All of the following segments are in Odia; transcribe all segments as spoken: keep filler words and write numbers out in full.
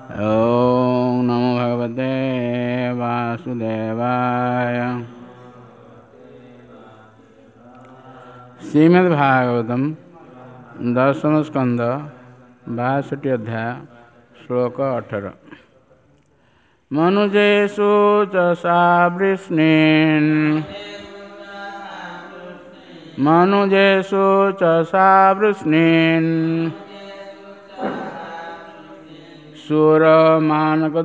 ଓଁ ନମୋ ଭଗବତେ ବାସୁଦେବାୟ। ଶ୍ରୀମଦ୍ ଭାଗବତମ ଦଶମ ସ୍କନ୍ଦ ବାଷଠି ଅଧ୍ୟାୟ ଶ୍ଲୋକ ଅଠର। ମନୁଜେଷୁ ଚ ସାବୃଷ୍ଣୀନ୍ ମନୁଜେଷୁ ଚ ସାବୃଷ୍ଣୀନ୍ ସୁରମାନକଦୁନ୍ଦୁଭିମ୍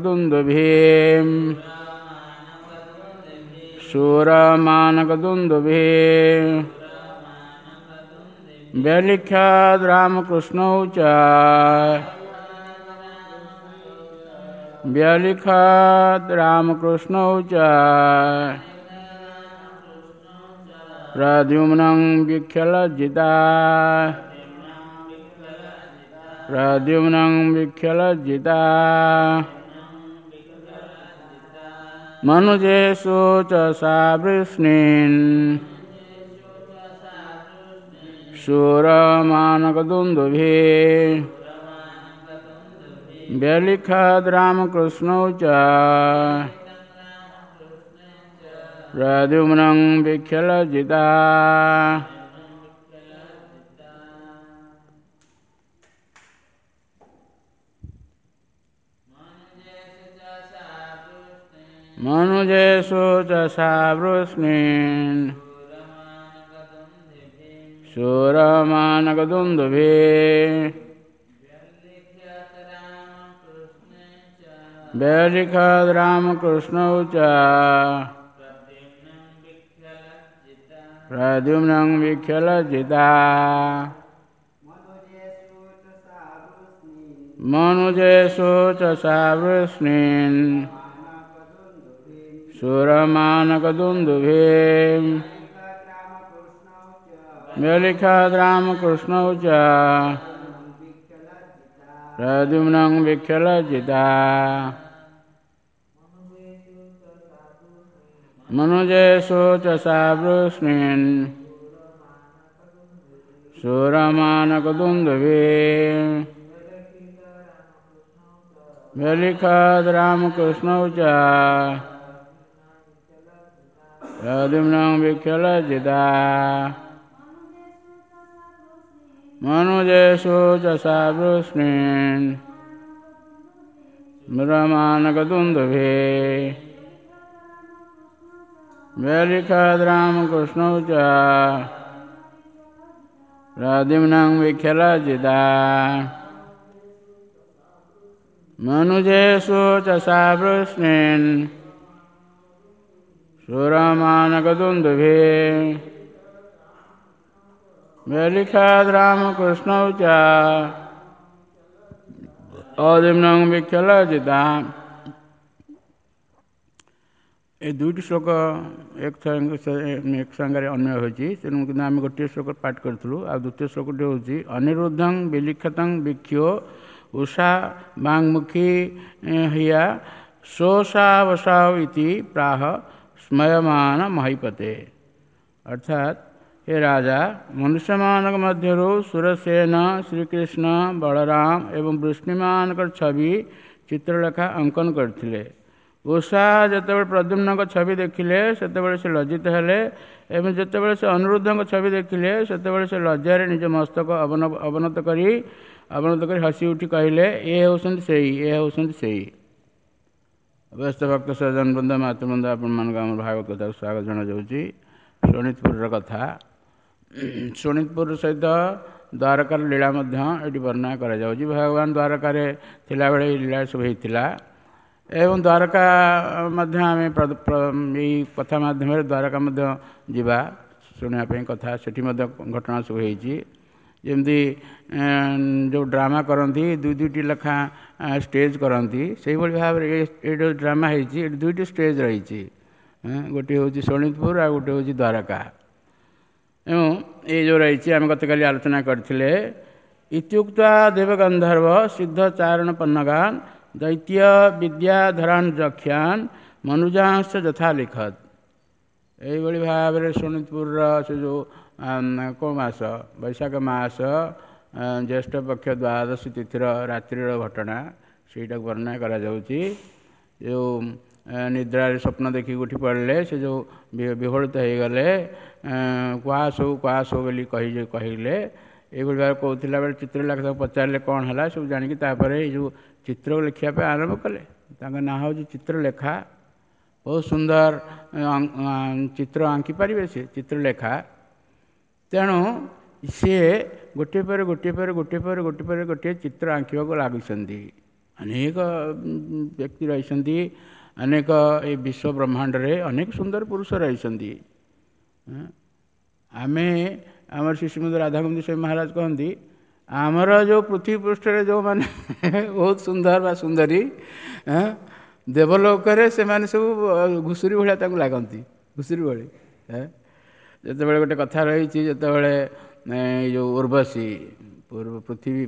ସୁରମାନକଦୁନ୍ଦୁଭିମ୍ ବ୍ୟଲିଖ୍ୟାଦ୍ ରାମକୃଷ୍ଣौ ଚ ବ୍ୟଲିଖାଦ୍ ରାମକୃଷ୍ଣौ ଚ ପ୍ରଦ୍ୟୁମ୍नं ବିକ୍ଷଲଜ୍ଜିତା ପ୍ରଦ୍ୟୁମ୍नं ବିକ୍ଷଲଜ୍ଜିତା। ମନୁଜେଷୁ ଚ ସାବୃଷ୍ଣୀନ୍ ସୁରମାନକଦୁନ୍ଦୁଭିः ବ୍ୟଲିଖାଦ୍ ରାମକୃଷ୍ଣौ ଚ ପ୍ରଦ୍ୟୁମ୍नं ବିକ୍ଷଲଜ୍ଜିତା। ମନୁଜେଷୁ ଚ ସାବୃଷ୍ଣୀନ୍ ସୁରମାନକଦୁନ୍ଦୁଭିः ବ୍ୟଲିଖାଦ୍ ରାମକୃଷ୍ଣौ ଚ ପ୍ରଦ୍ୟୁମ୍नं ବିକ୍ଷଲଜ୍ଜିତା। ମନୁଜେଷୁ ଚ ସାବୃଷ୍ଣୀନ୍ ସୁରମାନକଦୁନ୍ଦୁଭିः ବ୍ୟଲିଖାଦ୍ ରାମକୃଷ୍ଣौ ଚ ପ୍ରଦ୍ୟୁମ୍नं ବିକ୍ଷଲଜ୍ଜିତା। ମନୁଜେଷୁ ଚ ସାବୃଷ୍ଣୀନ୍ ସୁରମାନକଦୁନ୍ଦୁଭିः ବ୍ୟଲିଖାଦ୍ ରାମକୃଷ୍ଣौ ଚ ପ୍ରଦ୍ୟୁମ୍नं ବିକ୍ଷଲଜ୍ଜିତା। ମନୁଜେଷୁ ଚ ସାବୃଷ୍ଣୀନ୍ ସୁରମାନକଦୁନ୍ଦୁଭିः ବ୍ୟଲିଖାଦ୍ ରାମକୃଷ୍ଣौ ଚ ପ୍ରଦ୍ୟୁମ୍नं ବିକ୍ଷଲଜ୍ଜିତା। ମନୁଜେଷୁ ଚ ସାବୃଷ୍ଣୀନ୍ ସୁରମାନକଦୁନ୍ଦୁଭିः ବ୍ୟଲିଖାଦ୍ ରାମକୃଷ୍ଣौ ଚ ଅଦ୍ୟୁମ୍नं ବିକ୍ଷଲଜ୍ଜିତା। ଏ ଦୁଇଟି ଶ୍ଲୋକ ଏକ ଏକ ସାଙ୍ଗରେ ଅନ୍ୱୟ ହୋଇଛି, ତେଣୁ କିନ୍ତୁ ଆମେ ଗୋଟିଏ ଶ୍ଲୋକ ପାଠ କରିଥିଲୁ। ଆଉ ଦ୍ୱିତୀୟ ଶ୍ଲୋକଟି ହେଉଛି ଅନିରୁଦ୍ଧଂ ବିଲିଖତଂ ବିକ୍ଷୋ ଉଷା ବାଙ୍ମୁଖୀ ହିୟା ଶୋଷାବସାଉ ଇତି ପ୍ରାହ ସ୍ମୟମାନ ମହିପତେ। ଅର୍ଥାତ୍ ହେ ରାଜା, ମନୁଷ୍ୟମାନଙ୍କ ମଧ୍ୟରୁ ସୁରସେନ, ଶ୍ରୀକୃଷ୍ଣ, ବଳରାମ ଏବଂ ବୃଷ୍ଣିମାନଙ୍କର ଛବି ଚିତ୍ରଲେଖା ଅଙ୍କନ କରିଥିଲେ। ଉଷା ଯେତେବେଳେ ପ୍ରଦ୍ୟୁମ୍ନଙ୍କ ଛବି ଦେଖିଲେ ସେତେବେଳେ ସେ ଲଜ୍ଜିତ ହେଲେ ଏବଂ ଯେତେବେଳେ ସେ ଅନିରୁଦ୍ଧଙ୍କ ଛବି ଦେଖିଲେ ସେତେବେଳେ ସେ ଲଜ୍ଜାରେ ନିଜ ମସ୍ତକ ଅବନତ କରି ଅବନତ କରି ହସି ଉଠି କହିଲେ, ଏ ହେଉଛନ୍ତି ସେଇ, ଏ ହେଉଛନ୍ତି ସେଇ। ବ୍ୟସ୍ତ ଭକ୍ତ ସଜ୍ଜନ ବୃନ୍ଦ, ମାତୃବୃନ୍ଦ, ଆପଣମାନଙ୍କୁ ଆମର ଭାଗବତ କଥାକୁ ସ୍ୱାଗତ ଜଣାଯାଉଛି। ଶୋଣିତପୁରର କଥା, ଶୋଣିତପୁର ସହିତ ଦ୍ୱାରକାର ଲୀଳା ମଧ୍ୟ ଏଠି ବର୍ଣ୍ଣନା କରାଯାଉଛି। ଭଗବାନ ଦ୍ୱାରକାରେ ଥିଲାବେଳେ ଏହି ଲୀଳା ସବୁ ହେଇଥିଲା ଏବଂ ଦ୍ୱାରକା ମଧ୍ୟ ଆମେ ଏଇ କଥା ମାଧ୍ୟମରେ ଦ୍ୱାରକା ମଧ୍ୟ ଯିବା ଶୁଣିବା ପାଇଁ କଥା। ସେଠି ମଧ୍ୟ ଘଟଣା ସବୁ ହେଇଛି। ଯେମିତି ଯେଉଁ ଡ୍ରାମା କରନ୍ତି ଦୁଇ ଦୁଇଟି ଲେଖା ଷ୍ଟେଜ୍ କରନ୍ତି, ସେଇଭଳି ଭାବରେ ଏ ଯେଉଁ ଡ୍ରାମା ହେଇଛି ଏଠି ଦୁଇଟି ଷ୍ଟେଜ୍ ରହିଛି। ଗୋଟିଏ ହେଉଛି ଶୋଣିତପୁର ଆଉ ଗୋଟିଏ ହେଉଛି ଦ୍ୱାରକା। ଏବଂ ଏଇ ଯେଉଁ ରହିଛି ଆମେ ଗତକାଲି ଆଲୋଚନା କରିଥିଲେ, ଇତ୍ୟୁକ୍ତ୍ୱା ଦେବଗନ୍ଧର୍ବ ସିଦ୍ଧ ଚାରଣ ପନ୍ନଗାନ ଦୈତ୍ୟ ବିଦ୍ୟାଧରାନ୍ ଯକ୍ଷାନ୍ ମନୁଜାଂଶ ଯଥା ଲିଖତ। ଏଇଭଳି ଭାବରେ ଶୋଣିତପୁରର ସେ ଯେଉଁ କେଉଁ ମାସ, ବୈଶାଖ ମାସ ଜ୍ୟେଷ୍ଠ ପକ୍ଷ ଦ୍ୱାଦଶୀ ତିଥିର ରାତ୍ରିର ଘଟଣା। ସେଇଟାକୁ ବର୍ଣ୍ଣନା କରାଯାଉଛି। ଯେଉଁ ନିଦ୍ରାରେ ସ୍ୱପ୍ନ ଦେଖିକି ଉଠି ପଡ଼ିଲେ, ସେ ଯେଉଁ ବିହ୍ୱଳିତ ହେଇଗଲେ, କୁହା ସବୁ କୁହା ସବୁ ବୋଲି କହି କହିଲେ। ଏଇଭଳି ଭାବେ କହୁଥିଲା ବେଳେ ଚିତ୍ରଲେଖା ତାକୁ ପଚାରିଲେ କ'ଣ ହେଲା ସବୁ ଜାଣିକି, ତାପରେ ଏଇ ଯେଉଁ ଚିତ୍ର ଲେଖିବା ପାଇଁ ଆରମ୍ଭ କଲେ। ତାଙ୍କ ନାଁ ହେଉଛି ଚିତ୍ରଲେଖା। ବହୁତ ସୁନ୍ଦର ଚିତ୍ର ଆଙ୍କି ପାରିବେ ସେ ଚିତ୍ରଲେଖା। ତେଣୁ ସିଏ ଗୋଟିଏ ପରେ ଗୋଟିଏ ପରେ ଗୋଟିଏ ପରେ ଗୋଟିଏ ପରେ ଗୋଟିଏ ଚିତ୍ର ଆଙ୍କିବାକୁ ଲାଗୁଛନ୍ତି। ଅନେକ ବ୍ୟକ୍ତି ରହିଛନ୍ତି, ଅନେକ ଏଇ ବିଶ୍ୱ ବ୍ରହ୍ମାଣ୍ଡରେ ଅନେକ ସୁନ୍ଦର ପୁରୁଷ ରହିଛନ୍ତି। ଆମେ ଆମର ଶ୍ରୀ ଶ୍ରୀମଦ ରାଧାଗୋବିନ୍ଦ ସ୍ୱାମୀ ମହାରାଜ କହନ୍ତି, ଆମର ଯେଉଁ ପୃଥିବୀ ପୃଷ୍ଠରେ ଯେଉଁମାନେ ବହୁତ ସୁନ୍ଦର ବା ସୁନ୍ଦରୀ, ଦେବଲୋକରେ ସେମାନେ ସବୁ ଘୁଷୁରୀ ଭଳିଆ ତାଙ୍କୁ ଲାଗନ୍ତି, ଘୁଷୁରୀ ଭଳି। ଯେତେବେଳେ ଗୋଟେ କଥା ରହିଛି, ଯେତେବେଳେ ଏଇ ଯେଉଁ ଉର୍ବଶୀ ପୂର୍ବ ପୃଥିବୀ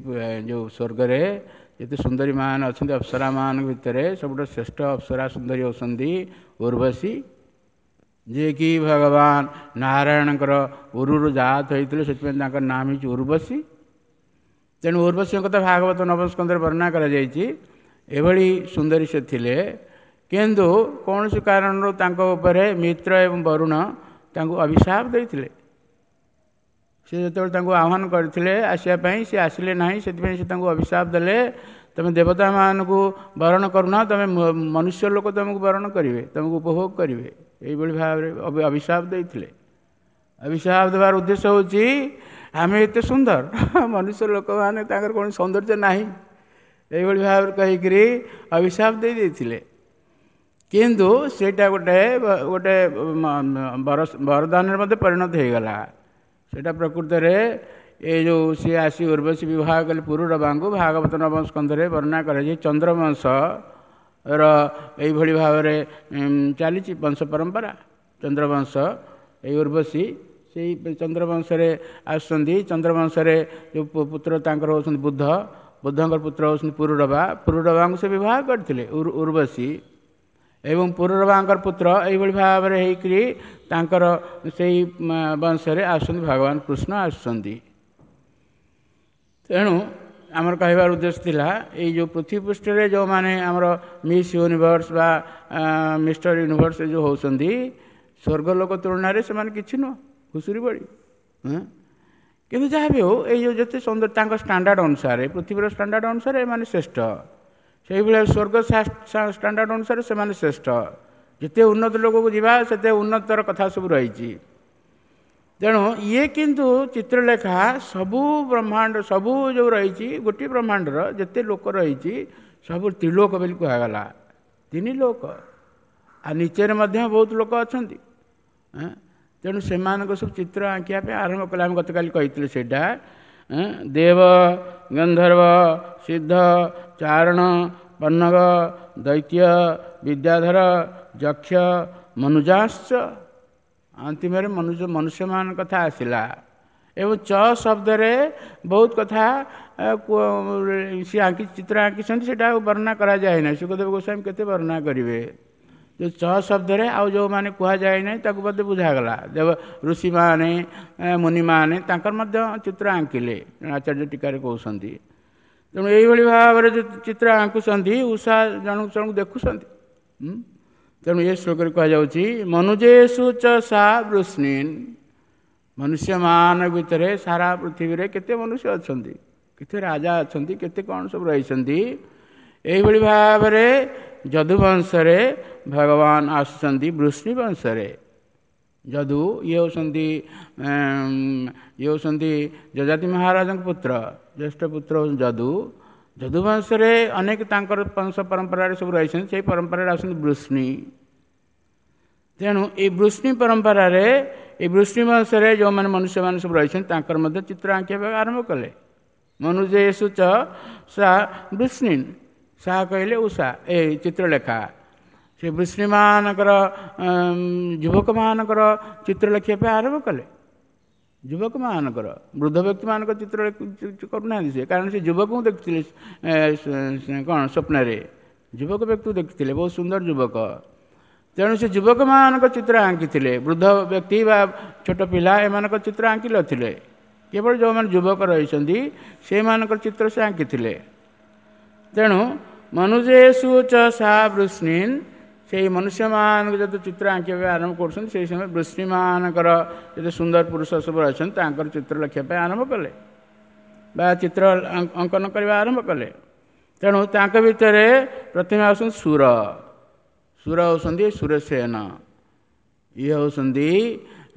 ଯେଉଁ ସ୍ୱର୍ଗରେ ଯେତେ ସୁନ୍ଦରୀ ମାନେ ଅଛନ୍ତି, ଅପ୍ସରା ମାନଙ୍କ ଭିତରେ ସବୁଠୁ ଶ୍ରେଷ୍ଠ ଅପ୍ସରା ସୁନ୍ଦରୀ ହେଉଛନ୍ତି ଉର୍ବଶୀ, ଯିଏକି ଭଗବାନ ନାରାୟଣଙ୍କର ଉରୁରୁ ଜାତ ହୋଇଥିଲେ, ସେଥିପାଇଁ ତାଙ୍କର ନାମ ହେଇଛି ଉର୍ବଶୀ। ତେଣୁ ଉର୍ବଶୀଙ୍କ କଥା ଭାଗବତ ନବସ୍କନ୍ଧରେ ବର୍ଣ୍ଣନା କରାଯାଇଛି। ଏଭଳି ସୁନ୍ଦରୀ ସେ ଥିଲେ, କିନ୍ତୁ କୌଣସି କାରଣରୁ ତାଙ୍କ ଉପରେ ମିତ୍ର ଏବଂ ବରୁଣ ତାଙ୍କୁ ଅଭିଶାପ ଦେଇଥିଲେ। ସେ ଯେତେବେଳେ ତାଙ୍କୁ ଆହ୍ୱାନ କରିଥିଲେ ଆସିବା ପାଇଁ, ସେ ଆସିଲେ ନାହିଁ, ସେଥିପାଇଁ ସେ ତାଙ୍କୁ ଅଭିଶାପ ଦେଲେ, ତୁମେ ଦେବତାମାନଙ୍କୁ ବରଣ କରୁନା, ତୁମେ ମନୁଷ୍ୟ ଲୋକ ତୁମକୁ ବରଣ କରିବେ, ତୁମକୁ ଉପଭୋଗ କରିବେ, ଏଇଭଳି ଭାବରେ ଅଭିଶାପ ଦେଇଥିଲେ। ଅଭିଶାପ ଦେବାର ଉଦ୍ଦେଶ୍ୟ ହେଉଛି ଆମେ ଏତେ ସୁନ୍ଦର, ମନୁଷ୍ୟ ଲୋକମାନେ ତାଙ୍କର କୌଣସି ସୌନ୍ଦର୍ଯ୍ୟ ନାହିଁ, ଏଇଭଳି ଭାବରେ କହିକିରି ଅଭିଶାପ ଦେଇ ଦେଇଥିଲେ। କିନ୍ତୁ ସେଇଟା ଗୋଟେ ଗୋଟେ ବରଦାନରେ ମଧ୍ୟ ପରିଣତ ହେଇଗଲା। ସେଇଟା ପ୍ରକୃତରେ ଏ ଯେଉଁ ସିଏ ଆସି ଉର୍ବଶୀ ବିବାହ କଲେ ପୁରୁରବାଙ୍କୁ, ଭାଗବତ ନବମ ସ୍କନ୍ଧରେ ବର୍ଣ୍ଣନା କରାଯାଇ ଚନ୍ଦ୍ରବଂଶର ଏଇଭଳି ଭାବରେ ଚାଲିଛି ବଂଶ ପରମ୍ପରା। ଚନ୍ଦ୍ରବଂଶ ଏଇ ଉର୍ବଶୀ ସେଇ ଚନ୍ଦ୍ରବଂଶରେ ଆସୁଛନ୍ତି। ଚନ୍ଦ୍ରବଂଶରେ ଯେଉଁ ପୁତ୍ର ତାଙ୍କର ହେଉଛନ୍ତି ବୁଦ୍ଧ, ବୁଦ୍ଧଙ୍କର ପୁତ୍ର ହେଉଛନ୍ତି ପୁରୁରବା। ପୁରୁରବାଙ୍କୁ ସେ ବିବାହ କରିଥିଲେ ଉର୍ବଶୀ, ଏବଂ ପୁରୁରବାଙ୍କର ପୁତ୍ର ଏଇଭଳି ଭାବରେ ହେଇକରି ତାଙ୍କର ସେଇ ବଂଶରେ ଆସୁଛନ୍ତି ଭଗବାନ କୃଷ୍ଣ ଆସୁଛନ୍ତି। ତେଣୁ ଆମର କହିବାର ଉଦ୍ଦେଶ୍ୟ ଥିଲା, ଏଇ ଯେଉଁ ପୃଥିବୀ ପୃଷ୍ଠରେ ଯେଉଁମାନେ ଆମର ମିସ୍ ୟୁନିଭର୍ସ ବା ମିଷ୍ଟର ୟୁନିଭର୍ସ ଯେଉଁ ହେଉଛନ୍ତି, ସ୍ୱର୍ଗ ଲୋକ ତୁଳନାରେ ସେମାନେ କିଛି ନୁହଁ, ଘୁଷୁରୀ ଭଳି। କିନ୍ତୁ ଯାହା ବି ହେଉ, ଏଇ ଯେଉଁ ଯେତେ ସୁନ୍ଦର ତାଙ୍କ ଷ୍ଟାଣ୍ଡାର୍ଡ଼ ଅନୁସାରେ, ପୃଥିବୀର ଷ୍ଟାଣ୍ଡାର୍ଡ଼ ଅନୁସାରେ ଏମାନେ ଶ୍ରେଷ୍ଠ। ସେଇଭଳିଆ ସ୍ୱର୍ଗ ଷ୍ଟାଣ୍ଡାର୍ଡ଼ ଅନୁସାରେ ସେମାନେ ଶ୍ରେଷ୍ଠ। ଯେତେ ଉନ୍ନତ ଲୋକକୁ ଯିବା ସେତେ ଉନ୍ନତର କଥା ସବୁ ରହିଛି। ତେଣୁ ଇଏ କିନ୍ତୁ ଚିତ୍ରଲେଖା ସବୁ ବ୍ରହ୍ମାଣ୍ଡ ସବୁ ଯେଉଁ ରହିଛି, ଗୋଟିଏ ବ୍ରହ୍ମାଣ୍ଡର ଯେତେ ଲୋକ ରହିଛି ସବୁ ତ୍ରିଲୋକ ବୋଲି କୁହାଗଲା, ତିନି ଲୋକ। ଆଉ ନିଚେରେ ମଧ୍ୟ ବହୁତ ଲୋକ ଅଛନ୍ତି। ତେଣୁ ସେମାନଙ୍କ ସବୁ ଚିତ୍ର ଆଙ୍କିବା ପାଇଁ ଆରମ୍ଭ କଲେ। ଆମେ ଗତକାଲି କହିଥିଲେ ସେଇଟା। ଦେବ, ଗନ୍ଧର୍ବ, ସିଦ୍ଧ, ଚାରଣ, ପନ୍ନଗ, ଦୈତ୍ୟ, ବିଦ୍ୟାଧର, ଯକ୍ଷ, ମନୁଜାଶ୍ଚ, ଅନ୍ତିମରେ ମନୁଷ୍ୟ ମନୁଷ୍ୟମାନଙ୍କ କଥା ଆସିଲା। ଏବଂ ଚ ଶବ୍ଦରେ ବହୁତ କଥା ସିଏ ଆଙ୍କି ଚିତ୍ର ଆଙ୍କିଛନ୍ତି, ସେଇଟା ଆଉ ବର୍ଣ୍ଣନା କରାଯାଏ ନାହିଁ। ଶୁକଦେବ ଗୋସ୍ୱାମୀ କେତେ ବର୍ଣ୍ଣନା କରିବେ। ଯେଉଁ ଚ ଶବ୍ଦରେ ଆଉ ଯେଉଁମାନେ କୁହାଯାଏ ନାହିଁ ତାକୁ ମଧ୍ୟ ବୁଝାଗଲା। ଦେବ ଋଷିମାନେ, ମୁନିମାନେ ତାଙ୍କର ମଧ୍ୟ ଚିତ୍ର ଆଙ୍କିଲେ, ଆଚାର୍ଯ୍ୟ ଟୀକାରେ କହୁଛନ୍ତି। ତେଣୁ ଏଇଭଳି ଭାବରେ ଯେଉଁ ଚିତ୍ର ଆଙ୍କୁଛନ୍ତି, ଉଷା ଜଣକୁ ଜଣକୁ ଦେଖୁଛନ୍ତି। ତେଣୁ ଏ ଶ୍ଲୋକରେ କୁହାଯାଉଛି ମନୁଜେଷୁ ଚ ସା ବୃଷ୍ଣିନ୍, ମନୁଷ୍ୟମାନଙ୍କ ଭିତରେ ସାରା ପୃଥିବୀରେ କେତେ ମନୁଷ୍ୟ ଅଛନ୍ତି, କେତେ ରାଜା ଅଛନ୍ତି, କେତେ କ'ଣ ସବୁ ରହିଛନ୍ତି। ଏଇଭଳି ଭାବରେ ଯଦୁବଂଶରେ ଭଗବାନ ଆସୁଛନ୍ତି ବୃଷ୍ଣି ବଂଶରେ। ଯଦୁ ଇଏ ହେଉଛନ୍ତି ଇଏ ହେଉଛନ୍ତି ଯଯାତି ମହାରାଜଙ୍କ ପୁତ୍ର, ଜ୍ୟେଷ୍ଠ ପୁତ୍ର ହେଉଛନ୍ତି ଯଦୁ। ଯଦୁବଂଶରେ ଅନେକ ତାଙ୍କର ବଂଶ ପରମ୍ପରାରେ ସବୁ ରହିଛନ୍ତି, ସେଇ ପରମ୍ପରାରେ ଆସନ୍ତି ବୃଷ୍ଣି। ତେଣୁ ଏଇ ବୃଷ୍ଣି ପରମ୍ପରାରେ ଏଇ ବୃଷ୍ଣି ବଂଶରେ ଯେଉଁମାନେ ମନୁଷ୍ୟମାନେ ସବୁ ରହିଛନ୍ତି ତାଙ୍କର ମଧ୍ୟ ଚିତ୍ର ଆଙ୍କିବା ଆରମ୍ଭ କଲେ। ମନୁଜେଷୁ ଚ ସା ବୃଷ୍ଣିନ୍, ସା କହିଲେ ଉଷା, ଏ ଚିତ୍ରଲେଖା। ସେ ବୃଷ୍ଣିମାନଙ୍କର ଯୁବକମାନଙ୍କର ଚିତ୍ର ଲେଖିବା ପାଇଁ ଆରମ୍ଭ କଲେ। ଯୁବକମାନଙ୍କର, ବୃଦ୍ଧ ବ୍ୟକ୍ତିମାନଙ୍କ ଚିତ୍ର କରୁନାହାନ୍ତି ସେ, କାରଣ ସେ ଯୁବକଙ୍କୁ ଦେଖିଥିଲେ କ'ଣ ସ୍ୱପ୍ନରେ, ଯୁବକ ବ୍ୟକ୍ତିକୁ ଦେଖିଥିଲେ, ବହୁତ ସୁନ୍ଦର ଯୁବକ। ତେଣୁ ସେ ଯୁବକମାନଙ୍କ ଚିତ୍ର ଆଙ୍କିଥିଲେ, ବୃଦ୍ଧ ବ୍ୟକ୍ତି ବା ଛୋଟ ପିଲା ଏମାନଙ୍କ ଚିତ୍ର ଆଙ୍କି ନଥିଲେ। କେବଳ ଯେଉଁମାନେ ଯୁବକ ରହିଛନ୍ତି ସେଇମାନଙ୍କର ଚିତ୍ର ସେ ଆଙ୍କିଥିଲେ। ତେଣୁ ମନୁଜେଷୁ ଚ ସା ବୃଷ୍ଣୀନ୍, ସେଇ ମନୁଷ୍ୟମାନଙ୍କୁ ଯେତେ ଚିତ୍ର ଆଙ୍କିବା ପାଇଁ ଆରମ୍ଭ କରୁଛନ୍ତି, ସେଇ ସମୟରେ ବୃଷ୍ଣୀମାନଙ୍କର ଯେତେ ସୁନ୍ଦର ପୁରୁଷ ସବୁ ରହିଛନ୍ତି ତାଙ୍କର ଚିତ୍ର ଲେଖିବା ପାଇଁ ଆରମ୍ଭ କଲେ ବା ଚିତ୍ର ଅଙ୍କନ କରିବା ଆରମ୍ଭ କଲେ। ତେଣୁ ତାଙ୍କ ଭିତରେ ପ୍ରଥମେ ଆସୁଛନ୍ତି ସୁର। ସୁର ହେଉଛନ୍ତି ସୁରସେନ, ଇଏ ହେଉଛନ୍ତି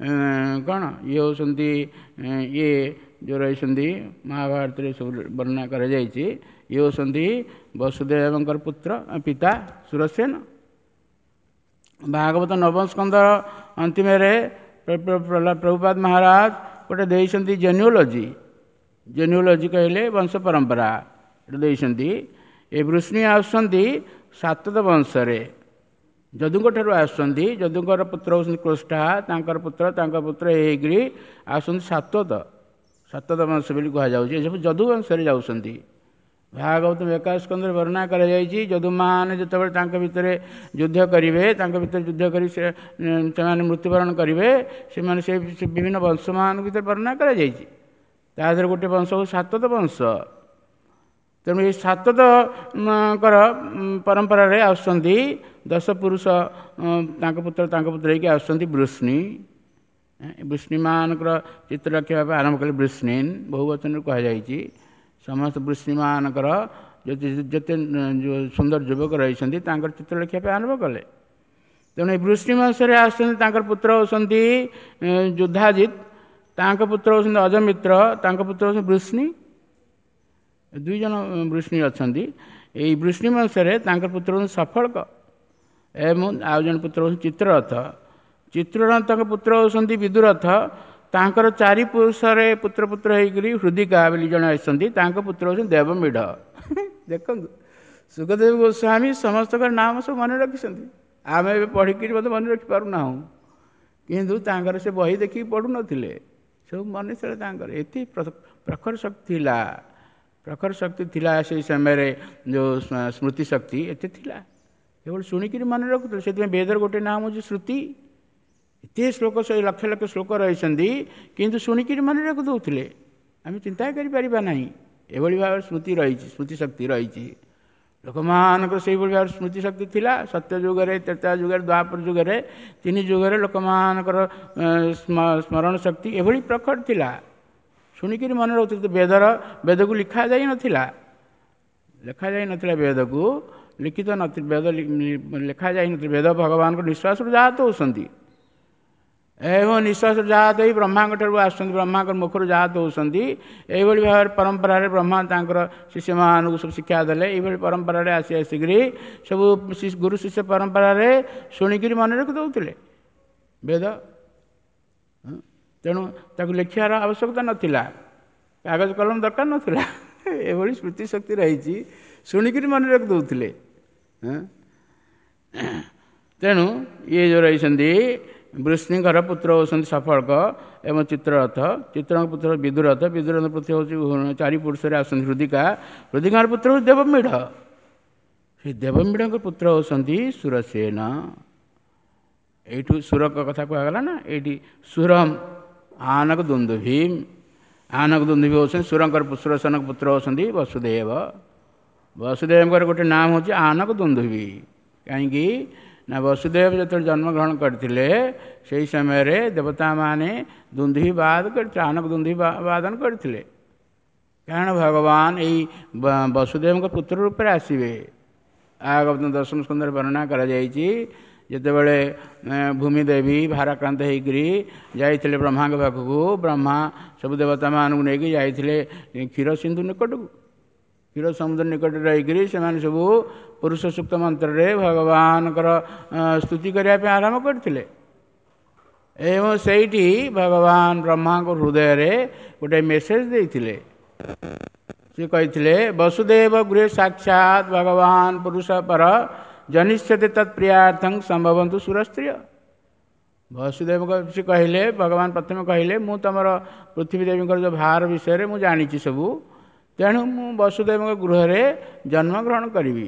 କ'ଣ, ଇଏ ହେଉଛନ୍ତି ଇଏ ଯେଉଁ ରହିଛନ୍ତି ମହାଭାରତରେ ସବୁ ବର୍ଣ୍ଣନା କରାଯାଇଛି, ଇଏ ହେଉଛନ୍ତି ବସୁଦେବଙ୍କର ପୁତ୍ର ପିତା ସୁରସେନ। ଭାଗବତ ନବମ ସ୍କନ୍ଧ ଅନ୍ତିମରେ ପ୍ରଭୁପାଦ ମହାରାଜ ଗୋଟେ ଦେଇଛନ୍ତି ଜେନ୍ୟୁଲୋଜି। ଜେନ୍ୟୁଲୋଜି କହିଲେ ବଂଶ ପରମ୍ପରା ଏଟା ଦେଇଛନ୍ତି। ଏ ବୃଷ୍ଣୀ ଆସୁଛନ୍ତି ସାତତ ବଂଶରେ, ଯଦୁଙ୍କ ଠାରୁ ଆସୁଛନ୍ତି। ଯଦୁଙ୍କର ପୁତ୍ର ହେଉଛନ୍ତି କୃଷ୍ଠା, ତାଙ୍କର ପୁତ୍ର ତାଙ୍କ ପୁତ୍ର ହେଇକରି ଆସୁଛନ୍ତି ସାତ୍ୱତ, ସାତ୍ୱତ ବଂଶ ବୋଲି କୁହାଯାଉଛି। ଏସବୁ ଯଦୁ ବଂଶରେ ଯାଉଛନ୍ତି। ଭାଗବତ ଏକାଦଶ ସ୍କନ୍ଧରେ ବର୍ଣ୍ଣନା କରାଯାଇଛି, ଯଦୁମାନେ ଯେତେବେଳେ ତାଙ୍କ ଭିତରେ ଯୁଦ୍ଧ କରିବେ, ତାଙ୍କ ଭିତରେ ଯୁଦ୍ଧ କରି ସେ ସେମାନେ ମୃତ୍ୟୁବରଣ କରିବେ, ସେମାନେ ସେ ବିଭିନ୍ନ ବଂଶମାନଙ୍କ ଭିତରେ ବର୍ଣ୍ଣନା କରାଯାଇଛି। ତା ଦେହରେ ଗୋଟେ ବଂଶ ହେଉଛି ସାତ୍ୱତ ବଂଶ। ତେଣୁ ଏଇ ସାତ୍ୱତଙ୍କର ପରମ୍ପରାରେ ଆସୁଛନ୍ତି ଦଶ ପୁରୁଷ, ତାଙ୍କ ପୁତ୍ର ତାଙ୍କ ପୁତ୍ର ହେଇକି ଆସୁଛନ୍ତି ବୃଷ୍ଣୀ। ବୃଷ୍ଣୀମାନଙ୍କର ଚିତ୍ର ରଖିବା ପାଇଁ ଆରମ୍ଭ କଲେ ବୃଷ୍ଣୀନ୍, ବହୁ ବଚନରେ କୁହାଯାଇଛି। ସମସ୍ତ ବୃଷ୍ଣୀମାନଙ୍କର ଯେତେ ଯେତେ ସୁନ୍ଦର ଯୁବକ ରହିଛନ୍ତି ତାଙ୍କର ଚିତ୍ର ଲେଖିବା ପାଇଁ ଆରମ୍ଭ କଲେ। ତେଣୁ ଏ ବୃଷ୍ଣୀ ବଂଶରେ ଆସୁଛନ୍ତି, ତାଙ୍କର ପୁତ୍ର ହେଉଛନ୍ତି ଯୁଦ୍ଧାଜିତ, ତାଙ୍କ ପୁତ୍ର ହେଉଛନ୍ତି ଅଜମିତ୍ର, ତାଙ୍କ ପୁତ୍ର ହେଉଛନ୍ତି ବୃଷ୍ଣୀ। ଦୁଇ ଜଣ ବୃଷ୍ଣୀ ଅଛନ୍ତି। ଏଇ ବୃଷ୍ଣୀ ବଂଶରେ ତାଙ୍କ ପୁତ୍ର ହେଉଛନ୍ତି ସଫଳକ ଏବଂ ଆଉ ଜଣେ ପୁତ୍ର ହେଉଛନ୍ତି ଚିତ୍ରରଥ। ଚିତ୍ରରଥଙ୍କ ପୁତ୍ର ହେଉଛନ୍ତି ବିଦୁରଥ। ତାଙ୍କର ଚାରି ପୁରୁଷରେ ପୁତ୍ର ପୁତ୍ର ହେଇକରି ହୃଦିକା ବୋଲି ଜଣେ ଆସିଛନ୍ତି, ତାଙ୍କ ପୁତ୍ର ହେଉଛନ୍ତି ଦେବମୀଢ଼। ଦେଖନ୍ତୁ ସୁଖଦେବ ଗୋସ୍ୱାମୀ ସମସ୍ତଙ୍କର ନାମ ସବୁ ମନେ ରଖିଛନ୍ତି। ଆମେ ଏବେ ପଢ଼ିକିରି ମଧ୍ୟ ମନେ ରଖିପାରୁନାହୁଁ, କିନ୍ତୁ ତାଙ୍କର ସେ ବହି ଦେଖିକି ପଢ଼ୁନଥିଲେ, ସବୁ ମନେ ଥିଲା ତାଙ୍କର। ଏତେ ପ୍ରଖର ଶକ୍ତି ଥିଲା, ପ୍ରଖର ଶକ୍ତି ଥିଲା ସେଇ ସମୟରେ, ଯେଉଁ ସ୍ମୃତି ଶକ୍ତି ଏତେ ଥିଲା, କେବଳ ଶୁଣିକିରି ମନେ ରଖୁଥିଲେ। ସେଥିପାଇଁ ବେଦର ଗୋଟେ ନାମ ହେଉଛି ଶ୍ରୁତି। ଏତେ ଶ୍ଲୋକ, ସେ ଲକ୍ଷ ଲକ୍ଷ ଶ୍ଲୋକ ରହିଛନ୍ତି, କିନ୍ତୁ ଶୁଣିକିରି ମନେ ରଖିଦେଉଥିଲେ। ଆମେ ଚିନ୍ତା କରିପାରିବା ନାହିଁ। ଏଭଳି ଭାବରେ ସ୍ମୃତି ରହିଛି, ସ୍ମୃତି ଶକ୍ତି ରହିଛି। ଲୋକମାନଙ୍କର ସେଇଭଳି ଭାବରେ ସ୍ମୃତି ଶକ୍ତି ଥିଲା। ସତ୍ୟ ଯୁଗରେ, ତ୍ରେତୟା ଯୁଗରେ, ଦ୍ୱାପର ଯୁଗରେ, ତିନି ଯୁଗରେ ଲୋକମାନଙ୍କର ସ୍ମରଣ ଶକ୍ତି ଏଭଳି ପ୍ରଖର ଥିଲା, ଶୁଣିକିରି ମନେ ରହୁଥିଲେ। ବେଦର ବେଦକୁ ଲେଖା ଯାଇନଥିଲା, ଲେଖା ଯାଇନଥିଲା ବେଦକୁ, ଲିଖିତ ନଥିଲା ବେଦ, ଲେଖା ଯାଇନଥିଲା ବେଦ। ଭଗବାନଙ୍କ ନିଶ୍ୱାସରୁ ଜାତ ହେଉଛନ୍ତି ଏବଂ ନିଶ୍ୱାସ ଜାତ ହେଇ ବ୍ରହ୍ମାଙ୍କ ଠାରୁ ଆସୁଛନ୍ତି, ବ୍ରହ୍ମାଙ୍କ ମୁଖରୁ ଜାତ ହେଉଛନ୍ତି। ଏଇଭଳି ଭାବରେ ପରମ୍ପରାରେ ବ୍ରହ୍ମା ତାଙ୍କର ଶିଷ୍ୟମାନଙ୍କୁ ସବୁ ଶିକ୍ଷା ଦେଲେ। ଏଇଭଳି ପରମ୍ପରାରେ ଆସି ଆସିକରି ସବୁ ଗୁରୁ ଶିଷ୍ୟ ପରମ୍ପରାରେ ଶୁଣିକିରି ମନେ ରଖି ଦେଉଥିଲେ ବେଦ। ତେଣୁ ତାକୁ ଲେଖିବାର ଆବଶ୍ୟକତା ନଥିଲା, କାଗଜ କଲମ ଦରକାର ନଥିଲା। ଏଭଳି ସ୍ମୃତି ଶକ୍ତି ରହିଛି, ଶୁଣିକିରି ମନେ ରଖି ଦେଉଥିଲେ। ତେଣୁ ଇଏ ଯେଉଁ ରହିଛନ୍ତି ବୃଷ୍ଣୀଙ୍କର ପୁତ୍ର ହେଉଛନ୍ତି ସଫଳକ ଏବଂ ଚିତ୍ରରଥ, ଚିତ୍ରଙ୍କ ପୁତ୍ର ବିଦୁରଥ, ବିଦୁରଥ ପୁତ୍ର ହେଉଛି ଚାରି ପୁରୁଷରେ ଆସୁଛନ୍ତି ହୃଦିକା, ହୃଦିକାର ପୁତ୍ର ହେଉଛି ଦେବମୀଢ଼। ସେ ଦେବମୀଢ଼ଙ୍କ ପୁତ୍ର ହେଉଛନ୍ତି ସୁରସେନ। ଏଇଠୁ ସୁରଙ୍କ କଥା କୁହାଗଲା ନା, ଏଇଠି ସୁରମ ଆନକ ଦୁନ୍ଦୁଭୀମ, ଆନକ ଦୁନ୍ଦୁଭୀ ହେଉଛନ୍ତି ସୁରଙ୍କର, ସୁରସେନଙ୍କ ପୁତ୍ର ହେଉଛନ୍ତି ବସୁଦେବ। ବସୁଦେବଙ୍କର ଗୋଟେ ନାମ ହେଉଛି ଆନକ ଦୁନ୍ଦୁଭୀ। କାହିଁକି ନା ବସୁଦେବ ଯେତେବେଳେ ଜନ୍ମଗ୍ରହଣ କରିଥିଲେ ସେହି ସମୟରେ ଦେବତାମାନେ ଦୁନ୍ଦୁଭି ବାଦ କରିଥିଲେ, ଆନକ ଦୁନ୍ଦୁଭି ବାଦନ କରିଥିଲେ। କାରଣ ଭଗବାନ ଏଇ ବସୁଦେବଙ୍କ ପୁତ୍ର ରୂପରେ ଆସିବେ। ଭାଗବତ ଦଶମ ସ୍କନ୍ଧରେ ବର୍ଣ୍ଣନା କରାଯାଇଛି, ଯେତେବେଳେ ଭୂମିଦେବୀ ଭାରାକ୍ରାନ୍ତ ହେଇକରି ଯାଇଥିଲେ ବ୍ରହ୍ମାଙ୍କ ପାଖକୁ, ବ୍ରହ୍ମା ସବୁ ଦେବତାମାନଙ୍କୁ ନେଇକି ଯାଇଥିଲେ କ୍ଷୀର ସିନ୍ଧୁ ନିକଟକୁ। କ୍ଷୀର ସମୁଦ୍ର ନିକଟରେ ରହିକରି ସେମାନେ ସବୁ ପୁରୁଷ ସୂକ୍ତ ମନ୍ତ୍ରରେ ଭଗବାନଙ୍କର ସ୍ତୁତି କରିବା ପାଇଁ ଆରମ୍ଭ କରିଥିଲେ। ଏବଂ ସେଇଠି ଭଗବାନ ବ୍ରହ୍ମାଙ୍କ ହୃଦୟରେ ଗୋଟେ ମେସେଜ ଦେଇଥିଲେ। ସେ କହିଥିଲେ, ବସୁଦେବ ଗୃହେ ସାକ୍ଷାତ ଭଗବାନ ପୁରୁଷ ପର ଜନିଷ୍ୟତେ ତତ୍ ପ୍ରିୟାର୍ଥଂ ସମ୍ଭବନ୍ତୁ ସୁରସ୍ତ୍ରିୟ। ବସୁଦେବଙ୍କ ସେ କହିଲେ, ଭଗବାନ ପ୍ରଥମେ କହିଲେ, ମୁଁ ତୁମର ପୃଥିବୀ ଦେବୀଙ୍କର ଯେଉଁ ଭାର ବିଷୟରେ ମୁଁ ଜାଣିଛି ସବୁ, ତେଣୁ ମୁଁ ବସୁଦେବଙ୍କ ଗୃହରେ ଜନ୍ମଗ୍ରହଣ କରିବି।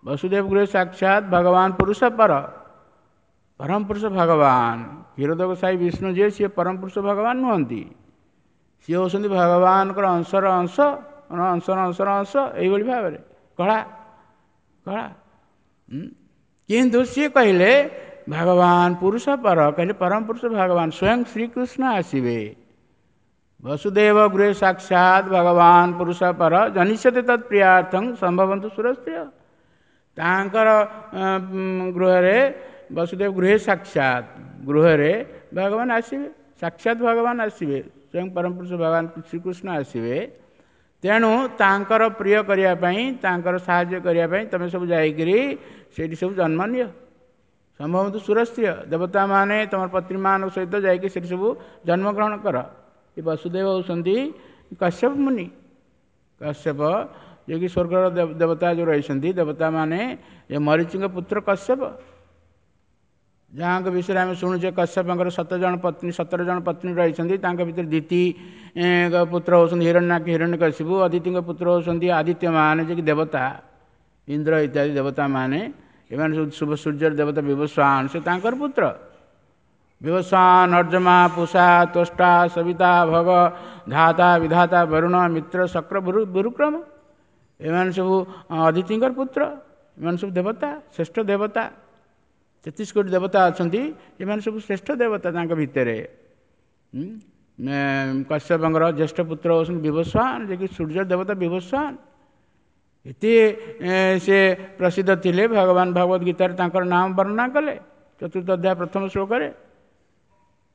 ବସୁଦେବ ଗୃହେ ସାକ୍ଷାତ ଭଗବାନ ପୁରୁଷ ପର, ପରମ ପୁରୁଷ ଭଗବାନ। କ୍ଷୀରୋଦକଶାୟୀ ବିଷ୍ଣୁ ଯିଏ, ସିଏ ପରମ ପୁରୁଷ ଭଗବାନ ନୁହନ୍ତି, ସିଏ ହେଉଛନ୍ତି ଭଗବାନଙ୍କର ଅଂଶର ଅଂଶ, ଅଂଶର ଅଂଶର ଅଂଶ, ଏଇଭଳି ଭାବରେ କଳା। କଳା। କିନ୍ତୁ ସିଏ କହିଲେ ଭଗବାନ ପୁରୁଷ ପର, କହିଲେ ପରମ ପୁରୁଷ ଭଗବାନ ସ୍ୱୟଂ ଶ୍ରୀକୃଷ୍ଣ ଆସିବେ। ବସୁଦେବ ଗୃହେ ସାକ୍ଷାତ ଭଗବାନ ପୁରୁଷ ପର ଜନିଷ୍ୟତେ ତତ୍ ପ୍ରିୟାର୍ଥଂ ସମ୍ଭବନ୍ତୁ ସୁରସ୍ତ୍ରିୟ। ତାଙ୍କର ଗୃହରେ, ବସୁଦେବ ଗୃହେ ସାକ୍ଷାତ, ଗୃହରେ ଭଗବାନ ଆସିବେ, ସାକ୍ଷାତ ଭଗବାନ ଆସିବେ, ସ୍ୱୟଂ ପରମ ପୁରୁଷ ଭଗବାନ ଶ୍ରୀକୃଷ୍ଣ ଆସିବେ। ତେଣୁ ତାଙ୍କର ପ୍ରିୟ କରିବା ପାଇଁ, ତାଙ୍କର ସାହାଯ୍ୟ କରିବା ପାଇଁ ତୁମେ ସବୁ ଯାଇକରି ସେଇଠି ସବୁ ଜନ୍ମ ନିଅ। ସମ୍ଭବନ୍ତୁ ସୁରସ୍ତ୍ରିୟ, ଦେବତାମାନେ ତୁମର ପତ୍ନୀମାନଙ୍କ ସହିତ ଯାଇକି ସେଠି ସବୁ ଜନ୍ମଗ୍ରହଣ କର। ଏ ବସୁଦେବ ହେଉଛନ୍ତି କଶ୍ୟପ ମୁନି। କଶ୍ୟପ ଯିଏକି ସ୍ୱର୍ଗର ଦେବତା ଯେଉଁ ରହିଛନ୍ତି, ଦେବତାମାନେ, ଏ ମରୀଚିଙ୍କ ପୁତ୍ର କଶ୍ୟପ, ଯାହାଙ୍କ ବିଷୟରେ ଆମେ ଶୁଣୁଛେ କଶ୍ୟପଙ୍କର ସତର ଜଣ ପତ୍ନୀ, ସତର ଜଣ ପତ୍ନୀ ରହିଛନ୍ତି। ତାଙ୍କ ଭିତରେ ଦିତି ପୁତ୍ର ହେଉଛନ୍ତି ହିରଣ୍ୟାକ୍ଷ, ହିରଣ୍ୟକଶିପୁ। ଅଦିତିଙ୍କ ପୁତ୍ର ହେଉଛନ୍ତି ଆଦିତ୍ୟମାନେ, ଯିଏକି ଦେବତା, ଇନ୍ଦ୍ର ଇତ୍ୟାଦି ଦେବତାମାନେ। ଏମାନେ ସବୁ ଶୁଭ ସୂର୍ଯ୍ୟର ଦେବତା ବିବସ୍ୱାନ, ସେ ତାଙ୍କର ପୁତ୍ର। ବିବସ୍ୱାନ, ଅର୍ଜମା, ପୁଷା, ତୋଷ୍ଟା, ସବିତା, ଭଗ, ଧାତା, ବିଧାତା, ବରୁଣ, ମିତ୍ର, ଶକ୍ର, ଗୁରୁକ୍ରମ, ଏମାନେ ସବୁ ଅଦିତିଙ୍କର ପୁତ୍ର। ଏମାନେ ସବୁ ଦେବତା, ଶ୍ରେଷ୍ଠ ଦେବତା। ତେତିଶ କୋଟି ଦେବତା ଅଛନ୍ତି, ଏମାନେ ସବୁ ଶ୍ରେଷ୍ଠ ଦେବତା ତାଙ୍କ ଭିତରେ। କଶ୍ୟପଙ୍କର ଜ୍ୟେଷ୍ଠ ପୁତ୍ର ହେଉଛନ୍ତି ବିବସ୍ୱାନ, ଯିଏକି ସୂର୍ଯ୍ୟ ଦେବତା ବିବସ୍ୱାନ। ଏତେ ସେ ପ୍ରସିଦ୍ଧ ଥିଲେ। ଭଗବାନ ଭଗବତ ଗୀତାରେ ତାଙ୍କର ନାମ ବର୍ଣ୍ଣନା କଲେ ଚତୁର୍ଥ ଅଧ୍ୟାୟ ପ୍ରଥମ ଶ୍ଲୋକରେ।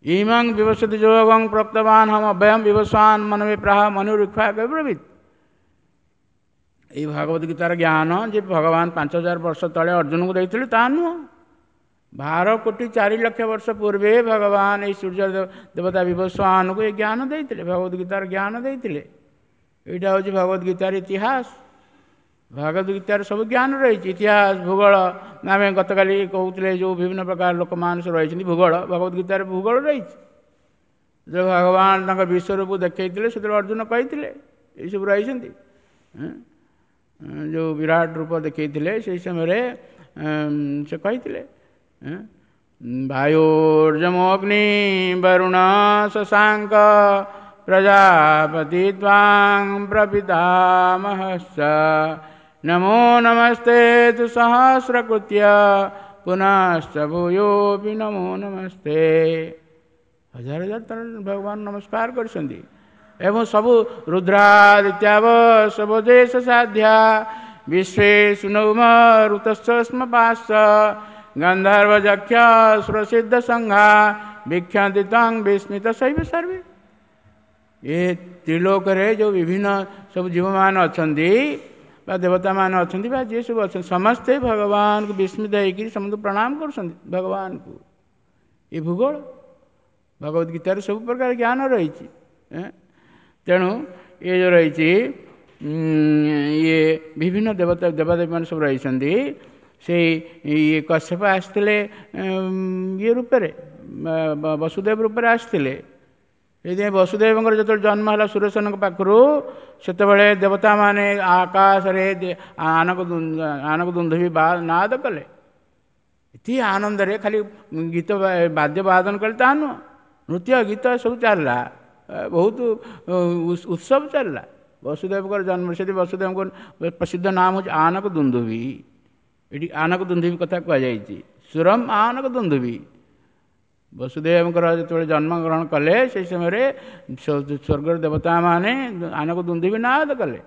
ଇମଂ ବିବସ୍ୱତି ଯୋଗଂ ପ୍ରୋକ୍ତବାନ ହମ ଅଭୟಂ ବିବସ୍ୱାନ ମନବେ ପ୍ରାହ ମନୁରିକ୍ଷ୍ୱାକବ୍ରବୀତ୍। ଏଇ ଭଗବତ ଗୀତାର ଜ୍ଞାନ ଯେ ଭଗବାନ ପାଞ୍ଚ ହଜାର ବର୍ଷ ତଳେ ଅର୍ଜୁନଙ୍କୁ ଦେଇଥିଲେ ତାହା ନୁହଁ। ବାର କୋଟି ଚାରି ଲକ୍ଷ ବର୍ଷ ପୂର୍ବେ ଭଗବାନ ଏଇ ସୂର୍ଯ୍ୟ ଦେବତା ବିବସ୍ୱାନଙ୍କୁ ଏ ଜ୍ଞାନ ଦେଇଥିଲେ, ଭଗବତ ଗୀତାର ଜ୍ଞାନ ଦେଇଥିଲେ। ଏଇଟା ହେଉଛି ଭଗବତ ଗୀତାର ଇତିହାସ। ଭଗବତ ଗୀତାର ସବୁ ଜ୍ଞାନ ରହିଛି, ଇତିହାସ, ଭୂଗୋଳ। ଆମେ ଗତକାଲି କହୁଥିଲେ ଯେଉଁ ବିଭିନ୍ନ ପ୍ରକାର ଲୋକମାନେ ସବୁ ରହିଛନ୍ତି, ଭୂଗୋଳ, ଭଗବତ ଗୀତାରେ ଭୂଗୋଳ ରହିଛି। ଯେତେବେଳେ ଭଗବାନ ତାଙ୍କ ବିଶ୍ୱରୂପ ଦେଖେଇଥିଲେ, ସେତେବେଳେ ଅର୍ଜୁନ କହିଥିଲେ ଏଇସବୁ ରହିଛନ୍ତି। ଯେଉଁ ବିରାଟ ରୂପ ଦେଖେଇଥିଲେ ସେଇ ସମୟରେ ସେ କହିଥିଲେ ବାୟୁର୍ଯମୋଗ୍ନି ବରୁଣ ଶଶାଙ୍କ ପ୍ରଜାପତି ତ୍ୱାଂ ପ୍ରପିତାମହଶ୍ଚ ନମୋ ନମସ୍ତେ ତୁ ସହସ୍ରକୃତ୍ୟ ପୁନଶ୍ଚ ଭୂୟୋପି ନମୋ ନମସ୍ତେ। ହଜାର ହଜାର ଥର ଭଗବାନ ନମସ୍କାର କରିଛନ୍ତି। ଏବଂ ସବୁ ରୁଦ୍ରାଦିତ୍ୟାବ ସବଦେଶ ସାଧ୍ୟା ବିଶ୍ୱେ ସୁନୌମ ଋତସ୍ମ ପାଶ ଗନ୍ଧର୍ବ ଯକ୍ଷ ସୁରସିଦ୍ଧ ସଂଘା ବିକ୍ଷନ୍ତି ତଂ ବିସ୍ମିତ ଶୈବ ସର୍ବେ। ଏ ତ୍ରିଲୋକରେ ଯେଉଁ ବିଭିନ୍ନ ସବୁ ଜୀବମାନେ ଅଛନ୍ତି ବା ଦେବତାମାନେ ଅଛନ୍ତି ବା ଯିଏ ସବୁ ଅଛନ୍ତି, ସମସ୍ତେ ଭଗବାନଙ୍କୁ ବିସ୍ମିତ ହେଇକରି ସମସ୍ତଙ୍କୁ ପ୍ରଣାମ କରୁଛନ୍ତି ଭଗବାନଙ୍କୁ। ଏ ଭୂଗୋଳ, ଭଗବତ ଗୀତାରେ ସବୁ ପ୍ରକାର ଜ୍ଞାନ ରହିଛି। ତେଣୁ ଏ ଯେଉଁ ରହିଛି ଇଏ ବିଭିନ୍ନ ଦେବତା ଦେବାଦେବୀମାନେ ସବୁ ରହିଛନ୍ତି। ସେଇ ଇଏ କଶ୍ୟପ ଆସିଥିଲେ ଇଏ ରୂପରେ, ବସୁଦେବ ରୂପରେ ଆସିଥିଲେ। ସେଇଥିପାଇଁ ବସୁଦେବଙ୍କର ଯେତେବେଳେ ଜନ୍ମ ହେଲା ସୁରେଶନଙ୍କ ପାଖରୁ, ସେତେବେଳେ ଦେବତାମାନେ ଆକାଶରେ ଆନକ ଆନକ ଦୁନ୍ଧୁବି ନାଦ କଲେ। ଏତେ ଆନନ୍ଦରେ ଖାଲି ଗୀତ ବାଦ୍ୟ ବାଦନ କଲେ ତାହା ନୁହଁ, ନୃତ୍ୟ ଗୀତ ସବୁ ଚାଲିଲା, ବହୁତ ଉତ୍ସବ ଚାଲିଲା ବସୁଦେବଙ୍କର ଜନ୍ମ। ସେଠି ବସୁଦେବଙ୍କ ପ୍ରସିଦ୍ଧ ନାମ ହେଉଛି ଆନକ ଦୁନ୍ଧୁବି। ଏଠି ଆନକ ଦୁନ୍ଧୁବି କଥା କୁହାଯାଇଛି, ସୁରମ ଆନକ ଦୁନ୍ଧୁବି। ବସୁଦେବଙ୍କର ଯେତେବେଳେ ଜନ୍ମଗ୍ରହଣ କଲେ ସେହି ସମୟରେ ସ୍ୱର୍ଗର ଦେବତାମାନେ ଆନକ ଦୁନ୍ଧୁବି ନାଦ କଲେ।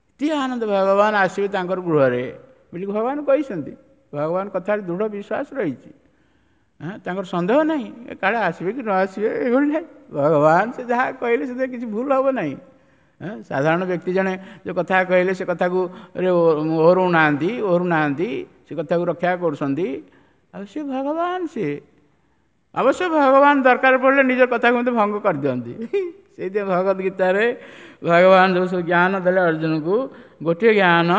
ଏତେ ଆନନ୍ଦ, ଭଗବାନ ଆସିବେ ତାଙ୍କର ଗୃହରେ ବୋଲି ଭଗବାନ କହିଛନ୍ତି। ଭଗବାନ କଥାରେ ଦୃଢ଼ ବିଶ୍ୱାସ ରହିଛି, ତାଙ୍କର ସନ୍ଦେହ ନାହିଁ କାଳେ ଆସିବେ କି ନ ଆସିବେ, ଏଭଳି ନାହିଁ। ଭଗବାନ ସେ ଯାହା କହିଲେ ସେଥିରେ କିଛି ଭୁଲ ହେବ ନାହିଁ। ସାଧାରଣ ବ୍ୟକ୍ତି ଜଣେ ଯେଉଁ କଥା କହିଲେ ସେ କଥାକୁ ଓହରୁନାହାନ୍ତି, ଓହରୁନାହାନ୍ତି, ସେ କଥାକୁ ରକ୍ଷା କରୁଛନ୍ତି। ଆଉ ସେ ଭଗବାନ, ସିଏ ଅବଶ୍ୟ ଭଗବାନ ଦରକାର ପଡ଼ିଲେ ନିଜ କଥାକୁ ମଧ୍ୟ ଭଙ୍ଗ କରିଦିଅନ୍ତି। ସେଇଥିପାଇଁ ଭଗବତ ଗୀତାରେ ଭଗବାନ ଯେଉଁ ସବୁ ଜ୍ଞାନ ଦେଲେ ଅର୍ଜୁନକୁ, ଗୋଟିଏ ଜ୍ଞାନ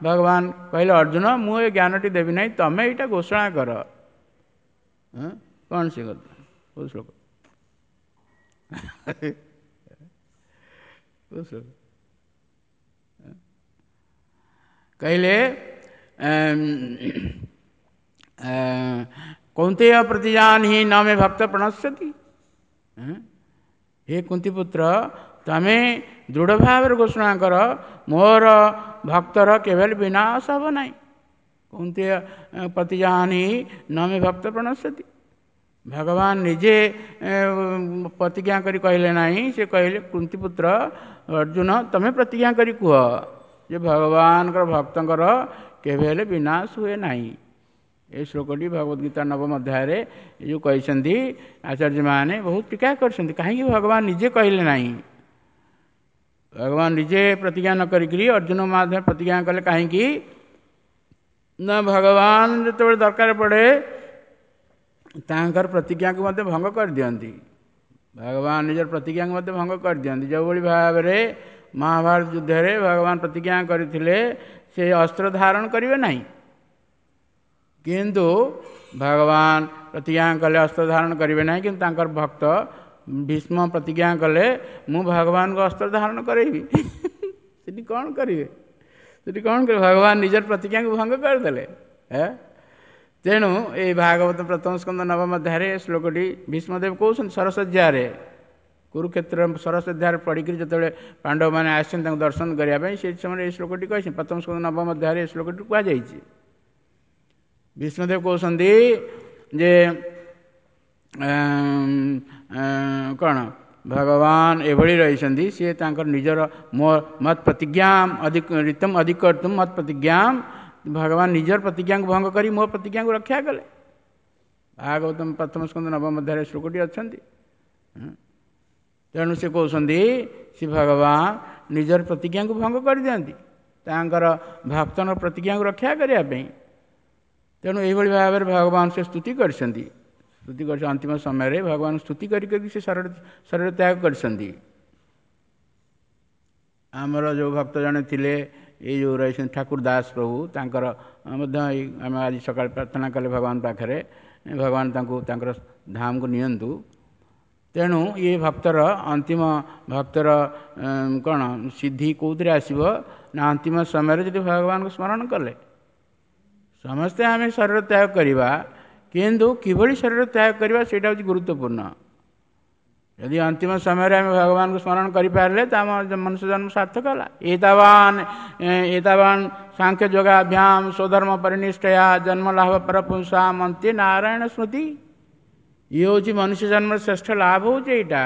ଭଗବାନ କହିଲେ ଅର୍ଜୁନ ମୁଁ ଏ ଜ୍ଞାନଟି ଦେବି ନାହିଁ, ତମେ ଏଇଟା ଘୋଷଣା କର। କ'ଣ ସେ କଥା, କୋଉ ଶ୍ଲୋକ? କୋଉ ଶ୍ଲୋକ କହିଲେ? କୌନ୍ତେୟ ପ୍ରତିଜାନହି ନ ମେ ଭକ୍ତ ପ୍ରଣଶ୍ୟତି। ହେ କୁନ୍ତିପୁତ୍ର, ତମେ ଦୃଢ଼ ଭାବରେ ଘୋଷଣା କର ମୋର ଭକ୍ତର କେବେ ବିନାଶ ହେବ ନାହିଁ। କୁନ୍ତି ପ୍ରତିଜାନି ନମେ ଭକ୍ତ ପ୍ରଣଶ୍ୟତି। ଭଗବାନ ନିଜେ ପ୍ରତିଜ୍ଞା କରି କହିଲେ ନାହିଁ, ସେ କହିଲେ କୁନ୍ତିପୁତ୍ର ଅର୍ଜୁନ ତମେ ପ୍ରତିଜ୍ଞା କରି କୁହ ଯେ ଭଗବାନଙ୍କର ଭକ୍ତଙ୍କର କେବେ ହେଲେ ବିନାଶ ହୁଏ ନାହିଁ। ଏ ଶ୍ଲୋକଟି ଭଗବତ ଗୀତା ନବମ ଅଧ୍ୟାୟରେ ଏ ଯେଉଁ କହିଛନ୍ତି ଆଚାର୍ଯ୍ୟମାନେ ବହୁତ ଟୀକା କରିଛନ୍ତି। କାହିଁକି ଭଗବାନ ନିଜେ କହିଲେ ନାହିଁ? ଭଗବାନ ନିଜେ ପ୍ରତିଜ୍ଞା ନ କରିକିରି ଅର୍ଜୁନ ମାଧ୍ୟମରେ ପ୍ରତିଜ୍ଞା କଲେ କାହିଁକି ନା, ଭଗବାନ ଯେତେବେଳେ ଦରକାର ପଡ଼େ ତାଙ୍କର ପ୍ରତିଜ୍ଞାକୁ ମଧ୍ୟ ଭଙ୍ଗ କରିଦିଅନ୍ତି। ଭଗବାନ ନିଜର ପ୍ରତିଜ୍ଞାକୁ ମଧ୍ୟ ଭଙ୍ଗ କରିଦିଅନ୍ତି। ଯେଉଁଭଳି ଭାବରେ ମହାଭାରତ ଯୁଦ୍ଧରେ ଭଗବାନ ପ୍ରତିଜ୍ଞା କରିଥିଲେ ସେ ଅସ୍ତ୍ର ଧାରଣ କରିବେ ନାହିଁ, କିନ୍ତୁ ଭଗବାନ ପ୍ରତିଜ୍ଞା କଲେ ଅସ୍ତ୍ର ଧାରଣ କରିବେ ନାହିଁ, କିନ୍ତୁ ତାଙ୍କର ଭକ୍ତ ଭୀଷ୍ମ ପ୍ରତିଜ୍ଞା କଲେ ମୁଁ ଭଗବାନଙ୍କୁ ଅସ୍ତ୍ର ଧାରଣ କରାଇବି। ସେଠି କ'ଣ କରିବେ? ସେଠି କ'ଣ କରିବେ? ଭଗବାନ ନିଜର ପ୍ରତିଜ୍ଞାକୁ ଭଙ୍ଗ କରିଦେଲେ। ତେଣୁ ଏଇ ଭାଗବତ ପ୍ରଥମ ସ୍କନ୍ଦ ନବମ ଅଧ୍ୟାୟରେ ଶ୍ଲୋକଟି ଭୀଷ୍ମଦେବ କହୁଛନ୍ତି ସରସଜ୍ୟାରେ, କୁରୁକ୍ଷେତ୍ର ସରସଜ୍ୟାରେ ପଡ଼ିକରି ଯେତେବେଳେ ପାଣ୍ଡବମାନେ ଆସିଛନ୍ତି ତାଙ୍କୁ ଦର୍ଶନ କରିବା ପାଇଁ, ସେ ସମୟରେ ଏଇ ଶ୍ଲୋକଟି କହିଛନ୍ତି। ପ୍ରଥମ ସ୍କନ୍ଦ ନବମ ଅଧ୍ୟାୟରେ ଏ ଶ୍ଲୋକଟି କୁହାଯାଇଛି। ଭୀଷ୍ମଦେବ କହୁଛନ୍ତି ଯେ କ'ଣ ଭଗବାନ ଏଭଳି ରହିଛନ୍ତି, ସିଏ ତାଙ୍କର ନିଜର ମୋ ମତ୍ ପ୍ରତିଜ୍ଞା ଅଧିକ ରୀତମ ଅଧିକ ମତ୍ ପ୍ରତିଜ୍ଞା, ଭଗବାନ ନିଜର ପ୍ରତିଜ୍ଞାକୁ ଭଙ୍ଗ କରି ମୋ ପ୍ରତିଜ୍ଞାକୁ ରକ୍ଷା କଲେ। ଭାଗବତ ପ୍ରଥମ ସ୍କନ୍ଦ ନବମ ଅଧ୍ୟାୟରେ ଶ୍ଲୋକଟି ଅଛନ୍ତି। ତେଣୁ ସେ କହୁଛନ୍ତି ସେ ଭଗବାନ ନିଜର ପ୍ରତିଜ୍ଞାକୁ ଭଙ୍ଗ କରିଦିଅନ୍ତି ତାଙ୍କର ଭକ୍ତଙ୍କ ପ୍ରତିଜ୍ଞାକୁ ରକ୍ଷା କରିବା ପାଇଁ। ତେଣୁ ଏଇଭଳି ଭାବରେ ଭଗବାନ ସେ ସ୍ତୁତି କରିଛନ୍ତି। ସ୍ତୁତି କରିଛନ୍ତି ଅନ୍ତିମ ସମୟରେ ଭଗବାନ ସ୍ତୁତି କରି କରି ସେ ଶରୀର ଶରୀର ତ୍ୟାଗ କରିଛନ୍ତି। ଆମର ଯେଉଁ ଭକ୍ତ ଜଣେ ଥିଲେ ଏଇ ଯେଉଁ ରହିଛନ୍ତି ଠାକୁର ଦାସ ପ୍ରଭୁ, ତାଙ୍କର ମଧ୍ୟ ଏଇ ଆମେ ଆଜି ସକାଳେ ପ୍ରାର୍ଥନା କଲେ ଭଗବାନ ପାଖରେ, ଭଗବାନ ତାଙ୍କୁ ତାଙ୍କର ଧାମକୁ ନିଅନ୍ତୁ। ତେଣୁ ଇଏ ଭକ୍ତର ଅନ୍ତିମ ଭକ୍ତର କ'ଣ ସିଦ୍ଧି କେଉଁଥିରେ ଆସିବ ନା ଅନ୍ତିମ ସମୟରେ ଯଦି ଭଗବାନଙ୍କୁ ସ୍ମରଣ କଲେ। ସମସ୍ତେ ଆମେ ଶରୀର ତ୍ୟାଗ କରିବା, କିନ୍ତୁ କିଭଳି ଶରୀର ତ୍ୟାଗ କରିବା ସେଇଟା ହେଉଛି ଗୁରୁତ୍ୱପୂର୍ଣ୍ଣ। ଯଦି ଅନ୍ତିମ ସମୟରେ ଆମେ ଭଗବାନଙ୍କୁ ସ୍ମରଣ କରିପାରିଲେ ତ ଆମ ମନୁଷ୍ୟ ଜନ୍ମ ସାର୍ଥକ ହେଲା। ଏତାବାନ ଏତାବାନ ସାଂଖ୍ୟ ଯୋଗାଭ୍ୟାମ ସ୍ୱଧର୍ମ ପରିନିଷ୍ଠୟା ଜନ୍ମ ଲାଭ ପରପୁଂସାମ ଅନ୍ତେ ନାରାୟଣ ସ୍ମୃତି। ଇଏ ହେଉଛି ମନୁଷ୍ୟ ଜନ୍ମର ଶ୍ରେଷ୍ଠ ଲାଭ ହେଉଛି ଏଇଟା,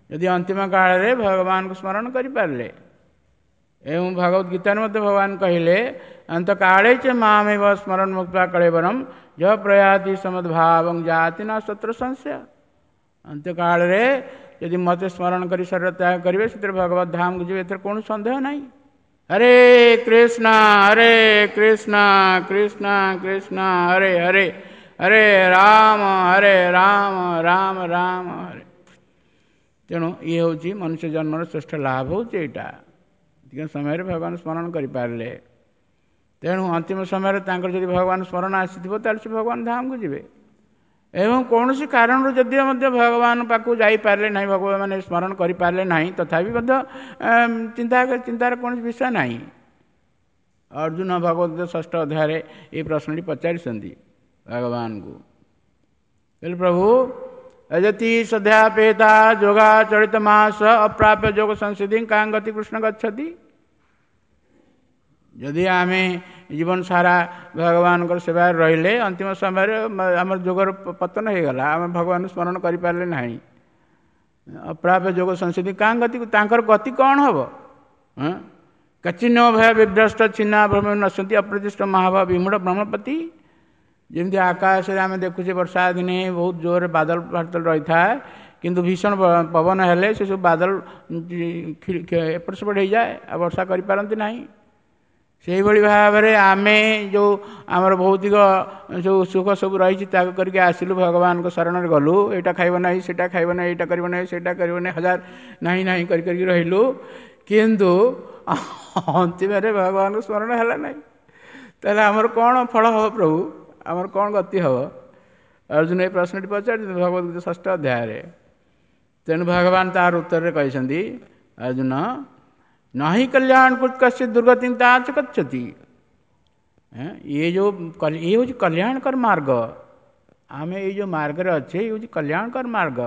ଯଦି ଅନ୍ତିମ କାଳରେ ଭଗବାନଙ୍କୁ ସ୍ମରଣ କରିପାରିଲେ। ଏବଂ ଭଗବତ ଗୀତାରେ ମଧ୍ୟ ଭଗବାନ କହିଲେ ଅନ୍ତ କାଳେ ଚ ମାମେବ ସ୍ମରଣ ମୁକ୍ତ୍ୱା କଳେବରಂ ଯ ପ୍ରୟାତି ସମଦ୍ଭାବଂ ଜାତି ନ ଶତ୍ରୁ ସଂଶୟ। ଅନ୍ତ୍ୟକାଳରେ ଯଦି ମୋତେ ସ୍ମରଣ କରି ଶରୀର ତ୍ୟାଗ କରିବେ ସେଥିରେ ଭଗବତ ଧାମକୁ ଯିବେ, ଏଥିରେ କୌଣସି ସନ୍ଦେହ ନାହିଁ। ହରେ କୃଷ୍ଣ ହରେ କୃଷ୍ଣ କୃଷ୍ଣ କୃଷ୍ଣ ହରେ ହରେ ହରେ ରାମ ହରେ ରାମ ରାମ ରାମ ହରେ। ତେଣୁ ଇଏ ହେଉଛି ମନୁଷ୍ୟ ଜନ୍ମର ଶ୍ରେଷ୍ଠ ଲାଭ ହେଉଛି ଏଇଟା, ଏତିକି ସମୟରେ ଭଗବାନ ସ୍ମରଣ କରିପାରିଲେ। ତେଣୁ ଅନ୍ତିମ ସମୟରେ ତାଙ୍କର ଯଦି ଭଗବାନ ସ୍ମରଣ ଆସିଥିବ ତାହେଲେ ସେ ଭଗବାନ ଧାମକୁ ଯିବେ। ଏବଂ କୌଣସି କାରଣରୁ ଯଦିଓ ମଧ୍ୟ ଭଗବାନ ପାଖକୁ ଯାଇପାରିଲେ ନାହିଁ, ଭଗବାନ ମାନେ ସ୍ମରଣ କରିପାରିଲେ ନାହିଁ, ତଥାପି ମଧ୍ୟ ଚିନ୍ତା ଚିନ୍ତାର କୌଣସି ବିଷୟ ନାହିଁ। ଅର୍ଜୁନ ଭଗବତ ଷଷ୍ଠ ଅଧ୍ୟାୟରେ ଏହି ପ୍ରଶ୍ନଟି ପଚାରିଛନ୍ତି ଭଗବାନଙ୍କୁ। କହିଲେ ପ୍ରଭୁ ଯତି ସଦ୍ୟାପେତା ଯୋଗା ଚଳିତ ମାସ ଅପ୍ରାପ୍ୟ ଯୋଗ ସଂସିଦ୍ଧି କାଁ ଗତି କୃଷ୍ଣ ଗଚ୍ଛତି। ଯଦି ଆମେ ଜୀବନ ସାରା ଭଗବାନଙ୍କର ସେବାରେ ରହିଲେ ଅନ୍ତିମ ସମୟରେ ଆମର ଯୋଗର ପତନ ହେଇଗଲା, ଆମେ ଭଗବାନଙ୍କୁ ସ୍ମରଣ କରିପାରିଲେ ନାହିଁ, ଅପ୍ରାପ୍ୟ ଯୋଗ ସଂସିଦ୍ଧି କାଁ ଗତି, ତାଙ୍କର ଗତି କ'ଣ ହେବ? କଚିନ୍ନ ଭୟ ବିଭ୍ରଷ୍ଟ ଛିନ୍ନା ଭ୍ରମ ନଶନ୍ତି ଅପ୍ରତିଷ୍ଠ ମହାଭାବ ବିମୂଢ଼ ବ୍ରହ୍ମପତି। ଯେମିତି ଆକାଶରେ ଆମେ ଦେଖୁଛେ ବର୍ଷା ଦିନେ ବହୁତ ଜୋରରେ ବାଦଲ ଫାଦଲ ରହିଥାଏ, କିନ୍ତୁ ଭୀଷଣ ପବନ ହେଲେ ସେସବୁ ବାଦଲ ଏପଟ ସେପଟ ହେଇଯାଏ, ଆଉ ବର୍ଷା କରିପାରନ୍ତି ନାହିଁ। ସେଇଭଳି ଭାବରେ ଆମେ ଯେଉଁ ଆମର ଭୌତିକ ଯେଉଁ ସୁଖ ସବୁ ରହିଛି ତ୍ୟାଗ କରିକି ଆସିଲୁ, ଭଗବାନଙ୍କ ଶରଣରେ ଗଲୁ, ଏଇଟା ଖାଇବ ନାହିଁ ସେଇଟା ଖାଇବ ନାହିଁ ଏଇଟା କରିବ ନାହିଁ ସେଇଟା କରିବ ନାହିଁ, ହଜାର ନାହିଁ ନାହିଁ କରି କରିକି ରହିଲୁ, କିନ୍ତୁ ଅନ୍ତିମରେ ଭଗବାନଙ୍କ ସ୍ମରଣ ହେଲା ନାହିଁ, ତାହେଲେ ଆମର କ'ଣ ଫଳ ହେବ ପ୍ରଭୁ, ଆମର କ'ଣ ଗତି ହେବ? ଅର୍ଜୁନ ଏ ପ୍ରଶ୍ନଟି ପଚାରିଛନ୍ତି ଭଗବତ ଗୀତା ଷଷ୍ଠ ଅଧ୍ୟାୟରେ। ତେଣୁ ଭଗବାନ ତାର ଉତ୍ତରରେ କହିଛନ୍ତି, ଅର୍ଜୁନ ନାହିଁ କଲ୍ୟାଣ କୃତ କଶ୍ଚିତ ଦୁର୍ଗତି ତାଚ ଗଚ୍ଛତି। ଇଏ ଯେଉଁ ଇଏ ହେଉଛି କଲ୍ୟାଣକର ମାର୍ଗ, ଆମେ ଏଇ ଯେଉଁ ମାର୍ଗରେ ଅଛେ ଇଏ ହେଉଛି କଲ୍ୟାଣକର ମାର୍ଗ।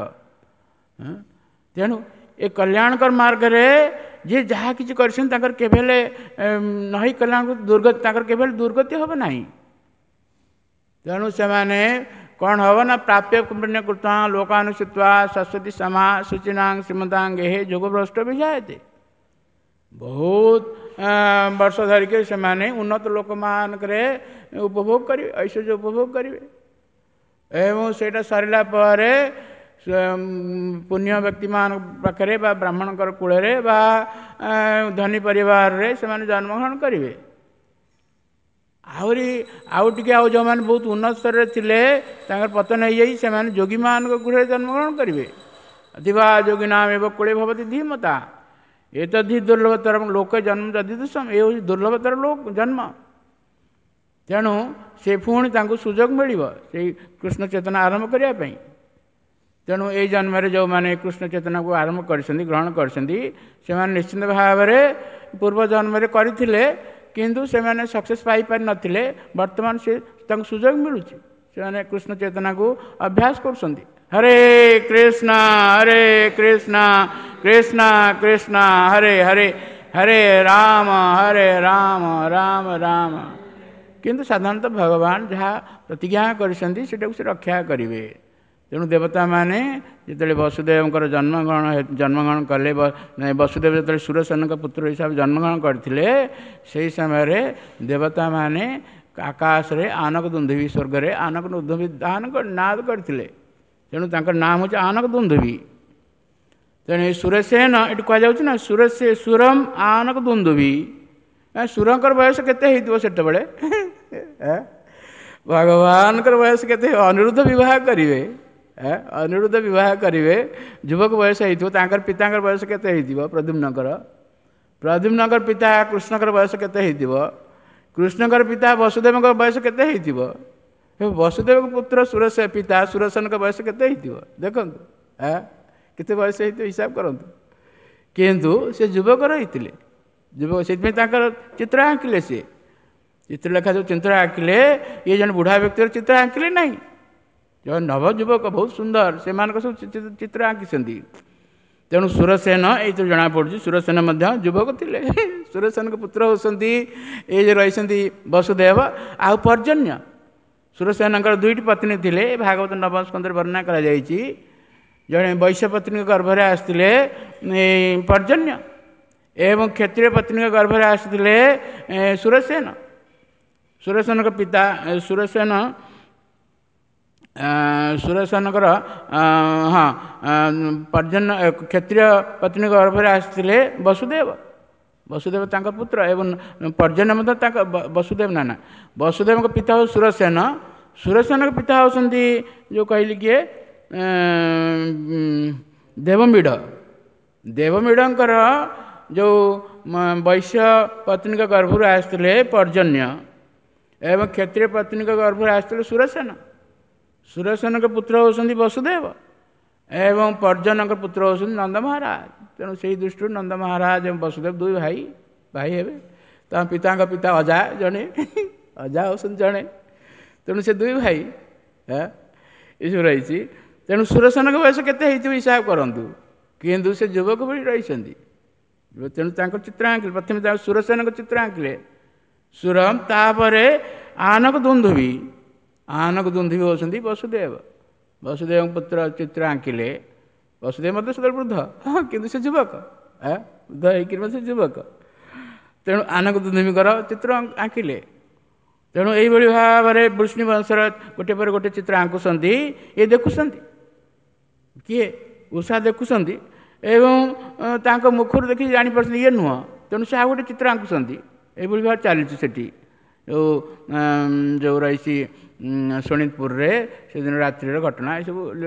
ତେଣୁ ଏ କଲ୍ୟାଣକର ମାର୍ଗରେ ଯିଏ ଯାହା କିଛି କରିଛନ୍ତି ତାଙ୍କର କେବେ ହେଲେ ନହି କଲ୍ୟାଣ ଦୁର୍ଗତି, ତାଙ୍କର କେବେ ହେଲେ ଦୁର୍ଗତି ହେବ ନାହିଁ। ତେଣୁ ସେମାନେ କ'ଣ ହେବ ନା ପ୍ରାପ୍ୟ ପୁଣ୍ୟ କୃତା ଲୋକାନୁସୃତ୍ୱା ସରସ୍ୱତୀ ସମା ସୂଚିନାଂ ଶ୍ରୀମତାଂ ଗେହେ ଯୋଗଭ୍ରଷ୍ଟ ବିଜାୟତେ। ବହୁତ ବର୍ଷ ଧରିକି ସେମାନେ ଉନ୍ନତ ଲୋକମାନଙ୍କରେ ଉପଭୋଗ କରିବେ, ଐଶ୍ୱର୍ଯ୍ୟ ଉପଭୋଗ କରିବେ ଏବଂ ସେଇଟା ସରିଲା ପରେ ପୁଣ୍ୟ ବ୍ୟକ୍ତିମାନଙ୍କ ପାଖରେ ବା ବ୍ରାହ୍ମଣଙ୍କର କୂଳରେ ବା ଧନୀ ପରିବାରରେ ସେମାନେ ଜନ୍ମଗ୍ରହଣ କରିବେ। ଆହୁରି ଆଉ ଟିକେ ଆଉ ଯେଉଁମାନେ ବହୁତ ଉନ୍ନତ ସ୍ତରରେ ଥିଲେ ତାଙ୍କର ପତନ ହେଇଯାଇ ସେମାନେ ଯୋଗୀମାନଙ୍କ ଗୃହରେ ଜନ୍ମଗ୍ରହଣ କରିବେ। ଅତିବା ଯୋଗିନାମ ଏବ କୂଳେ ଭବତି ଧୀମତା ଏତଦ୍ଧି ଦୁର୍ଲଭତର ଲୋକ ଜନ୍ମ ଯଦି ଦୁଃସମ, ଏ ହେଉଛି ଦୁର୍ଲଭତର ଲୋକ ଜନ୍ମ। ତେଣୁ ସେ ପୁଣି ତାଙ୍କୁ ସୁଯୋଗ ମିଳିବ ସେଇ କୃଷ୍ଣ ଚେତନା ଆରମ୍ଭ କରିବା ପାଇଁ। ତେଣୁ ଏଇ ଜନ୍ମରେ ଯେଉଁମାନେ କୃଷ୍ଣ ଚେତନାକୁ ଆରମ୍ଭ କରିଛନ୍ତି, ଗ୍ରହଣ କରିଛନ୍ତି, ସେମାନେ ନିଶ୍ଚିନ୍ତ ଭାବରେ ପୂର୍ବ ଜନ୍ମରେ କରିଥିଲେ, କିନ୍ତୁ ସେମାନେ ସକ୍ସେସ୍ ପାଇପାରିନଥିଲେ। ବର୍ତ୍ତମାନ ସେ ତାଙ୍କୁ ସୁଯୋଗ ମିଳୁଛି, ସେମାନେ କୃଷ୍ଣ ଚେତନାକୁ ଅଭ୍ୟାସ କରୁଛନ୍ତି। ହରେ କୃଷ୍ଣ ହରେ କୃଷ୍ଣ କୃଷ୍ଣ କୃଷ୍ଣ ହରେ ହରେ, ହରେ ରାମ ହରେ ରାମ ରାମ ରାମ। କିନ୍ତୁ ସାଧାରଣତଃ ଭଗବାନ ଯାହା ପ୍ରତିଜ୍ଞା କରିଛନ୍ତି ସେଟାକୁ ସେ ରକ୍ଷା କରିବେ। ତେଣୁ ଦେବତାମାନେ ଯେତେବେଳେ ବସୁଦେବଙ୍କର ଜନ୍ମଗ୍ରହଣ ଜନ୍ମଗ୍ରହଣ କଲେ, ବସୁଦେବ ଯେତେବେଳେ ସୁରସେନଙ୍କ ପୁତ୍ର ହିସାବରେ ଜନ୍ମଗ୍ରହଣ କରିଥିଲେ, ସେହି ସମୟରେ ଦେବତାମାନେ ଆକାଶରେ ଆନକ ଦୁନ୍ଧୁବି, ସ୍ୱର୍ଗରେ ଆନକ ଦୁନ୍ଧୁବି ଦାନ ନାଦ କରିଥିଲେ। ତେଣୁ ତାଙ୍କର ନାମ ହେଉଛି ଆନକ ଦୁନ୍ଧୁବି। ତେଣୁ ଏ ସୁରସେନ ଏଠି କୁହାଯାଉଛି ନା ସୁରସେ ସୁରମ ଆନକ ଦୁନ୍ଧୁବି। ସୁରଙ୍କର ବୟସ କେତେ ହେଇଥିବ ସେତେବେଳେ? ଭଗବାନଙ୍କର ବୟସ କେତେ? ଅନିରୁଦ୍ଧ ବିବାହ କରିବେ, ଅନିରୁଦ୍ଧ ବିବାହ କରିବେ, ଯୁବକ ବୟସ ହେଇଥିବ। ତାଙ୍କର ପିତାଙ୍କର ବୟସ କେତେ ହେଇଥିବ? ପ୍ରଦ୍ୟୁମ୍ନଙ୍କର ପ୍ରଦ୍ୟୁମ୍ନଙ୍କର ପିତା କୃଷ୍ଣଙ୍କର ବୟସ କେତେ ହେଇଥିବ? କୃଷ୍ଣଙ୍କର ପିତା ବସୁଦେବଙ୍କ ବୟସ କେତେ ହେଇଥିବ? ବସୁଦେବଙ୍କ ପୁତ୍ର ସୁରସ ପିତା ସୁରସନଙ୍କ ବୟସ କେତେ ହେଇଥିବ? ଦେଖନ୍ତୁ କେତେ ବୟସ ହେଇଥିବ ହିସାବ କରନ୍ତୁ। କିନ୍ତୁ ସେ ଯୁବକ ରହିଥିଲେ, ଯୁବକ, ସେଥିପାଇଁ ତାଙ୍କର ଚିତ୍ର ଆଙ୍କିଲେ। ସିଏ ଚିତ୍ରଲେଖା ଯେଉଁ ଚିତ୍ର ଆଙ୍କିଲେ, ଇଏ ଜଣେ ବୁଢ଼ା ବ୍ୟକ୍ତିର ଚିତ୍ର ଆଙ୍କିଲେ ନାହିଁ, ଜଣେ ନବଯୁବକ ବହୁତ ସୁନ୍ଦର, ସେମାନଙ୍କ ସବୁ ଚିତ୍ର ଆଙ୍କିଛନ୍ତି। ତେଣୁ ସୁରସେନ ଏଇଥିରୁ ଜଣାପଡ଼ୁଛି ସୁରସେନ ମଧ୍ୟ ଯୁବକ ଥିଲେ। ସୁରସେନଙ୍କ ପୁତ୍ର ହେଉଛନ୍ତି ଏଇ ଯେ ରହିଛନ୍ତି ବସୁଦେବ ଆଉ ପର୍ଜନ୍ୟ। ସୁରସେନଙ୍କର ଦୁଇଟି ପତ୍ନୀ ଥିଲେ, ଭାଗବତ ନବମ ସ୍କନ୍ଧରେ ବର୍ଣ୍ଣନା କରାଯାଇଛି। ଜଣେ ବୈଶ୍ୟ ପତ୍ନୀଙ୍କ ଗର୍ଭରେ ଆସିଥିଲେ ପର୍ଜନ୍ୟ ଏବଂ କ୍ଷତ୍ରିୟ ପତ୍ନୀଙ୍କ ଗର୍ଭରେ ଆସିଥିଲେ ସୁରସେନ। ସୁରସେନଙ୍କ ପିତା ସୁରସେନ ସୁରସେନଙ୍କର ହଁ ପର୍ଜନ୍ୟ କ୍ଷତ୍ରିୟ ପତ୍ନୀଙ୍କ ଗର୍ଭରେ ଆସିଥିଲେ ବସୁଦେବ, ବସୁଦେବ ତାଙ୍କ ପୁତ୍ର ଏବଂ ପର୍ଜନ୍ୟ ମଧ୍ୟ ତାଙ୍କ ବସୁଦେବ ନାନା। ବସୁଦେବଙ୍କ ପିତା ହେଉ ସୁରସେନ, ସୁରସେନଙ୍କ ପିତା ହେଉଛନ୍ତି ଯେଉଁ କହିଲି କିଏ ଦେବମୀଢ଼। ଦେବମୀଢ଼ଙ୍କର ଯେଉଁ ବୈଶ୍ୟ ପତ୍ନୀଙ୍କ ଗର୍ଭରୁ ଆସିଥିଲେ ପର୍ଜନ୍ୟ ଏବଂ କ୍ଷତ୍ରିୟ ପତ୍ନୀଙ୍କ ଗର୍ଭରୁ ଆସିଥିଲେ ସୁରସେନ। ସୁରସେନଙ୍କ ପୁତ୍ର ହେଉଛନ୍ତି ବସୁଦେବ ଏବଂ ପର୍ଜନଙ୍କ ପୁତ୍ର ହେଉଛନ୍ତି ନନ୍ଦ ମହାରାଜ। ତେଣୁ ସେଇ ଦୃଷ୍ଟିରୁ ନନ୍ଦ ମହାରାଜ ଏବଂ ବସୁଦେବ ଦୁଇ ଭାଇ ଭାଇ ହେବେ। ତାଙ୍କ ପିତାଙ୍କ ପିତା ଅଜା ଜଣେ, ଅଜା ହେଉଛନ୍ତି ଜଣେ, ତେଣୁ ସେ ଦୁଇ ଭାଇ ଏସବୁ ରହିଛି। ତେଣୁ ସୁରସେନଙ୍କ ବୟସ କେତେ ହେଇଥିବ ହିସାବ କରନ୍ତୁ, କିନ୍ତୁ ସେ ଯୁବକ ଭଳି ରହିଛନ୍ତି। ତେଣୁ ତାଙ୍କ ଚିତ୍ର ଆଙ୍କିଲେ, ପ୍ରଥମେ ତାଙ୍କ ସୁରସେନଙ୍କ ଚିତ୍ର ଆଙ୍କିଲେ ସୁରମ, ତାପରେ ଆନକ ଦୁନ୍ଧୁବି, ଆନକ ଦୁନ୍ଧୁବି ହେଉଛନ୍ତି ବସୁଦେବ। ବସୁଦେବଙ୍କ ପୁତ୍ର ଚିତ୍ର ଆଙ୍କିଲେ। ବସୁଦେବ ମଧ୍ୟ ସେତେବେଳେ ବୃଦ୍ଧ, ହଁ କିନ୍ତୁ ସେ ଯୁବକ, ବୃଦ୍ଧ ହେଇକିରି ମଧ୍ୟ ସେ ଯୁବକ। ତେଣୁ ଆନକ ଦୁନ୍ଧୁବିଙ୍କର ଚିତ୍ର ଆଙ୍କିଲେ। ତେଣୁ ଏଇଭଳି ଭାବରେ ବୃଷ୍ଣି ବଂଶର ଗୋଟେ ପରେ ଗୋଟେ ଚିତ୍ର ଆଙ୍କୁଛନ୍ତି। ଇଏ ଦେଖୁଛନ୍ତି କିଏ? ଉଷା ଦେଖୁଛନ୍ତି ଏବଂ ତାଙ୍କ ମୁଖରୁ ଦେଖି ଜାଣିପାରୁଛନ୍ତି ଇଏ ନୁହଁ, ତେଣୁ ସେ ଆଉ ଗୋଟେ ଚିତ୍ର ଆଙ୍କୁଛନ୍ତି। ଏଇଭଳି ଭାବରେ ଚାଲିଛି ସେଠି। ଯେଉଁ ଯେଉଁ ରହିଛି ଶୋଣିତପୁରରେ ସେଦିନ ରାତ୍ରିର ଘଟଣା ଏସବୁ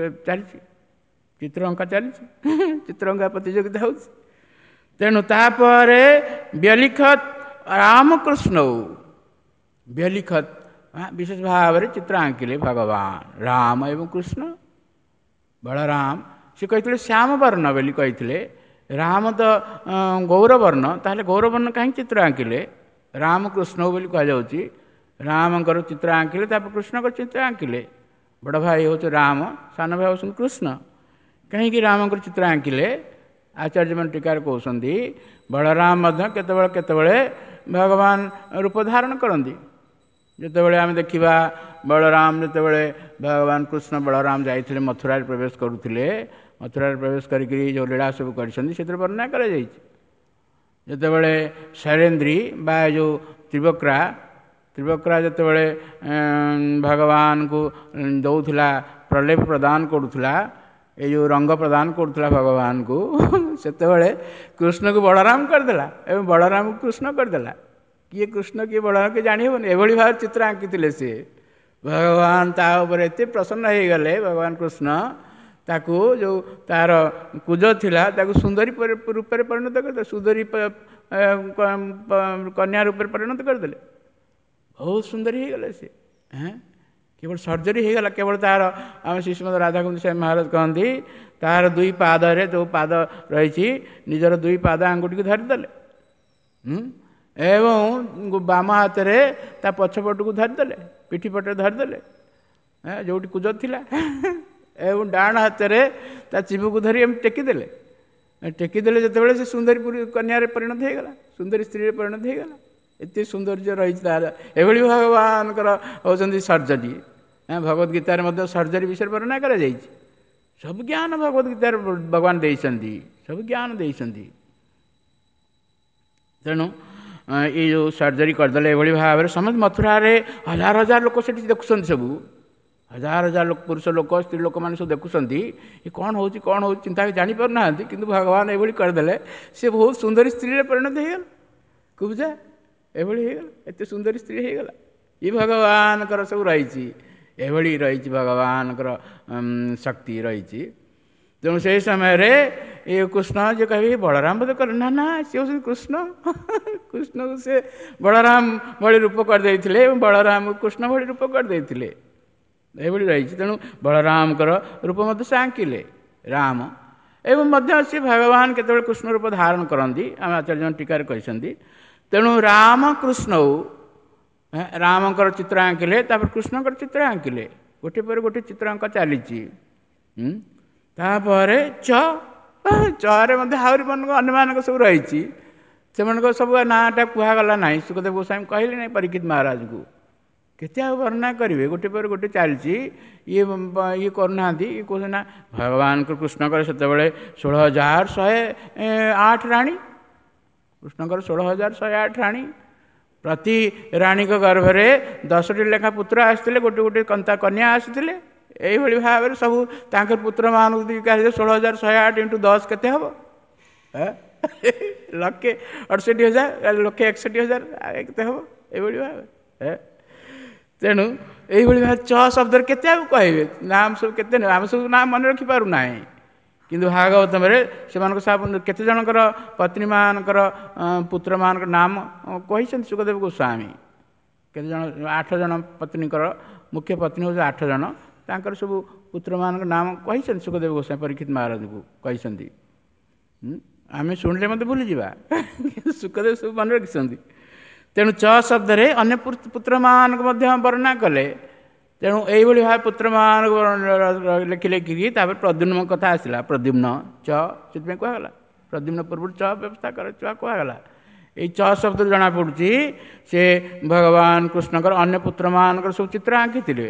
ଚାଲିଛି, ଚିତ୍ର ଅଙ୍କା ଚାଲିଛି, ଚିତ୍ର ଅଙ୍କା ପ୍ରତିଯୋଗିତା ହେଉଛି। ତେଣୁ ତାପରେ ବ୍ୟଲିଖତ ରାମକୃଷ୍ଣ, ବ୍ୟଲିଖତ ବିଶେଷ ଭାବରେ ଚିତ୍ର ଆଙ୍କିଲେ ଭଗବାନ ରାମ ଏବଂ କୃଷ୍ଣ ବଳରାମ। ସେ କହିଥିଲେ ଶ୍ୟାମ ବର୍ଣ୍ଣ ବୋଲି କହିଥିଲେ, ରାମ ତ ଗୌରବର୍ଣ୍ଣ, ତାହେଲେ ଗୌରବର୍ଣ୍ଣ କାହିଁକି ଚିତ୍ର ଆଙ୍କିଲେ? ରାମକୃଷ୍ଣ ବୋଲି କୁହାଯାଉଛି। ରାମଙ୍କର ଚିତ୍ର ଆଙ୍କିଲେ, ତାପରେ କୃଷ୍ଣଙ୍କର ଚିତ୍ର ଆଙ୍କିଲେ। ବଡ଼ ଭାଇ ହେଉଛି ରାମ, ସାନ ଭାଇ ହେଉଛନ୍ତି କୃଷ୍ଣ। କାହିଁକି ରାମଙ୍କର ଚିତ୍ର ଆଙ୍କିଲେ? ଆଚାର୍ଯ୍ୟମାନେ ଟୀକାରେ କହୁଛନ୍ତି ବଳରାମ ମଧ୍ୟ କେତେବେଳେ କେତେବେଳେ ଭଗବାନ ରୂପ ଧାରଣ କରନ୍ତି। ଯେତେବେଳେ ଆମେ ଦେଖିବା ବଳରାମ ଯେତେବେଳେ ଭଗବାନ କୃଷ୍ଣ ବଳରାମ ଯାଇଥିଲେ ମଥୁରାରେ ପ୍ରବେଶ କରୁଥିଲେ, ମଥୁରାରେ ପ୍ରବେଶ କରିକିରି ଯେଉଁ ଲୀଳା ସବୁ କରିଛନ୍ତି ସେଥିରେ ବର୍ଣ୍ଣନା କରାଯାଇଛି। ଯେତେବେଳେ ଶୈଳେନ୍ଦ୍ରୀ ବା ଯେଉଁ ତ୍ରିବକ୍ରା ତ୍ରିବକ୍ରା ଯେତେବେଳେ ଭଗବାନଙ୍କୁ ଦେଉଥିଲା ପ୍ରଲେପ ପ୍ରଦାନ କରୁଥିଲା, ଏ ଯେଉଁ ରଙ୍ଗ ପ୍ରଦାନ କରୁଥିଲା ଭଗବାନଙ୍କୁ, ସେତେବେଳେ କୃଷ୍ଣକୁ ବଳରାମ କରିଦେଲା ଏବଂ ବଳରାମକୁ କୃଷ୍ଣ କରିଦେଲା। କିଏ କୃଷ୍ଣ କିଏ ବଳରାମ କିଏ ଜାଣି ହେବନି, ଏଭଳି ଭାବରେ ଚିତ୍ର ଆଙ୍କିଥିଲେ ସିଏ। ଭଗବାନ ତା ଉପରେ ଏତେ ପ୍ରସନ୍ନ ହେଇଗଲେ, ଭଗବାନ କୃଷ୍ଣ ତାକୁ ଯେଉଁ ତାର କୁଜ ଥିଲା ତାକୁ ସୁନ୍ଦରୀ ରୂପରେ ପରିଣତ କରିଦେଲେ, ସୁନ୍ଦରୀ କନ୍ୟା ରୂପରେ ପରିଣତ କରିଦେଲେ। ବହୁତ ସୁନ୍ଦରୀ ହେଇଗଲେ ସିଏ। ହେଁ କେବଳ ସର୍ଜରୀ ହେଇଗଲା କେବଳ ତାର। ଆମେ ଶ୍ରୀମଦ ରାଧାକୁଣ୍ଡ ସ୍ୱାମୀ ମହାରାଜ କହନ୍ତି ତାର ଦୁଇ ପାଦରେ ଯେଉଁ ପାଦ ରହିଛି ନିଜର ଦୁଇ ପାଦ ଆଙ୍ଗୁଠିକୁ ଧରିଦେଲେ ଏବଂ ବାମ ହାତରେ ତା ପଛପଟକୁ ଧରିଦେଲେ, ପିଠି ପଟରେ ଧରିଦେଲେ ଯେଉଁଠି କୁଜ ଥିଲା, ଏବଂ ଡାହାଣ ହାତରେ ତା ଚିବୁକୁ ଧରି ଏମିତି ଟେକିଦେଲେ। ଟେକିଦେଲେ ଯେତେବେଳେ ସେ ସୁନ୍ଦରୀ କନ୍ୟାରେ ପରିଣତ ହେଇଗଲା, ସୁନ୍ଦରୀ ସ୍ତ୍ରୀରେ ପରିଣତ ହେଇଗଲା। ଏତେ ସୌନ୍ଦର୍ଯ୍ୟ ରହିଛି ତାର। ଏଭଳି ଭଗବାନଙ୍କର ହେଉଛନ୍ତି ସର୍ଜରୀ। ଭଗବତ ଗୀତାରେ ମଧ୍ୟ ସର୍ଜରୀ ବିଷୟରେ ବର୍ଣ୍ଣନା କରାଯାଇଛି। ସବୁ ଜ୍ଞାନ ଭଗବତ ଗୀତାରେ ଭଗବାନ ଦେଇଛନ୍ତି, ସବୁ ଜ୍ଞାନ ଦେଇଛନ୍ତି। ତେଣୁ ଏଇ ଯେଉଁ ସର୍ଜରୀ କରିଦେଲେ ଏଭଳି ଭାବରେ ସମସ୍ତେ ମଥୁରାରେ ହଜାର ହଜାର ଲୋକ ସେଠି ଦେଖୁଛନ୍ତି, ସବୁ ହଜାର ହଜାର ଲୋକ, ପୁରୁଷ ଲୋକ ସ୍ତ୍ରୀ ଲୋକମାନେ ସବୁ ଦେଖୁଛନ୍ତି ଏ କ'ଣ ହେଉଛି କ'ଣ ହେଉଛି, ଚିନ୍ତା ଜାଣିପାରୁନାହାନ୍ତି। କିନ୍ତୁ ଭଗବାନ ଏଭଳି କରିଦେଲେ, ସେ ବହୁତ ସୁନ୍ଦରୀ ସ୍ତ୍ରୀରେ ପରିଣତ ହେଇଗଲା। କୁବୁଜା ଏଭଳି ହେଇଗଲା, ଏତେ ସୁନ୍ଦରୀ ସ୍ତ୍ରୀ ହେଇଗଲା। ଏ ଭଗବାନଙ୍କର ସବୁ ରହିଛି, ଏଭଳି ରହିଛି ଭଗବାନଙ୍କର ଶକ୍ତି ରହିଛି। ତେଣୁ ସେଇ ସମୟରେ ଏ କୃଷ୍ଣ ଯେ କହିବେ ବଳରାମ ବୋଧେ କଲେ, ନା ନା ସେ ହେଉଛନ୍ତି କୃଷ୍ଣ। କୃଷ୍ଣକୁ ସେ ବଳରାମ ଭଳି ରୂପ କରିଦେଇଥିଲେ ଏବଂ ବଳରାମକୁ କୃଷ୍ଣ ଭଳି ରୂପ କରିଦେଇଥିଲେ, ଏଭଳି ରହିଛି। ତେଣୁ ବଳରାମଙ୍କର ରୂପ ମଧ୍ୟ ସେ ଆଙ୍କିଲେ ରାମ। ଏବଂ ମଧ୍ୟ ସେ ଭଗବାନ କେତେବେଳେ କୃଷ୍ଣ ରୂପ ଧାରଣ କରନ୍ତି ଆମେ ଆଚାର୍ଯ୍ୟ ଟୀକାରେ କହିଛନ୍ତି। ତେଣୁ ରାମ କୃଷ୍ଣ ରାମଙ୍କର ଚିତ୍ର ଆଙ୍କିଲେ, ତାପରେ କୃଷ୍ଣଙ୍କର ଚିତ୍ର ଆଙ୍କିଲେ, ଗୋଟିଏ ପରେ ଗୋଟିଏ ଚିତ୍ର ଅଙ୍କ ଚାଲିଛି। ତାପରେ ଚ ଚରେ ମଧ୍ୟ ଆହୁରି ଅନ୍ୟମାନଙ୍କ ସବୁ ରହିଛି, ସେମାନଙ୍କ ସବୁ ନାଁଟା କୁହାଗଲା ନାହିଁ। ଶୁକଦେବ ଗୋସ୍ୱାମୀ କହିଲେ ନାହିଁ ପରୀକ୍ଷିତ ମହାରାଜଙ୍କୁ, କେତେ ଆଉ ବର୍ଣ୍ଣନା କରିବେ, ଗୋଟେ ପରେ ଗୋଟେ ଚାଲିଛି। ଇଏ ଇଏ କରୁନାହାନ୍ତି, ଇଏ କହୁଛନ୍ତି ନା ଭଗବାନଙ୍କ କୃଷ୍ଣଙ୍କର ସେତେବେଳେ ଷୋହଳ ହଜାର ଶହେ ଆଠ ରାଣୀ, କୃଷ୍ଣଙ୍କର ଷୋହଳ ହଜାର ଶହେ ଆଠ ରାଣୀ, ପ୍ରତି ରାଣୀଙ୍କ ଗର୍ଭରେ ଦଶଟି ଲେଖା ପୁତ୍ର ଆସିଥିଲେ, ଗୋଟେ ଗୋଟେ କନ୍ତା କନ୍ୟା ଆସିଥିଲେ। ଏଇଭଳି ଭାବରେ ସବୁ ତାଙ୍କର ପୁତ୍ରମାନଙ୍କୁ ଷୋହଳ ହଜାର ଶହେ ଆଠ ଇଣ୍ଟୁ ଦଶ କେତେ ହେବ? ଲକ୍ଷେ ଅଠଷଠି ହଜାର, ଲକ୍ଷେ ଏକଷଠି ହଜାର କେତେ ହେବ? ଏଇଭଳି ଭାବରେ। ତେଣୁ ଏଇଭଳି ଭାବରେ ଚ ଶବ୍ଦରେ କେତେ ଆଉ କହିବେ, ନାମ ସବୁ କେତେ, ଆମେ ସବୁ ନାମ ମନେ ରଖିପାରୁନାହିଁ। କିନ୍ତୁ ଭାଗବତରେ ସେମାନଙ୍କ ସବୁ କେତେ ଜଣଙ୍କର ପତ୍ନୀମାନଙ୍କର ପୁତ୍ରମାନଙ୍କର ନାମ କହିଛନ୍ତି ଶୁକଦେବ ଗୋସ୍ୱାମୀ। କେତେ ଜଣ, ଆଠ ଜଣ ପତ୍ନୀଙ୍କର, ମୁଖ୍ୟ ପତ୍ନୀ ହେଉଛି ଆଠ ଜଣ, ତାଙ୍କର ସବୁ ପୁତ୍ରମାନଙ୍କ ନାମ କହିଛନ୍ତି ଶୁକଦେବ ଗୋସ୍ୱାମୀ ପରୀକ୍ଷିତ ମହାରାଜଙ୍କୁ କହିଛନ୍ତି। ଆମେ ଶୁଣିଲେ ମଧ୍ୟ ଭୁଲିଯିବା, କିନ୍ତୁ ଶୁକଦେବ ସବୁ ମନେ ରଖିଛନ୍ତି। ତେଣୁ ଚ ଶବ୍ଦରେ ଅନ୍ୟ ପୁତ୍ରମାନଙ୍କୁ ମଧ୍ୟ ବର୍ଣ୍ଣନା କଲେ। ତେଣୁ ଏଇଭଳି ଭାବେ ପୁତ୍ରମାନଙ୍କୁ ଲେଖି ଲେଖିକି ତାପରେ ପ୍ରଦ୍ୟୁମ୍ନ କଥା ଆସିଲା। ପ୍ରଦ୍ୟୁମ୍ନ ଚ ସେଥିପାଇଁ କୁହାଗଲା, ପ୍ରଦ୍ୟୁମ୍ନ ପୂର୍ବରୁ ଚ ବ୍ୟବସ୍ଥା କର, ଚ କୁହାଗଲା। ଏଇ ଚ ଶବ୍ଦରୁ ଜଣାପଡ଼ୁଛି ସେ ଭଗବାନ କୃଷ୍ଣଙ୍କର ଅନ୍ୟ ପୁତ୍ରମାନଙ୍କର ସବୁ ଚିତ୍ର ଆଙ୍କିଥିଲେ।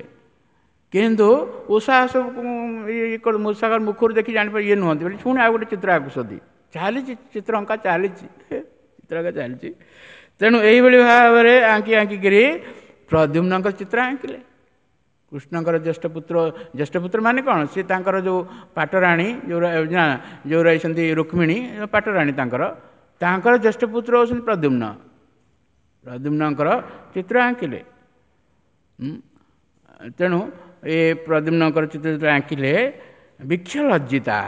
କିନ୍ତୁ ଉଷା ସବୁ ମୂଷାଙ୍କର ମୁଖରୁ ଦେଖି ଜାଣିପାର ଇଏ ନୁହନ୍ତି ବୋଲି ପୁଣି ଆଉ ଗୋଟେ ଚିତ୍ର ଆଙ୍କୁଛନ୍ତି। ଚାଲିଛି ଚିତ୍ର ଅଙ୍କା ଚାଲିଛି, ଚିତ୍ର ଅଙ୍କା ଚାଲିଛି। ତେଣୁ ଏଇଭଳି ଭାବରେ ଆଙ୍କି ଆଙ୍କିକିରି ପ୍ରଦ୍ୟୁମ୍ନଙ୍କ ଚିତ୍ର ଆଙ୍କିଲେ। କୃଷ୍ଣଙ୍କର ଜ୍ୟେଷ୍ଠ ପୁତ୍ର, ଜ୍ୟେଷ୍ଠ ପୁତ୍ର ମାନେ କ'ଣ, ସେ ତାଙ୍କର ଯେଉଁ ପାଟରାଣୀ ଯେଉଁ ଯେଉଁ ରହିଛନ୍ତି ରୁକ୍ମିଣୀ ପାଟରାଣୀ ତାଙ୍କର, ତାଙ୍କର ଜ୍ୟେଷ୍ଠ ପୁତ୍ର ହେଉଛନ୍ତି ପ୍ରଦ୍ୟୁମ୍ନ। ପ୍ରଦ୍ୟୁମ୍ନଙ୍କର ଚିତ୍ର ଆଙ୍କିଲେ। ତେଣୁ ଏ ପ୍ରଦ୍ୟୁମ୍ନଙ୍କର ଚିତ୍ର ଯେତେବେଳେ ଆଙ୍କିଲେ, ବୃକ୍ଷ ଲଜ୍ଜିତା,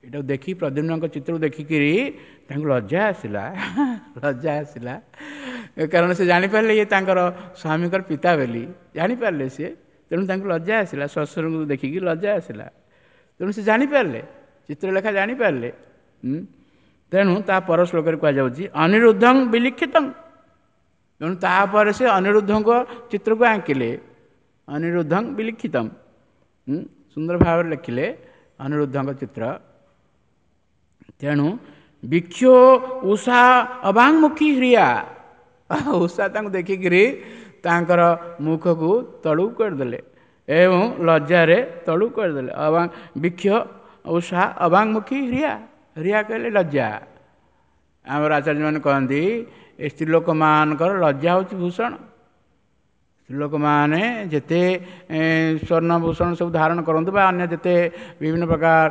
ଏଟାକୁ ଦେଖି ପ୍ରଦ୍ୟୁମ୍ନଙ୍କ ଚିତ୍ରକୁ ଦେଖିକିରି ତାଙ୍କୁ ଲଜ୍ଜା ଆସିଲା, ଲଜ୍ଜା ଆସିଲା। କାରଣ ସେ ଜାଣିପାରିଲେ ଇଏ ତାଙ୍କର ସ୍ୱାମୀଙ୍କର ପିତା ବୋଲି ଜାଣିପାରିଲେ ସିଏ। ତେଣୁ ତାଙ୍କୁ ଲଜ୍ଜା ଆସିଲା, ଶ୍ୱଶୁରଙ୍କୁ ଦେଖିକି ଲଜ୍ଜା ଆସିଲା। ତେଣୁ ସେ ଜାଣିପାରିଲେ, ଚିତ୍ରଲେଖା ଜାଣିପାରିଲେ। ତେଣୁ ତା ପର ଶ୍ଲୋକରେ କୁହାଯାଉଛି ଅନିରୁଦ୍ଧଂ ବିଲିଖିତଂ। ତେଣୁ ତାପରେ ସେ ଅନିରୁଦ୍ଧଙ୍କ ଚିତ୍ରକୁ ଆଙ୍କିଲେ, ଅନିରୁଦ୍ଧଂ ବିଲିଖିତଂ, ସୁନ୍ଦର ଭାବରେ ଲେଖିଲେ ଅନିରୁଦ୍ଧଙ୍କ ଚିତ୍ର। ତେଣୁ ବିକ୍ଷୋ ଉଷା ଅବାଙ୍ଗମୁଖୀ ହ୍ରିୟା, ଉଷା ତାଙ୍କୁ ଦେଖିକିରି ତାଙ୍କର ମୁଖକୁ ତଳକୁ କରିଦେଲେ ଏବଂ ଲଜ୍ଜାରେ ତଳକୁ କରିଦେଲେ। ଅବାଙ୍ଗ ବିକ୍ଷ ଉଷା ଅବାଙ୍ଗମୁଖୀ ହ୍ରିୟା, ହ୍ରିୟା କହିଲେ ଲଜ୍ଜା। ଆମର ଆଚାର୍ଯ୍ୟମାନେ କହନ୍ତି ଏ ସ୍ତ୍ରୀ ଲୋକମାନଙ୍କର ଲଜ୍ଜା ହେଉଛି ଭୂଷଣ। ସ୍ତ୍ରୀ ଲୋକମାନେ ଯେତେ ସ୍ୱର୍ଣ୍ଣ ଭୂଷଣ ସବୁ ଧାରଣ କରନ୍ତୁ ବା ଅନ୍ୟ ଯେତେ ବିଭିନ୍ନ ପ୍ରକାର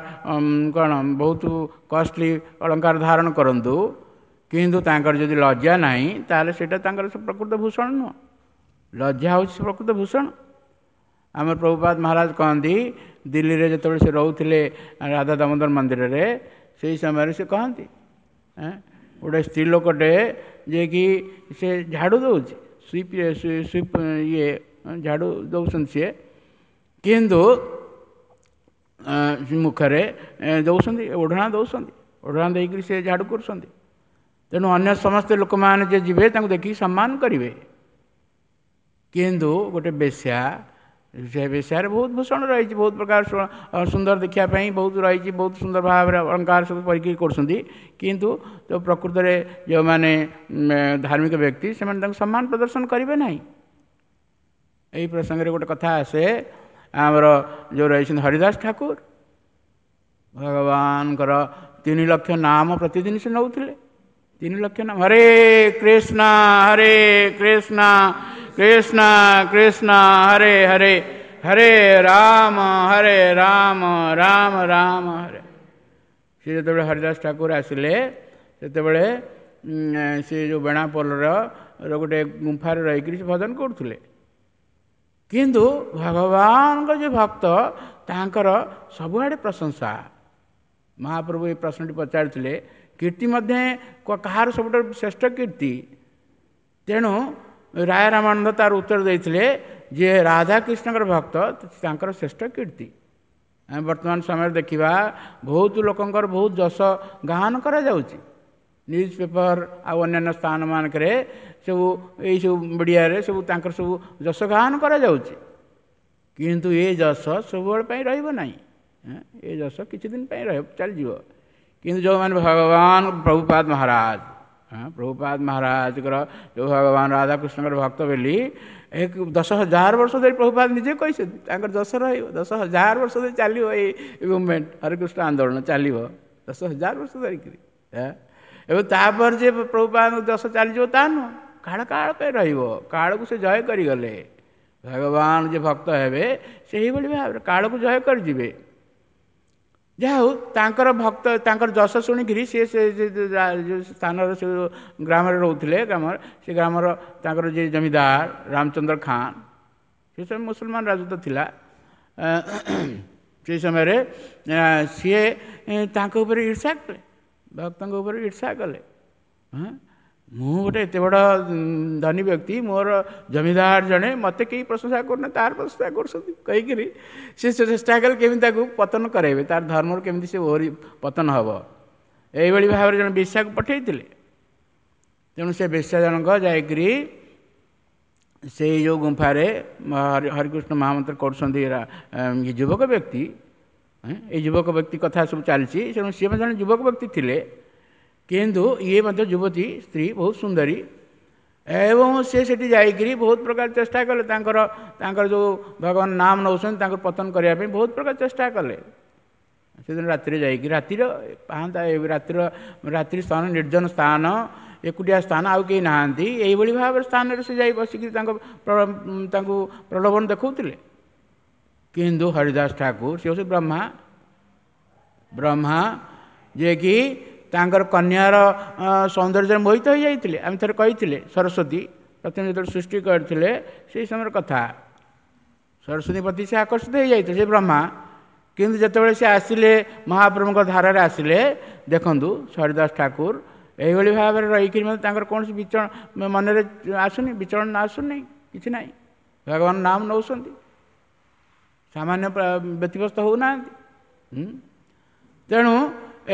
କ'ଣ ବହୁତ କଷ୍ଟଲି ଅଳଙ୍କାର ଧାରଣ କରନ୍ତୁ, କିନ୍ତୁ ତାଙ୍କର ଯଦି ଲଜ୍ଜା ନାହିଁ ତାହେଲେ ସେଇଟା ତାଙ୍କର ପ୍ରକୃତ ଭୂଷଣ ନୁହଁ। ଲଜ୍ଜା ହେଉଛି ପ୍ରକୃତ ଭୂଷଣ। ଆମର ପ୍ରଭୁପାଦ ମହାରାଜ କହନ୍ତି, ଦିଲ୍ଲୀରେ ଯେତେବେଳେ ସେ ରହୁଥିଲେ ରାଧା ଦାମୋଦର ମନ୍ଦିରରେ, ସେଇ ସମୟରେ ସେ କହନ୍ତି ଗୋଟେ ସ୍ତ୍ରୀ ଲୋକଟେ ଯିଏକି ସେ ଝାଡ଼ୁ ଦେଉଛି, ସୁଇପ୍ ସୁଇପ୍ ଇଏ ଝାଡ଼ୁ ଦେଉଛନ୍ତି ସିଏ, କିନ୍ତୁ ମୁଖରେ ଦେଉଛନ୍ତି ଓଢ଼ଣା ଦେଉଛନ୍ତି, ଓଢ଼ଣା ଦେଇକରି ସେ ଝାଡ଼ୁ କରୁଛନ୍ତି। ତେଣୁ ଅନ୍ୟ ସମସ୍ତେ ଲୋକମାନେ ଯିଏ ଯିବେ ତାଙ୍କୁ ଦେଖିକି ସମ୍ମାନ କରିବେ, କିନ୍ତୁ ଗୋଟେ ବେଶ୍ୟା, ସେ ବେଶ୍ୟାରେ ବହୁତ ଭୂଷଣ ରହିଛି, ବହୁତ ପ୍ରକାର ସୁନ୍ଦର ଦେଖିବା ପାଇଁ ବହୁତ ରହିଛି, ବହୁତ ସୁନ୍ଦର ଭାବରେ ଅଳଙ୍କାର ସବୁ ପରିକି କରୁଛନ୍ତି, କିନ୍ତୁ ତ ପ୍ରକୃତରେ ଯେଉଁମାନେ ଧାର୍ମିକ ବ୍ୟକ୍ତି ସେମାନେ ତାଙ୍କୁ ସମ୍ମାନ ପ୍ରଦର୍ଶନ କରିବେ ନାହିଁ। ଏହି ପ୍ରସଙ୍ଗରେ ଗୋଟେ କଥା ଆସେ, ଆମର ଯେଉଁ ରହିଛନ୍ତି ହରିଦାସ ଠାକୁର, ଭଗବାନଙ୍କର ତିନି ଲକ୍ଷ ନାମ ପ୍ରତିଦିନ ସେ ନେଉଥିଲେ। ତିନି ଲକ୍ଷ ନାମ, ହରେ କୃଷ୍ଣ ହରେ କୃଷ୍ଣ କୃଷ୍ଣ କୃଷ୍ଣ ହରେ ହରେ, ହରେ ରାମ ହରେ ରାମ ରାମ ରାମ ହରେ। ସେ ଯେତେବେଳେ ହରିଦାସ ଠାକୁର ଆସିଲେ, ସେତେବେଳେ ସେ ଯେଉଁ ବେଣାପୋଲର ଗୋଟେ ଗୁମ୍ଫାରେ ରହିକରି ସେ ଭଜନ କରୁଥିଲେ, କିନ୍ତୁ ଭଗବାନଙ୍କ ଯେଉଁ ଭକ୍ତ ତାଙ୍କର ସବୁଆଡ଼େ ପ୍ରଶଂସା। ମହାପ୍ରଭୁ ଏ ପ୍ରଶ୍ନଟି ପଚାରିଥିଲେ, କୀର୍ତ୍ତି ମଧ୍ୟ କାହାର ସବୁଠାରୁ ଶ୍ରେଷ୍ଠ କୀର୍ତ୍ତି? ତେଣୁ ରାୟ ରାମାନନ୍ଦ ତାର ଉତ୍ତର ଦେଇଥିଲେ ଯେ ରାଧାକୃଷ୍ଣଙ୍କର ଭକ୍ତ ତାଙ୍କର ଶ୍ରେଷ୍ଠ କୀର୍ତ୍ତି। ଆମେ ବର୍ତ୍ତମାନ ସମୟରେ ଦେଖିବା ବହୁତ ଲୋକଙ୍କର ବହୁତ ଯଶ ଗାନ କରାଯାଉଛି, ନ୍ୟୁଜ୍ ପେପର ଆଉ ଅନ୍ୟାନ୍ୟ ସ୍ଥାନମାନଙ୍କରେ ସବୁ ଏଇସବୁ ମିଡ଼ିଆରେ ସବୁ ତାଙ୍କର ସବୁ ଯଶ ଗାନ କରାଯାଉଛି, କିନ୍ତୁ ଏ ଯଶ ସବୁବେଳେ ପାଇଁ ରହିବ ନାହିଁ। ଏ ଯଶ କିଛି ଦିନ ପାଇଁ ରହିବ, ଚାଲିଯିବ। କିନ୍ତୁ ଯେଉଁମାନେ ଭଗବାନ ପ୍ରଭୁପାଦ ମହାରାଜ, ହଁ ପ୍ରଭୁପାଦ ମହାରାଜଙ୍କର ଯେଉଁ ଭଗବାନ ରାଧାକୃଷ୍ଣଙ୍କର ଭକ୍ତ ବୋଲି ଏକ ଦଶ ହଜାର ବର୍ଷ ଧରି ପ୍ରଭୁପାଦ ନିଜେ କହିଛନ୍ତି, ତାଙ୍କର ଯଶ ରହିବ ଦଶ ହଜାର ବର୍ଷ ଧରି ଚାଲିବ। ଏଇ ମୁଭମେଣ୍ଟ ହରେକୃଷ୍ଣ ଆନ୍ଦୋଳନ ଚାଲିବ ଦଶ ହଜାର ବର୍ଷ ଧରିକିରି। ଏବଂ ତାପରେ ଯେ ପ୍ରଭୁପାଦଙ୍କ ଯଶ ଚାଲିଯିବ ତା ନୁହଁ, କାଳ କାଳ ପାଇଁ ରହିବ। କାଳକୁ ସେ ଜୟ କରିଗଲେ। ଭଗବାନ ଯେ ଭକ୍ତ ହେବେ ସେହିଭଳି ଭାବରେ କାଳକୁ ଜୟ କରିଯିବେ। ଯାହା ହଉ ତାଙ୍କର ଭକ୍ତ ତାଙ୍କର ଯଶ ଶୁଣିକିରି ସିଏ ସେ ଯେଉଁ ସ୍ଥାନରେ ସେ ଗ୍ରାମରେ ରହୁଥିଲେ, ଗ୍ରାମରେ ସେ ଗ୍ରାମର ତାଙ୍କର ଯିଏ ଜମିଦାର ରାମଚନ୍ଦ୍ର ଖାନ୍, ସେ ସମୟ ମୁସଲମାନ ରାଜତ୍ୱ ଥିଲା, ସେଇ ସମୟରେ ସିଏ ତାଙ୍କ ଉପରେ ଈର୍ଷା କଲେ, ଭକ୍ତଙ୍କ ଉପରେ ଈର୍ଷା କଲେ। ହଁ, ମୁଁ ଗୋଟେ ଏତେ ବଡ଼ ଧନୀ ବ୍ୟକ୍ତି, ମୋର ଜମିଦାର ଜଣେ, ମୋତେ କେହି ପ୍ରଶଂସା କରୁନା, ତାର ପ୍ରଶଂସା କରୁଛନ୍ତି କହିକିରି ସେ ଚେଷ୍ଟା କଲେ କେମିତି ତାକୁ ପତନ କରାଇବେ, ତାର ଧର୍ମରୁ କେମିତି ସେ ଓହରି ପତନ ହେବ। ଏଇଭଳି ଭାବରେ ଜଣେ ବେଶ୍ୟାକୁ ପଠାଇଥିଲେ। ତେଣୁ ସେ ବେଶ୍ୟା ଜଣକ ଯାଇକରି ସେଇ ଯେଉଁ ଗୁମ୍ଫାରେ ହରିକୃଷ୍ଣ ମହାମନ୍ତ୍ର କରୁଛନ୍ତି ଯୁବକ ବ୍ୟକ୍ତି, ଏଇ ଯୁବକ ବ୍ୟକ୍ତି କଥା ସବୁ ଚାଲିଛି। ତେଣୁ ସିଏ ମଧ୍ୟ ଜଣେ ଯୁବକ ବ୍ୟକ୍ତି ଥିଲେ, କିନ୍ତୁ ଇଏ ମଧ୍ୟ ଯୁବତୀ ସ୍ତ୍ରୀ ବହୁତ ସୁନ୍ଦରୀ, ଏବଂ ସେ ସେଠି ଯାଇକରି ବହୁତ ପ୍ରକାର ଚେଷ୍ଟା କଲେ, ତାଙ୍କର ତାଙ୍କର ଯେଉଁ ଭଗବାନ ନାମ ନେଉଛନ୍ତି ତାଙ୍କୁ ପତନ କରିବା ପାଇଁ ବହୁତ ପ୍ରକାର ଚେଷ୍ଟା କଲେ। ସେଦିନ ରାତିରେ ଯାଇକି, ରାତିର ପାହାନ୍ତା, ରାତିର ରାତ୍ରି ସ୍ଥାନ, ନିର୍ଜନ ସ୍ଥାନ, ଏକୁଟିଆ ସ୍ଥାନ, ଆଉ କେହି ନାହାନ୍ତି, ଏଇଭଳି ଭାବରେ ସ୍ଥାନରେ ସେ ଯାଇ ବସିକି ତାଙ୍କ ତାଙ୍କୁ ପ୍ରଲୋଭନ ଦେଖାଉଥିଲେ। କିନ୍ତୁ ହରିଦାସ ଠାକୁର ସେ ହେଉଛି ବ୍ରହ୍ମା, ବ୍ରହ୍ମା ଯିଏକି ତାଙ୍କର କନ୍ୟାର ସୌନ୍ଦର୍ଯ୍ୟରେ ମୋହିତ ହୋଇଯାଇଥିଲେ। ଆମେ ଥରେ କହିଥିଲେ ସରସ୍ୱତୀ ପ୍ରଥମେ ଯେତେବେଳେ ସୃଷ୍ଟି କରିଥିଲେ ସେଇ ସମୟର କଥା, ସରସ୍ୱତୀ ପ୍ରତି ସେ ଆକର୍ଷିତ ହୋଇଯାଇଥିଲେ ସେ ବ୍ରହ୍ମା। କିନ୍ତୁ ଯେତେବେଳେ ସେ ଆସିଲେ ମହାପ୍ରଭୁଙ୍କ ଧାରାରେ ଆସିଲେ, ଦେଖନ୍ତୁ ହରିଦାସ ଠାକୁର ଏଇଭଳି ଭାବରେ ରହିକରି ମଧ୍ୟ ତାଙ୍କର କୌଣସି ବିଚରଣ ମନରେ ଆସୁନି, ବିଚଳନ ଆସୁନି, କିଛି ନାହିଁ, ଭଗବାନ ନାମ ନେଉଛନ୍ତି, ସାମାନ୍ୟ ବ୍ୟତିବ୍ୟସ୍ତ ହେଉନାହାନ୍ତି। ତେଣୁ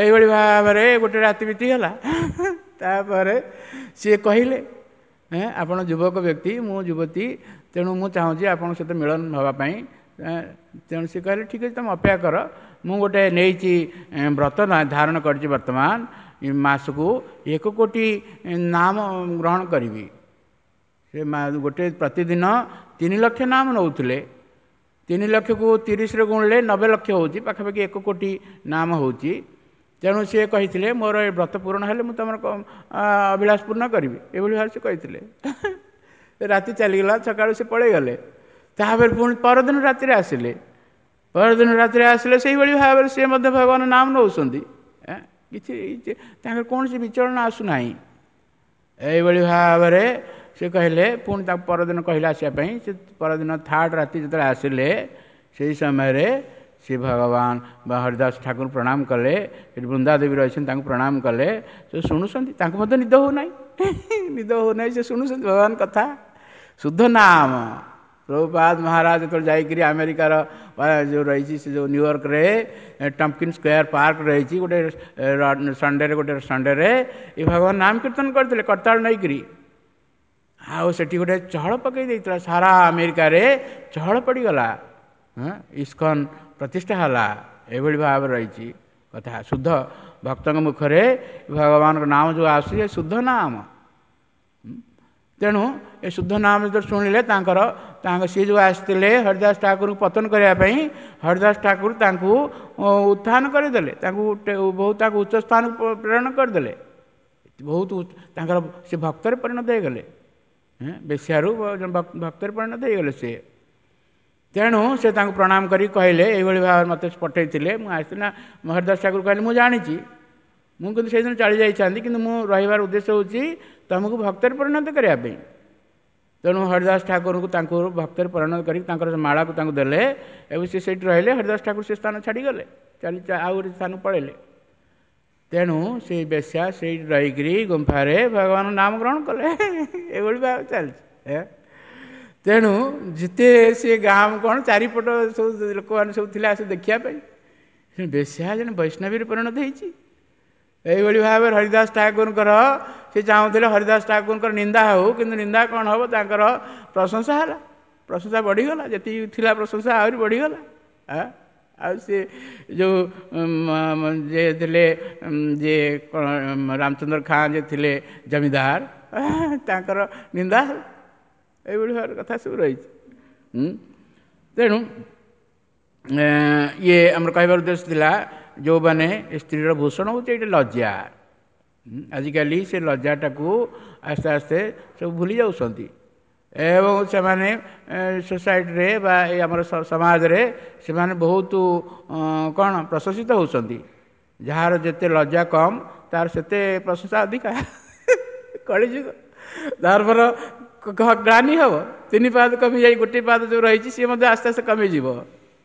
ଏଇଭଳି ଭାବରେ ଗୋଟେ ରାତି ବିତିଗଲା। ତାପରେ ସିଏ କହିଲେ, ଆପଣ ଯୁବକ ବ୍ୟକ୍ତି, ମୁଁ ଯୁବତୀ, ତେଣୁ ମୁଁ ଚାହୁଁଛି ଆପଣଙ୍କ ସହିତ ମିଳନ ହେବା ପାଇଁ, ତେଣୁ ସେ କହିଲେ ଠିକ୍ ଅଛି, ତୁମେ ଅପେକ୍ଷା କର, ମୁଁ ଗୋଟେ ନେଇଛି ବ୍ରତ ଧାରଣ କରିଛି, ବର୍ତ୍ତମାନ ମାସକୁ ଏକ କୋଟି ନାମ ଗ୍ରହଣ କରିବି। ସେ ଗୋଟେ ପ୍ରତିଦିନ ତିନି ଲକ୍ଷ ନାମ ନେଉଥିଲେ। ତିନି ଲକ୍ଷକୁ ତିରିଶରେ ଗୁଣିଲେ ନବେ ଲକ୍ଷ ହେଉଛି, ପାଖାପାଖି ଏକ କୋଟି ନାମ ହେଉଛି। ତେଣୁ ସିଏ କହିଥିଲେ ମୋର ଏ ବ୍ରତ ପୂରଣ ହେଲେ ମୁଁ ତୁମର ଅଭିଳାଷ ପୂର୍ଣ୍ଣ କରିବି, ଏଭଳି ଭାବରେ ସେ କହିଥିଲେ। ରାତି ଚାଲିଗଲା, ସକାଳୁ ସେ ପଳେଇଗଲେ। ତାପରେ ପୁଣି ପରଦିନ ରାତିରେ ଆସିଲେ। ପରଦିନ ରାତିରେ ଆସିଲେ ସେଇଭଳି ଭାବରେ ସିଏ ମଧ୍ୟ ଭଗବାନ ନାମ ନେଉଛନ୍ତି, କିଛି ତାଙ୍କର କୌଣସି ବିଚଳନ ଆସୁନାହିଁ। ଏଇଭଳି ଭାବରେ ସେ କହିଲେ। ପୁଣି ତାକୁ ପରଦିନ କହିଲେ ଆସିବା ପାଇଁ। ସେ ପରଦିନ ଥାର୍ଡ଼ ରାତି ଯେତେବେଳେ ଆସିଲେ, ସେଇ ସମୟରେ ସେ ଭଗବାନ ବା ହରିଦାସ ଠାକୁର ପ୍ରଣାମ କଲେ। ସେଠି ବୃନ୍ଦାଦେବୀ ରହିଛନ୍ତି, ତାଙ୍କୁ ପ୍ରଣାମ କଲେ। ସେ ଶୁଣୁଛନ୍ତି, ତାଙ୍କୁ ମଧ୍ୟ ନିଦ ହେଉନାହିଁ, ନିଦ ହେଉନାହିଁ। ସେ ଶୁଣୁଛନ୍ତି ଭଗବାନ କଥା, ଶୁଦ୍ଧ ନାମ। ପ୍ରଭୁପାଦ ମହାରାଜ ଯେତେବେଳେ ଯାଇକରି ଆମେରିକାର ଯେଉଁ ରହିଛି, ସେ ଯେଉଁ ନ୍ୟୁୟର୍କରେ ଟମ୍ପକିନ୍ ସ୍କୋୟାର ପାର୍କ ରହିଛି, ଗୋଟେ ସଣ୍ଡେରେ ଗୋଟେ ସଣ୍ଡେରେ ଏ ଭଗବାନ ନାମ କୀର୍ତ୍ତନ କରିଥିଲେ କରତାଳ ନେଇକରି। ଆଉ ସେଠି ଗୋଟେ ଚହଳ ପକାଇ ଦେଇଥିଲା, ସାରା ଆମେରିକାରେ ଚହଳ ପଡ଼ିଗଲା, ଇସ୍କନ ପ୍ରତିଷ୍ଠା ହେଲା। ଏଭଳି ଭାବରେ ରହିଛି କଥା। ଶୁଦ୍ଧ ଭକ୍ତଙ୍କ ମୁଖରେ ଭଗବାନଙ୍କ ନାମ ଯେଉଁ ଆସୁଛି, ଏ ଶୁଦ୍ଧ ନାମ। ତେଣୁ ଏ ଶୁଦ୍ଧ ନାମ ଯେତେବେଳେ ଶୁଣିଲେ, ତାଙ୍କର ତାଙ୍କ ସିଏ ଯେଉଁ ଆସିଥିଲେ ହରିଦାସ ଠାକୁରଙ୍କୁ ପତନ କରିବା ପାଇଁ, ହରିଦାସ ଠାକୁର ତାଙ୍କୁ ଉତ୍ଥାନ କରିଦେଲେ, ତାଙ୍କୁ ବହୁତ ତାଙ୍କୁ ଉଚ୍ଚ ସ୍ଥାନକୁ ପ୍ରେରଣ କରିଦେଲେ। ବହୁତ ତାଙ୍କର ସେ ଭକ୍ତରେ ପରିଣତ ହେଇଗଲେ, ବେଶ୍ୟାରୁ ଭକ୍ତରେ ପରିଣତ ହେଇଗଲେ ସିଏ। ତେଣୁ ସେ ତାଙ୍କୁ ପ୍ରଣାମ କରି କହିଲେ, ଏଇଭଳି ଭାବରେ ମୋତେ ପଠେଇଥିଲେ, ମୁଁ ଆସିଥିଲି ନା। ହରିଦାସ ଠାକୁର କହିଲେ, ମୁଁ ଜାଣିଛି, ମୁଁ କିନ୍ତୁ ସେଇଦିନ ଚାଲି ଯାଇଥାନ୍ତି, କିନ୍ତୁ ମୁଁ ରହିବାର ଉଦ୍ଦେଶ୍ୟ ହେଉଛି ତୁମକୁ ଭକ୍ତରେ ପରିଣତ କରିବା ପାଇଁ। ତେଣୁ ହରିଦାସ ଠାକୁରଙ୍କୁ ତାଙ୍କୁ ଭକ୍ତରେ ପରିଣତ କରିକି ତାଙ୍କର ମାଳାକୁ ତାଙ୍କୁ ଦେଲେ ଏବଂ ସେ ସେଇଠି ରହିଲେ। ହରିଦାସ ଠାକୁର ସେ ସ୍ଥାନ ଛାଡ଼ିଗଲେ, ଚାଲି ଆଉ ଗୋଟେ ସ୍ଥାନକୁ ପଳେଇଲେ। ତେଣୁ ସେଇ ବେଶ୍ୟା ସେଇଠି ରହିକରି ଗୁମ୍ଫାରେ ଭଗବାନ ନାମ ଗ୍ରହଣ କଲେ। ଏଭଳି ଭାବେ ଚାଲିଛି। ତେଣୁ ଯେତେ ସେ ଗାଁ କ'ଣ ଚାରିପଟ ସବୁ ଲୋକମାନେ ସବୁ ଥିଲେ ଆସି ଦେଖିବା ପାଇଁ, ବେଶ୍ୟା ଜଣେ ବୈଷ୍ଣବୀରେ ପରିଣତ ହେଇଛି। ଏଇଭଳି ଭାବରେ ହରିଦାସ ଠାକୁରଙ୍କର ସେ ଚାହୁଁଥିଲେ ହରିଦାସ ଠାକୁରଙ୍କର ନିନ୍ଦା ହେଉ, କିନ୍ତୁ ନିନ୍ଦା କ'ଣ ହେବ, ତାଙ୍କର ପ୍ରଶଂସା ହେଲା, ପ୍ରଶଂସା ବଢ଼ିଗଲା, ଯେତିକି ଥିଲା ପ୍ରଶଂସା ଆହୁରି ବଢ଼ିଗଲା। ଆଉ ସେ ଯେଉଁ ଯିଏ ଥିଲେ, ଯିଏ ରାମଚନ୍ଦ୍ର ଖାଁ ଯିଏ ଥିଲେ ଜମିଦାର, ତାଙ୍କର ନିନ୍ଦା ହେଲା। ଏଇଭଳି ଭାବରେ କଥା ସବୁ ରହିଛି। ତେଣୁ ଇଏ ଆମର କହିବାର ଉଦ୍ଦେଶ୍ୟ ଥିଲା, ଯେଉଁମାନେ ସ୍ତ୍ରୀର ଭୂଷଣ ହେଉଛି ଏଇଟା ଲଜ୍ଜା। ଆଜିକାଲି ସେ ଲଜ୍ଜାଟାକୁ ଆସ୍ତେ ଆସ୍ତେ ସବୁ ଭୁଲି ଯାଉଛନ୍ତି ଏବଂ ସେମାନେ ସୋସାଇଟିରେ ବା ଏଇ ଆମର ସମାଜରେ ସେମାନେ ବହୁତ କ'ଣ ପ୍ରଶଂସିତ ହେଉଛନ୍ତି। ଯାହାର ଯେତେ ଲଜ୍ଜା କମ୍, ତାର ସେତେ ପ୍ରଶଂସା ଅଧିକା। କଳିଯୁଗ ଧର୍ମର ଗ୍ଲାନି ହେବ, ତିନି ପାଦ କମିଯାଇ ଗୋଟିଏ ପାଦ ଯେଉଁ ରହିଛି ସିଏ ମଧ୍ୟ ଆସ୍ତେ ଆସ୍ତେ କମିଯିବ।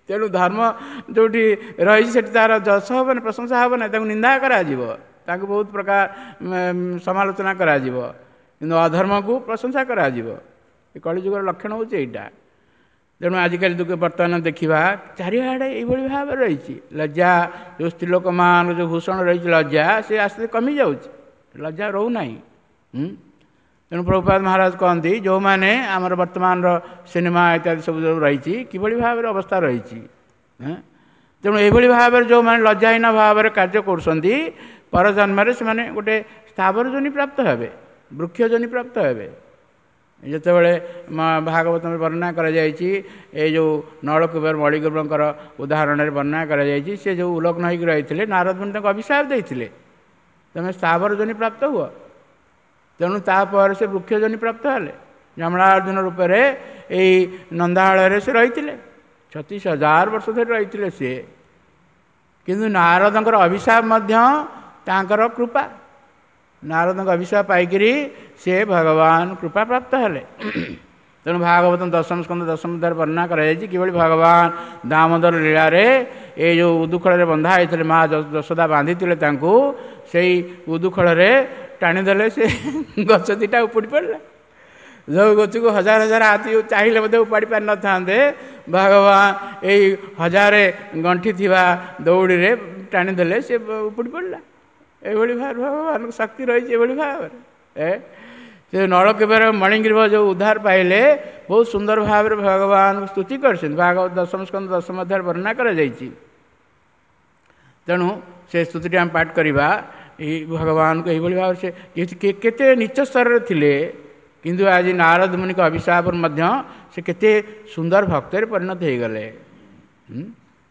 ତେଣୁ ଧର୍ମ ଯେଉଁଠି ରହିଛି ସେଠି ତାର ଯଶ ହେବନି, ପ୍ରଶଂସା ହେବ ନାହିଁ, ତାକୁ ନିନ୍ଦା କରାଯିବ, ତାଙ୍କୁ ବହୁତ ପ୍ରକାର ସମାଲୋଚନା କରାଯିବ, କିନ୍ତୁ ଅଧର୍ମକୁ ପ୍ରଶଂସା କରାଯିବ। ଏ କଳିଯୁଗର ଲକ୍ଷଣ ହେଉଛି ଏଇଟା। ତେଣୁ ଆଜିକାଲି ବର୍ତ୍ତମାନ ଦେଖିବା ଚାରିଆଡ଼େ ଏଇଭଳି ଭାବରେ ରହିଛି। ଲଜ୍ଜା ଯେଉଁ ସ୍ତ୍ରୀ ଲୋକମାନଙ୍କ ଯେଉଁ ଭୂଷଣ ରହିଛି ଲଜ୍ଜା, ସେ ଆସ୍ତେ କମିଯାଉଛି, ଲଜ୍ଜା ରହୁନାହିଁ। ତେଣୁ ପ୍ରଭୁପାଦ ମହାରାଜ କହନ୍ତି, ଯେଉଁମାନେ ଆମର ବର୍ତ୍ତମାନର ସିନେମା ଇତ୍ୟାଦି ସବୁ ଯେଉଁ ରହିଛି, କିଭଳି ଭାବରେ ଅବସ୍ଥା ରହିଛି। ତେଣୁ ଏଇଭଳି ଭାବରେ ଯେଉଁମାନେ ଲଜ୍ଜାହୀନ ଭାବରେ କାର୍ଯ୍ୟ କରୁଛନ୍ତି, ପରଜନ୍ମରେ ସେମାନେ ଗୋଟେ ସ୍ଥାବର ଯୋନି ପ୍ରାପ୍ତ ହେବେ, ବୃକ୍ଷ ଯୋନି ପ୍ରାପ୍ତ ହେବେ। ଯେତେବେଳେ ଭାଗବତରେ ବର୍ଣ୍ଣନା କରାଯାଇଛି, ଏ ଯେଉଁ ନଳକୁବେର ମଳିକୁବରଙ୍କର ଉଦାହରଣରେ ବର୍ଣ୍ଣନା କରାଯାଇଛି, ସେ ଯେଉଁ ଉଲଗ୍ନ ହେଇକି ରହିଥିଲେ, ନାରଦ ମୁନି ତାଙ୍କୁ ଅଭିଶାପ ଦେଇଥିଲେ, ତୁମେ ସ୍ଥାବର ଯୋନି ପ୍ରାପ୍ତ ହୁଅ। ତେଣୁ ତାପରେ ସେ ବୃକ୍ଷ ଯୋନି ପ୍ରାପ୍ତ ହେଲେ। ଯମଳାର୍ଜୁନ ରୂପରେ ଏଇ ନନ୍ଦାଳୟରେ ସେ ରହିଥିଲେ, ଛତିଶ ହଜାର ବର୍ଷ ଧରି ରହିଥିଲେ ସିଏ। କିନ୍ତୁ ନାରଦଙ୍କର ଅଭିଶାପ ମଧ୍ୟ ତାଙ୍କର କୃପା, ନାରଦଙ୍କ ଅଭିଶାପ ପାଇକରି ସେ ଭଗବାନ କୃପା ପ୍ରାପ୍ତ ହେଲେ। ତେଣୁ ଭାଗବତ ଦଶମ ସ୍କନ୍ଧ ଦଶମ ଅଧ୍ୟାୟରେ ବର୍ଣ୍ଣନା କରାଯାଇଛି କିଭଳି ଭଗବାନ ଦାମୋଦର ଲୀଳାରେ ଏଇ ଯେଉଁ ଉଦୁଖଳରେ ବନ୍ଧା ହେଇଥିଲେ, ମା ଯଶୋଦା ବାନ୍ଧିଥିଲେ ତାଙ୍କୁ, ସେଇ ଉଦୁଖଳରେ ଟାଣିଦେଲେ, ସେ ଗଛ ଦୁଇଟା ଉପୁଡ଼ି ପଡ଼ିଲା। ଯେଉଁ ଗଛକୁ ହଜାର ହଜାର ହାତୀ ଚାହିଁଲେ ମଧ୍ୟ ଉପାଡ଼ି ପାରିନଥାନ୍ତେ, ଭଗବାନ ଏଇ ହଜାରେ ଗଣ୍ଠି ଥିବା ଦଉଡ଼ିରେ ଟାଣିଦେଲେ, ସେ ଉପୁଡ଼ି ପଡ଼ିଲା। ଏଇଭଳି ଭାବରେ ଭଗବାନଙ୍କ ଶକ୍ତି ରହିଛି ଏଭଳି ଭାବରେ। ଏ ସେ ନଳକୁବେର ମଣିଗ୍ରୀବ ଯେଉଁ ଉଦ୍ଧାର ପାଇଲେ, ବହୁତ ସୁନ୍ଦର ଭାବରେ ଭଗବାନଙ୍କୁ ସ୍ତୁତି କରିଛନ୍ତି। ଭାଗବତ ଦଶମ ସ୍କନ୍ଧ ଦଶମ ଅଧ୍ୟାୟରେ ବର୍ଣ୍ଣନା କରାଯାଇଛି। ତେଣୁ ସେ ସ୍ତୁତିଟି ଆମେ ପାଠ କରିବା। ଏଇ ଭଗବାନଙ୍କୁ ଏଇଭଳି ଭାବରେ ସେ କେତେ ନୀଚ ସ୍ତରରେ ଥିଲେ, କିନ୍ତୁ ଆଜି ନାରଦ ମୁନିଙ୍କ ଅଭିଶାପରୁ ମଧ୍ୟ ସେ କେତେ ସୁନ୍ଦର ଭକ୍ତରେ ପରିଣତ ହେଇଗଲେ,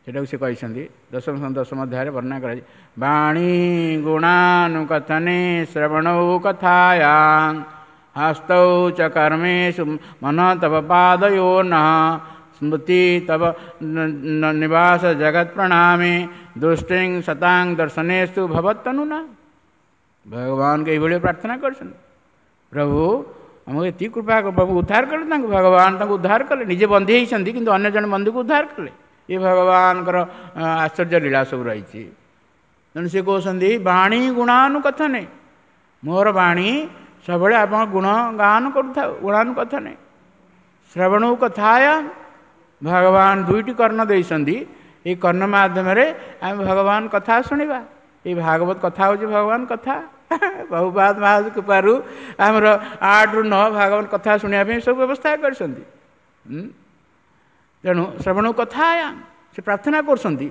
ସେଟାକୁ ସେ କହିଛନ୍ତି। ଦଶମ ଦଶମ ଅଧ୍ୟାୟରେ ବର୍ଣ୍ଣନା କରାଯାଇଛି। ବାଣୀ ଗୁଣାନୁକଥନେ ଶ୍ରବଣୌ କଥାୟାଂ ହସ୍ତୌ ଚ କର୍ମେଷୁ ମନ ତବ ପାଦୟୋ ନଃ ସ୍ମୃତି ତବ ନିବାସ ଜଗତ ପ୍ରଣାମେ ଦୃଷ୍ଟିଂ ସତାଂ ଦର୍ଶନେଷୁ ଭବତ୍ତନୁନା। ଭଗବାନଙ୍କୁ ଏଇଭଳି ପ୍ରାର୍ଥନା କରିଛନ୍ତି, ପ୍ରଭୁ ଆମକୁ ଏତିକି କୃପା, ପ୍ରଭୁ ଉଦ୍ଧାର କଲେ ତାଙ୍କୁ। ଭଗବାନ ତାଙ୍କୁ ଉଦ୍ଧାର କଲେ, ନିଜେ ବନ୍ଦୀ ହେଇଛନ୍ତି କିନ୍ତୁ ଅନ୍ୟ ଜଣେ ବନ୍ଦୀକୁ ଉଦ୍ଧାର କଲେ। ଏ ଭଗବାନଙ୍କର ଆଶ୍ଚର୍ଯ୍ୟ ଲୀଳା ସବୁ ରହିଛି। ତେଣୁ ସେ କହୁଛନ୍ତି ବାଣୀ ଗୁଣାନୁକଥନେ, ମୋର ବାଣୀ ସବୁବେଳେ ଆପଣ ଗୁଣ ଗାନ କରୁଥାଉ, ଗୁଣାନୁକଥନେ ଶ୍ରବଣ କଥାୟା। ଭଗବାନ ଦୁଇଟି କର୍ଣ୍ଣ ଦେଇଛନ୍ତି, ଏଇ କର୍ଣ୍ଣ ମାଧ୍ୟମରେ ଆମେ ଭଗବାନ କଥା ଶୁଣିବା। ଏଇ ଭାଗବତ କଥା ହେଉଛି ଭଗବାନ କଥା। ପ୍ରଭୁପାଦ ମହାରାଜ କୃପାରୁ ଆମର ଆଠରୁ ନଅ ଭାଗବତ କଥା ଶୁଣିବା ପାଇଁ ସବୁ ବ୍ୟବସ୍ଥା କରିଛନ୍ତି। ତେଣୁ ଶ୍ରବଣ କଥା ସେ ପ୍ରାର୍ଥନା କରୁଛନ୍ତି,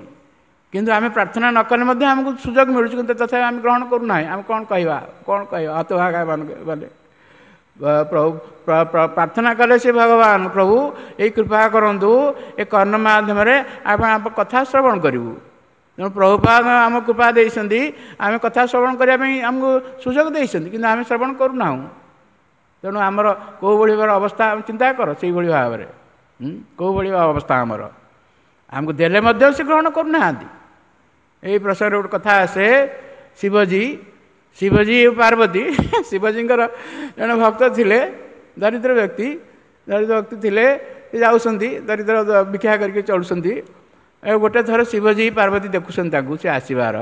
କିନ୍ତୁ ଆମେ ପ୍ରାର୍ଥନା ନ କଲେ ମଧ୍ୟ ଆମକୁ ସୁଯୋଗ ମିଳୁଛି, କିନ୍ତୁ ତଥାପି ଆମେ ଗ୍ରହଣ କରୁନାହିଁ। ଆମେ କ'ଣ କହିବା, କ'ଣ କହିବା ହତଭାଗା ମାନେ। ପ୍ରଭୁ ପ୍ରାର୍ଥନା କଲେ ସେ ଭଗବାନ, ପ୍ରଭୁ ଏଇ କୃପା କରନ୍ତୁ, ଏ କର୍ଣ୍ଣ ମାଧ୍ୟମରେ ଆପଣ ଆମ କଥା ଶ୍ରବଣ କରିବୁ। ତେଣୁ ପ୍ରଭୁପାଦ ଆମ କୃପା ଦେଇଛନ୍ତି, ଆମେ କଥା ଶ୍ରବଣ କରିବା ପାଇଁ ଆମକୁ ସୁଯୋଗ ଦେଇଛନ୍ତି, କିନ୍ତୁ ଆମେ ଶ୍ରବଣ କରୁନାହୁଁ। ତେଣୁ ଆମର କେଉଁ ଭଳି ଭାବରେ ଅବସ୍ଥା ଚିନ୍ତା କର, ସେଇଭଳି ଭାବରେ କେଉଁ ଭଳି ଅବସ୍ଥା ଆମର, ଆମକୁ ଦେଲେ ମଧ୍ୟ ସେ ଗ୍ରହଣ କରୁନାହାନ୍ତି। ଏଇ ପ୍ରସଙ୍ଗରେ ଗୋଟେ କଥା ଆସେ, ଶିବଜୀ ଶିବଜୀ ପାର୍ବତୀ, ଶିବଜୀଙ୍କର ଜଣେ ଭକ୍ତ ଥିଲେ, ଦରିଦ୍ର ବ୍ୟକ୍ତି, ଦରିଦ୍ର ବ୍ୟକ୍ତି ଥିଲେ, ସେ ଯାଉଛନ୍ତି ଦରିଦ୍ର ଭିକ୍ଷା କରିକି ଚଳୁଛନ୍ତି। ଆଉ ଗୋଟେ ଥର ଶିବଜୀ ପାର୍ବତୀ ଦେଖୁଛନ୍ତି ତାଙ୍କୁ ସେ ଆସିବାର।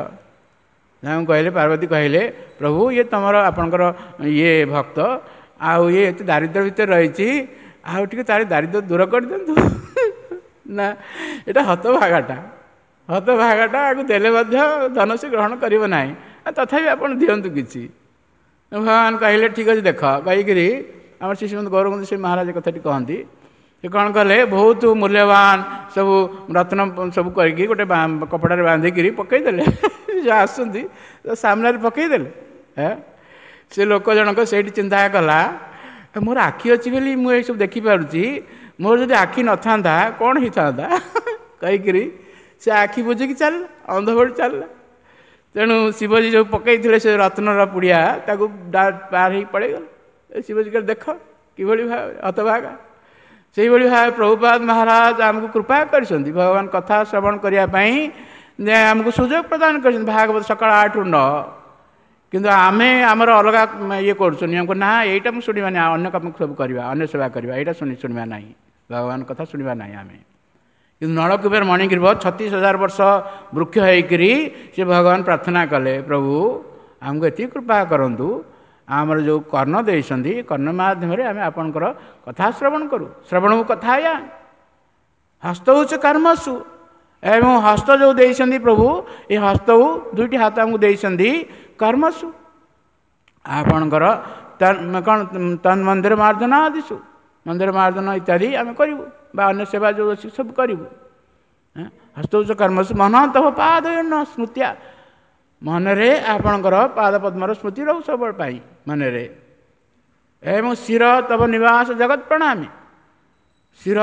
ତାଙ୍କୁ କହିଲେ, ପାର୍ବତୀ କହିଲେ, ପ୍ରଭୁ ଇଏ ତୁମର ଆପଣଙ୍କର ଇଏ ଭକ୍ତ, ଆଉ ଇଏ ଏତେ ଦାରିଦ୍ର୍ୟ ଭିତରେ ରହିଛି, ଆଉ ଟିକେ ତାର ଦାରିଦ୍ର୍ୟ ଦୂର କରିଦିଅନ୍ତୁ ନା, ଏଇଟା ହତଭାଗାଟା, ହତଭାଗାଟା, ଆକୁ ଦେଲେ ମଧ୍ୟ ଧନ ସେ ଗ୍ରହଣ କରିବ ନାହିଁ, ତଥାପି ଆପଣ ଦିଅନ୍ତୁ କିଛି। ଭଗବାନ କହିଲେ ଠିକ୍ ଅଛି ଦେଖ, କହିକିରି ଆମର ଶ୍ରୀ ଶ୍ରୀମନ୍ତ ଗୌରବନ୍ଧୁ ସେ ମହାରାଜ କଥାଟି କହନ୍ତି। ସେ କ'ଣ କଲେ, ବହୁତ ମୂଲ୍ୟବାନ ସବୁ ରତ୍ନ ସବୁ କରିକି ଗୋଟେ କପଡ଼ାରେ ବାନ୍ଧିକିରି ପକେଇଦେଲେ, ଯେଉଁ ଆସୁଛନ୍ତି ସାମ୍ନାରେ ପକେଇଦେଲେ। ସେ ଲୋକ ଜଣକ ସେଇଠି ଚିନ୍ତା କଲା, ମୋର ଆଖି ଅଛି ବୋଲି ମୁଁ ଏସବୁ ଦେଖିପାରୁଛି, ମୋର ଯଦି ଆଖି ନଥାନ୍ତା କ'ଣ ହେଇଥାନ୍ତା କହିକିରି ସେ ଆଖି ବୁଜିକି ଚାଲିଲା, ଅନ୍ଧ ଭଳି ଚାଲିଲା। ତେଣୁ ଶିବଜୀ ଯେଉଁ ପକେଇଥିଲେ ସେ ରତ୍ନର ପୁଡ଼ିଆ ତାକୁ ପାର ହେଇକି ପଳେଇଗଲେ। ଶିବଜୀ କହିଲେ ଦେଖ କିଭଳି ଭାବେ ହତଭାଗା। ସେଇଭଳି ଭାବେ ପ୍ରଭୁପାଦ ମହାରାଜ ଆମକୁ କୃପା କରିଛନ୍ତି, ଭଗବାନ କଥା ଶ୍ରବଣ କରିବା ପାଇଁ ଆମକୁ ସୁଯୋଗ ପ୍ରଦାନ କରିଛନ୍ତି ଭାଗବତ ସକାଳ ଆଠରୁ ନଅ। କିନ୍ତୁ ଆମେ ଆମର ଅଲଗା ଇଏ କରୁଛୁ ନିୟମକୁ, ନା ଏଇଟା ମୁଁ ଶୁଣିବା ନାହିଁ, ଅନ୍ୟ କାମ ସବୁ କରିବା, ଅନ୍ୟ ସେବା କରିବା, ଏଇଟା ଶୁଣି ଶୁଣିବା ନାହିଁ, ଭଗବାନ କଥା ଶୁଣିବା ନାହିଁ ଆମେ। କିନ୍ତୁ ନଳକୁବେର ମଣିଗ୍ରୀବ ଛତିଶ ହଜାର ବର୍ଷ ବୃକ୍ଷ ହେଇକରି ସେ ଭଗବାନ ପ୍ରାର୍ଥନା କଲେ, ପ୍ରଭୁ ଆମକୁ ଏତିକି କୃପା କରନ୍ତୁ, ଆମର ଯେଉଁ କର୍ଣ୍ଣ ଦେଇଛନ୍ତି କର୍ଣ୍ଣ ମାଧ୍ୟମରେ ଆମେ ଆପଣଙ୍କର କଥା ଶ୍ରବଣ କରୁ। ଶ୍ରବଣକୁ କଥା ଆୟା ହସ୍ତ ହେଉଛି କର୍ମସୁ, ଏବଂ ହସ୍ତ ଯେଉଁ ଦେଇଛନ୍ତି ପ୍ରଭୁ, ଏ ହସ୍ତକୁ ଦୁଇଟି ହାତ ଆମକୁ ଦେଇଛନ୍ତି କର୍ମସୁ, ଆପଣଙ୍କର କ'ଣ ତନ୍ ମନ୍ଦିର ମାର୍ଜନ ଆଦିସୁ, ମନ୍ଦିର ମାର୍ଜନ ଇତ୍ୟାଦି ଆମେ କରିବୁ, ବା ଅନ୍ୟ ସେବା ଯେଉଁ ଅଛି ସବୁ କରିବୁ। ହସ୍ତ ହେଉଛି କର୍ମସୁ ମନ ତବ ପାଦ ସ୍ମୃତିଆ, ମନରେ ଆପଣଙ୍କର ପାଦ ପଦ୍ମର ସ୍ମୃତି ରହୁ ସବୁବେଳେ ପାଇଁ ମନରେ। ଏବଂ ଶିର ତବ ନିବାସ ଜଗତ ପ୍ରଣାମୀ, ଶିର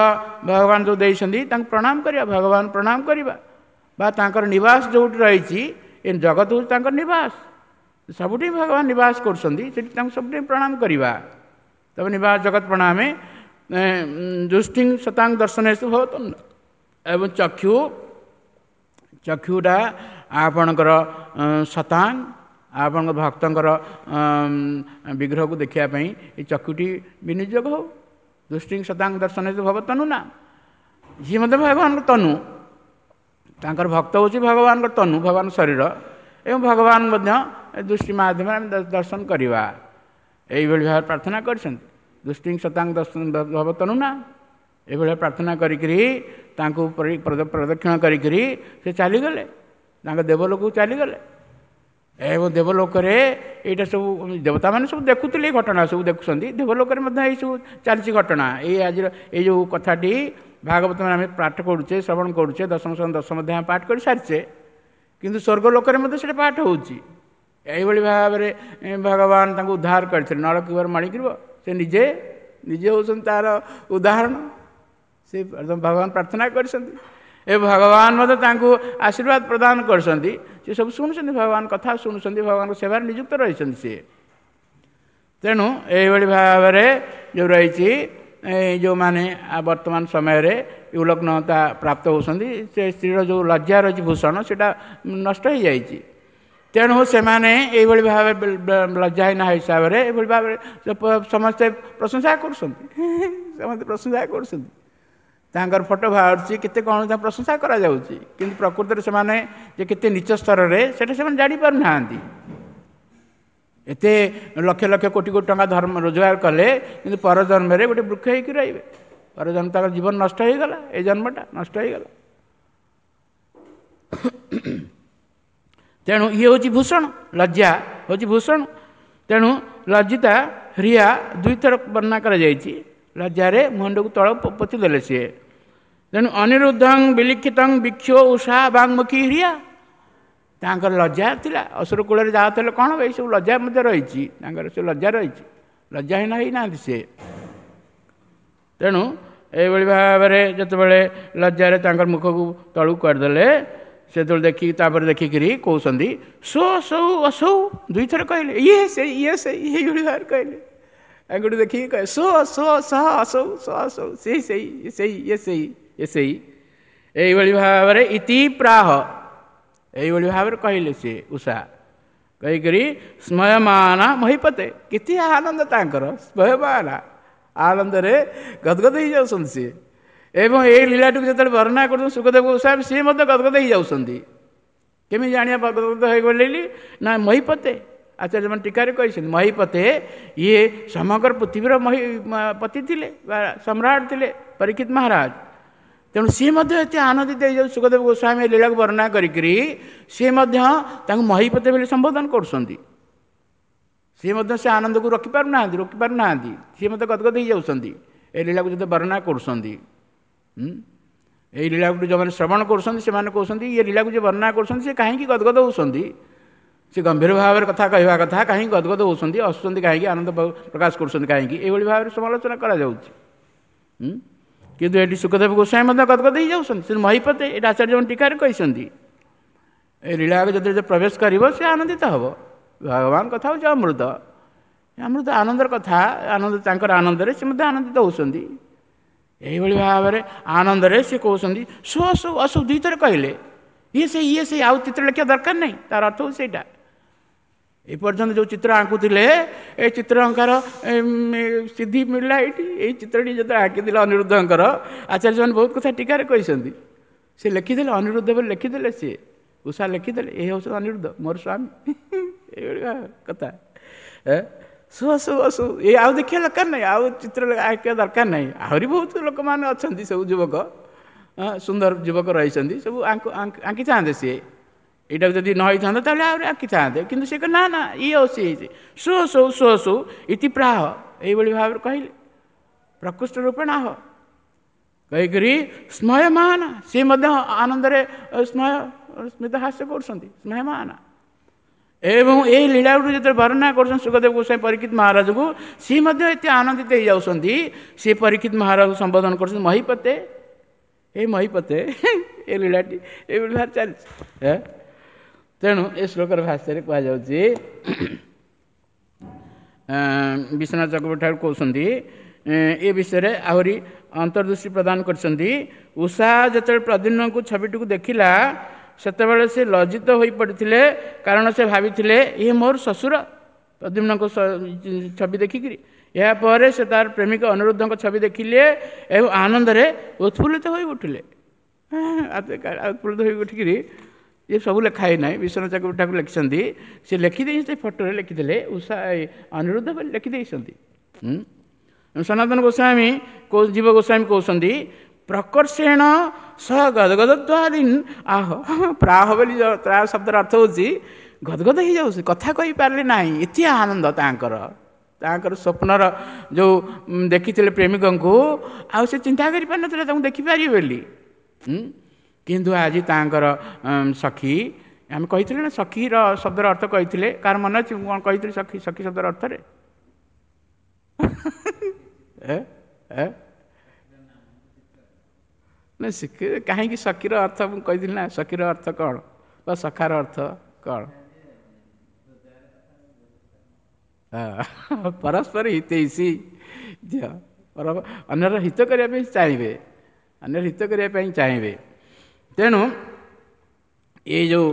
ଭଗବାନ ଯେଉଁ ଦେଇଛନ୍ତି ତାଙ୍କୁ ପ୍ରଣାମ କରିବା, ଭଗବାନ ପ୍ରଣାମ କରିବା, ବା ତାଙ୍କର ନିବାସ ଯେଉଁଠି ରହିଛି ଏ ଜଗତ ହେଉଛି ତାଙ୍କର ନିବାସ, ସବୁଠି ଭଗବାନ ନିବାସ କରୁଛନ୍ତି, ସେଠି ତାଙ୍କୁ ସବୁଠି ପ୍ରଣାମ କରିବା। ତବ ନିବାସ ଜଗତ ପ୍ରଣାମେ ଦୃଷ୍ଟି ଶତାଙ୍ଗ ଦର୍ଶନେଷୁ ଭବତ। ଏବଂ ଚକ୍ଷୁ, ଚକ୍ଷୁଟା ଆପଣଙ୍କର ଶତାଙ୍ଗ, ଆପଣଙ୍କ ଭକ୍ତଙ୍କର ବିଗ୍ରହକୁ ଦେଖିବା ପାଇଁ ଏ ଚକ୍ଷୁଟି ବିନିଯୋଗ ହେଉ। ଦୃଷ୍ଟି ଶତାଙ୍ଗ ଦର୍ଶନେଷୁ ଭବତନୁ ନା, ଯିଏ ମଧ୍ୟ ଭଗବାନଙ୍କ ତନୁ, ତାଙ୍କର ଭକ୍ତ ହେଉଛି ଭଗବାନଙ୍କ ତନୁ, ଭଗବାନ ଶରୀର, ଏବଂ ଭଗବାନ ମଧ୍ୟ ଦୃଷ୍ଟି ମାଧ୍ୟମରେ ଆମେ ଦର୍ଶନ କରିବା। ଏଇଭଳି ଭାବରେ ପ୍ରାର୍ଥନା କରିଛନ୍ତି। ଦୃଷ୍ଟି ଶତାଙ୍ଗ ଦର୍ଶନ ଭବତନୁ ନା, ଏଇଭଳିଆ ପ୍ରାର୍ଥନା କରିକିରି ତାଙ୍କୁ ପ୍ରଦକ୍ଷିଣ କରିକିରି ସେ ଚାଲିଗଲେ, ତାଙ୍କ ଦେବଲୋକକୁ ଚାଲିଗଲେ। ଏବଂ ଦେବଲୋକରେ ଏଇଟା ସବୁ ଦେବତାମାନେ ସବୁ ଦେଖୁଥିଲେ, ଏଇ ଘଟଣା ସବୁ ଦେଖୁଛନ୍ତି। ଦେବଲୋକରେ ମଧ୍ୟ ଏଇସବୁ ଚାଲିଛି ଘଟଣା। ଏଇ ଆଜିର ଏଇ ଯେଉଁ କଥାଟି ଭାଗବତ ଆମେ ପାଠ କରୁଛେ, ଶ୍ରବଣ କରୁଛେ, ଦଶମ ଦଶମ ଅଧ୍ୟାୟ ପାଠ କରି ସାରିଛେ, କିନ୍ତୁ ସ୍ୱର୍ଗ ଲୋକରେ ମଧ୍ୟ ସେଇଟା ପାଠ ହେଉଛି। ଏଇଭଳି ଭାବରେ ଭଗବାନ ତାଙ୍କୁ ଉଦ୍ଧାର କରିଥିଲେ। ନଳକୂବର ମଣିଗ୍ରୀବ ସେ ନିଜେ ନିଜେ ହେଉଛନ୍ତି ତାର ଉଦାହରଣ। ସେ ଭଗବାନ ପ୍ରାର୍ଥନା କରିଛନ୍ତି ଏ ଭଗବାନ ମଧ୍ୟ ତାଙ୍କୁ ଆଶୀର୍ବାଦ ପ୍ରଦାନ କରିଛନ୍ତି। ସେ ସବୁ ଶୁଣୁଛନ୍ତି, ଭଗବାନ କଥା ଶୁଣୁଛନ୍ତି, ଭଗବାନଙ୍କ ସେବାରେ ନିଯୁକ୍ତ ରହିଛନ୍ତି ସିଏ। ତେଣୁ ଏଇଭଳି ଭାବରେ ଯେଉଁ ରହିଛି, ଯେଉଁମାନେ ବର୍ତ୍ତମାନ ସମୟରେ ଉଲଗ୍ନତା ପ୍ରାପ୍ତ ହେଉଛନ୍ତି, ସେ ସ୍ତ୍ରୀର ଯେଉଁ ଲଜ୍ଜା ରହିଛି ଭୂଷଣ, ସେଇଟା ନଷ୍ଟ ହୋଇଯାଇଛି। ତେଣୁ ସେମାନେ ଏଇଭଳି ଭାବେ ଲଜ୍ଜାହୀନ ହିସାବରେ ଏଇଭଳି ଭାବରେ ସମସ୍ତେ ପ୍ରଶଂସା କରୁଛନ୍ତି, ସମସ୍ତେ ପ୍ରଶଂସା କରୁଛନ୍ତି। ତାଙ୍କର ଫଟୋ ବାହାରୁଛି, କେତେ କ'ଣ ତାଙ୍କ ପ୍ରଶଂସା କରାଯାଉଛି, କିନ୍ତୁ ପ୍ରକୃତରେ ସେମାନେ ଯେ କେତେ ନୀଚ ସ୍ତରରେ ସେଇଟା ସେମାନେ ଜାଣିପାରୁନାହାନ୍ତି। ଏତେ ଲକ୍ଷ ଲକ୍ଷ କୋଟି କୋଟି ଟଙ୍କା ଧର୍ମ ରୋଜଗାର କଲେ, କିନ୍ତୁ ପରଜନ୍ମରେ ଗୋଟେ ବୃକ୍ଷ ହେଇକି ରହିବେ। ପରଜନ୍ମ ତାଙ୍କର ଜୀବନ ନଷ୍ଟ ହେଇଗଲା, ଏ ଜନ୍ମଟା ନଷ୍ଟ ହେଇଗଲା। ତେଣୁ ଇଏ ହେଉଛି ଭୂଷଣ, ଲଜ୍ଜା ହେଉଛି ଭୂଷଣ। ତେଣୁ ଲଜ୍ଜିତା ହ୍ରିୟା ଦୁଇଥର ବର୍ଣ୍ଣନା କରାଯାଇଛି। ଲଜ୍ଜାରେ ମୁଣ୍ଡକୁ ତଳ ପୋତି ଦେଲେ ସିଏ। ତେଣୁ ଅନିରୁଦ୍ଧଂ ବିଲିଖିତଂ ବିକ୍ଷୋ ଉଷା ବାଙ୍ମୁଖୀ ହ୍ରିୟା, ତାଙ୍କର ଲଜ୍ଜା ଥିଲା। ଅସୁର କୂଳରେ ଯାଉଥିଲେ କ'ଣ ହେବ, ଏଇସବୁ ଲଜ୍ଜା ମଧ୍ୟ ରହିଛି ତାଙ୍କର, ସେ ଲଜ୍ଜା ରହିଛି, ଲଜ୍ଜାହୀନ ହେଇନାହାନ୍ତି ସିଏ। ତେଣୁ ଏଇଭଳି ଭାବରେ ଯେତେବେଳେ ଲଜ୍ଜାରେ ତାଙ୍କର ମୁଖକୁ ତଳକୁ କରିଦେଲେ, ସେତେବେଳେ ଦେଖିକି ତାପରେ ଦେଖିକିରି କହୁଛନ୍ତି ସୋ ସୌ ଅସୌ, ଦୁଇଥର କହିଲେ। ଇଏ ସେଇ, ଇଏ ସେଇ, ଏଇଭଳି ଭାବରେ କହିଲେ। ଆଙ୍ଗୁଠି ଦେଖିକି କହେ ସୋ ସୋ ସହ ଅସୌ, ସୋ ଅସୌ, ସେଇ ସେଇ ସେଇ, ଇଏ ସେଇ, ଇଏ ସେଇ। ଏଇଭଳି ଭାବରେ ଇତି ପ୍ରାହ, ଏଇଭଳି ଭାବରେ କହିଲେ ସିଏ ଉଷା। କହିକରି ସ୍ମୟମାନା ମହିପତେ, କେତେ ଆନନ୍ଦ ତାଙ୍କର, ସ୍ମୟମାନା ଆନନ୍ଦରେ ଗଦଗଦ ହେଇଯାଉଛନ୍ତି ସିଏ। ଏବଂ ଏଇ ଲୀଳାଟିକୁ ଯେତେବେଳେ ବର୍ଣ୍ଣନା କରୁଛନ୍ତି ସୁଖଦେବ ଗୋସ୍ୱାମୀ, ସିଏ ମଧ୍ୟ ଗଦଗଦ ହେଇଯାଉଛନ୍ତି। କେମିତି ଜାଣିବା ଗଦଗଦ ହେଇଗଲେ ନା ମହିପତେ, ଆଚାର୍ଯ୍ୟମାନେ ଟୀକାରେ କହିଛନ୍ତି ମହିପତେ ଇଏ ସମଗ୍ର ପୃଥିବୀର ମହି ପତି ଥିଲେ ବା ସମ୍ରାଟ ଥିଲେ ପରୀକ୍ଷିତ ମହାରାଜ। ତେଣୁ ସିଏ ମଧ୍ୟ ଏତେ ଆନନ୍ଦିତ ହେଇଯାଉଛି ସୁଖଦେବ ଗୋସ୍ୱାମୀ ଏ ଲୀଳାକୁ ବର୍ଣ୍ଣନା କରିକିରି, ସିଏ ମଧ୍ୟ ତାଙ୍କୁ ମହିପତେ ବୋଲି ସମ୍ବୋଧନ କରୁଛନ୍ତି। ସିଏ ମଧ୍ୟ ସେ ଆନନ୍ଦକୁ ରଖିପାରୁନାହାନ୍ତି, ରୋକିପାରୁନାହାନ୍ତି, ସିଏ ମଧ୍ୟ ଗଦଗଦ ହେଇଯାଉଛନ୍ତି ଏ ଲୀଳାକୁ ଯେତେ ବର୍ଣ୍ଣନା କରୁଛନ୍ତି। ଏଇ ଲୀଳାକୁ ଯେଉଁମାନେ ଶ୍ରବଣ କରୁଛନ୍ତି ସେମାନେ କହୁଛନ୍ତି ଇଏ ଲୀଳାକୁ ଯିଏ ବର୍ଣ୍ଣନା କରୁଛନ୍ତି ସେ କାହିଁକି ଗଦଗଦ ହେଉଛନ୍ତି, ସେ ଗମ୍ଭୀର ଭାବରେ କଥା କହିବା କଥା, କାହିଁକି ଗଦଗଦ ହେଉଛନ୍ତି, ହସୁଛନ୍ତି କାହିଁକି, ଆନନ୍ଦ ପ୍ରକାଶ କରୁଛନ୍ତି କାହିଁକି, ଏଇଭଳି ଭାବରେ ସମାଲୋଚନା କରାଯାଉଛି। କିନ୍ତୁ ଏଠି ସୁଖଦେବ ଗୋସ୍ୱାମୀ ମଧ୍ୟ ଗଦଗଦ ହେଇଯାଉଛନ୍ତି। ସେ ମହିପତେ, ଏଇଟା ଆଚାର୍ଯ୍ୟମାନେ ଟୀକାରେ କହିଛନ୍ତି। ଏ ଲୀଳାକୁ ଯେତେବେଳେ ପ୍ରବେଶ କରିବ ସେ ଆନନ୍ଦିତ ହେବ। ଭଗବାନ କଥା ହେଉଛି ଅମୃତ, ଅମୃତ ଆନନ୍ଦର କଥା, ଆନନ୍ଦ ତାଙ୍କର ଆନନ୍ଦରେ ସେ ମଧ୍ୟ ଆନନ୍ଦିତ ହେଉଛନ୍ତି। ଏଇଭଳି ଭାବରେ ଆନନ୍ଦରେ ସେ କହୁଛନ୍ତି ସୋ ସୋ ଅସୁ, ଦୁଇଥର କହିଲେ। ଇଏ ସେ, ଇଏ ସେ, ଆଉ ଚିତ୍ର ଲେଖିବା ଦରକାର ନାହିଁ, ତାର ଅର୍ଥ ହେଉଛି ସେଇଟା। ଏ ପର୍ଯ୍ୟନ୍ତ ଯେଉଁ ଚିତ୍ର ଆଙ୍କୁଥିଲେ ଏ ଚିତ୍ର ଅଙ୍କାର ସିଦ୍ଧି ମିଳିଲା ଏଇଠି। ଏଇ ଚିତ୍ରଟି ଯେତେବେଳେ ଆଙ୍କିଥିଲେ ଅନିରୁଦ୍ଧଙ୍କର, ଆଚାର୍ଯ୍ୟମାନେ ବହୁତ କଥା ଟୀକାରେ କହିଛନ୍ତି। ସେ ଲେଖିଦେଲେ ଅନିରୁଦ୍ଧ ବୋଲି ଲେଖିଦେଲେ, ସିଏ ଉଷା ଲେଖିଦେଲେ ଏ ହେଉଛନ୍ତି ଅନିରୁଦ୍ଧ ମୋର ସ୍ୱାମୀ, ଏଇଭଳି କଥା। ସୁ ସୁ ଅସୁ, ଏ ଆଉ ଦେଖିବା ଦରକାର ନାହିଁ, ଆଉ ଚିତ୍ର ଆଙ୍କିବା ଦରକାର ନାହିଁ। ଆହୁରି ବହୁତ ଲୋକମାନେ ଅଛନ୍ତି, ସବୁ ଯୁବକ ସୁନ୍ଦର ଯୁବକ ରହିଛନ୍ତି, ସବୁ ଆଙ୍କିଥାନ୍ତେ ସିଏ। ଏଇଟାକୁ ଯଦି ନ ହେଇଥାନ୍ତା ତାହେଲେ ଆହୁରି ଆଙ୍କିଥାନ୍ତେ, କିନ୍ତୁ ସେ ନା ନା ଇଏ ଅଛି ହେଇଛି। ସୋ ସୋ ସୋ ସୋ ଇତି ପ୍ରାହ, ଏଇଭଳି ଭାବରେ କହିଲେ ପ୍ରକୃଷ୍ଟ ରୂପେଣ ଆହ କହିକରି ସ୍ମୟମାନ, ସିଏ ମଧ୍ୟ ଆନନ୍ଦରେ ସ୍ମୟ ସ୍ମିତ ହାସ୍ୟ କରୁଛନ୍ତି, ସ୍ମୟମାନ। ଏବଂ ଏଇ ଲୀଳାକୁ ଯେତେବେଳେ ବର୍ଣ୍ଣନା କରୁଛନ୍ତି ସୁଖଦେବ ଗୋସ୍ୱାମୀ ପରୀକ୍ଷିତ ମହାରାଜକୁ, ସିଏ ମଧ୍ୟ ଏତେ ଆନନ୍ଦିତ ହେଇଯାଉଛନ୍ତି। ସିଏ ପରୀକ୍ଷିତ ମହାରାଜକୁ ସମ୍ବୋଧନ କରୁଛନ୍ତି ମହିପତେ, ଏ ମହିପତେ, ଏ ଲୀଳାଟି ଏଇଭଳି ଭାବରେ ଚାଲିଛି। ତେଣୁ ଏ ଶ୍ଲୋକର ଭାଷାରେ କୁହାଯାଉଛି, ବିଶ୍ୱନାଥ ଚକ୍ରବର୍ତ୍ତୀ ଠାରୁ କହୁଛନ୍ତି ଏ ବିଷୟରେ ଆହୁରି ଅନ୍ତର୍ଦୃଷ୍ଟି ପ୍ରଦାନ କରିଛନ୍ତି। ଉଷା ଯେତେବେଳେ ପ୍ରଦ୍ୟୁମ୍ନଙ୍କୁ ଛବିଟିକୁ ଦେଖିଲା ସେତେବେଳେ ସେ ଲଜ୍ଜିତ ହୋଇପଡ଼ିଥିଲେ, କାରଣ ସେ ଭାବିଥିଲେ ଇଏ ମୋର ଶ୍ୱଶୁର, ପ୍ରଦ୍ୟୁମ୍ନଙ୍କ ଛବି ଦେଖିକିରି। ଏହାପରେ ସେ ତାର ପ୍ରେମିକ ଅନିରୁଦ୍ଧଙ୍କ ଛବି ଦେଖିଲେ ଏବଂ ଆନନ୍ଦରେ ଉତ୍ଫୁଲ୍ଲିତ ହୋଇ ଉଠିଲେ। ଉତ୍ଫୁଲ୍ଲିତ ହୋଇ ଉଠିକିରି ଇଏ ସବୁ ଲେଖା ହେଇନାହିଁ, ବିଶ୍ୱନାଥ ଚକ୍ରବର୍ତ୍ତୀ ଠାକୁର ଲେଖିଛନ୍ତି। ସେ ଲେଖିଦେଇ ସେ ଫଟୋରେ ଲେଖିଦେଲେ ଉଷା ଅନିରୁଦ୍ଧ ବୋଲି ଲେଖିଦେଇଛନ୍ତି। ସନାତନ ଗୋସ୍ୱାମୀ ଜୀବ ଗୋସ୍ୱାମୀ କହୁଛନ୍ତି ପ୍ରକର୍ଷେଣ ସହ ଗଦଗଦତ୍ୱାଦିନ ଆହ ପ୍ରାହ ବୋଲି ତା ଶବ୍ଦର ଅର୍ଥ ହେଉଛି ଗଦଗଦ ହେଇଯାଉଛି, କଥା କହିପାରିଲେ ନାହିଁ, ଏତେ ଆନନ୍ଦ ତାଙ୍କର। ତାଙ୍କର ସ୍ୱପ୍ନର ଯେଉଁ ଦେଖିଥିଲେ ପ୍ରେମିକଙ୍କୁ, ଆଉ ସେ ଚିନ୍ତା କରିପାରିନଥିଲେ ତାଙ୍କୁ ଦେଖିପାରିବେ ବୋଲି। କିନ୍ତୁ ଆଜି ତାଙ୍କର ସଖୀ, ଆମେ କହିଥିଲେ ନା ସଖୀର ଶବ୍ଦର ଅର୍ଥ କହିଥିଲେ, କାହାର ମନେ ଅଛି ମୁଁ କ'ଣ କହିଥିଲି ସଖୀ ସଖୀ ଶବ୍ଦର ଅର୍ଥରେ? ନା, କାହିଁକି ସଖୀର ଅର୍ଥ ମୁଁ କହିଥିଲି ନା, ସଖୀର ଅର୍ଥ କ'ଣ ବା ସଖାର ଅର୍ଥ କ'ଣ? ପରସ୍ପର ହିତୈଷୀ, ଦିଅ ଅନ୍ୟର ହିତ କରିବା ପାଇଁ ଚାହିଁବେ, ଅନ୍ୟର ହିତ କରିବା ପାଇଁ ଚାହିଁବେ। ତେଣୁ ଏଇ ଯେଉଁ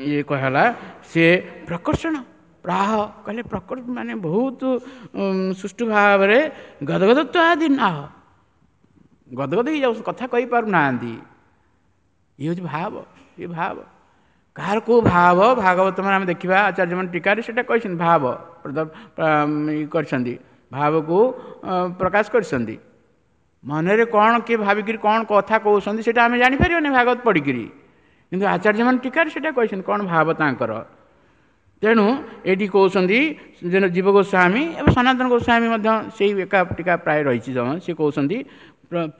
ଇଏ କୁହାହେଲା, ସିଏ ପ୍ରକର୍ଷଣ ପ୍ରାହ କହିଲେ, ପ୍ରକଟ ମାନେ ବହୁତ ସୁଷ୍ଠୁ ଭାବରେ ଗଦଗଦତ୍ୱ ଆଦି ନାହ, ଗଦଗଦ ହେଇଯାଉ, କଥା କହିପାରୁନାହାନ୍ତି। ଇଏ ହେଉଛି ଭାବ, ଇଏ ଭାବ କାହାର କେଉଁ ଭାବ? ଭାଗବତ ମାନେ ଆମେ ଦେଖିବା ଆଚାର୍ଯ୍ୟମାନେ ଟୀକାରେ ସେଇଟା କହିଛନ୍ତି, ଭାବ କରିଛନ୍ତି, ଭାବକୁ ପ୍ରକାଶ କରିଛନ୍ତି। ମନରେ କ'ଣ କିଏ ଭାବିକିରି କ'ଣ କଥା କହୁଛନ୍ତି ସେଇଟା ଆମେ ଜାଣିପାରିବାନି ଭାଗବତ ପଢ଼ିକିରି, କିନ୍ତୁ ଆଚାର୍ଯ୍ୟମାନେ ଟୀକାରେ ସେଇଟା କହିଛନ୍ତି କ'ଣ ଭାବ ତାଙ୍କର। ତେଣୁ ଏଇଠି କହୁଛନ୍ତି ଯେ ଜୀବ ଗୋସ୍ୱାମୀ ଏବଂ ସନାତନ ଗୋସ୍ୱାମୀ ମଧ୍ୟ ସେଇ ଏକା ଟୀକା ପ୍ରାୟ ରହିଛି। ଜଣ ସେ କହୁଛନ୍ତି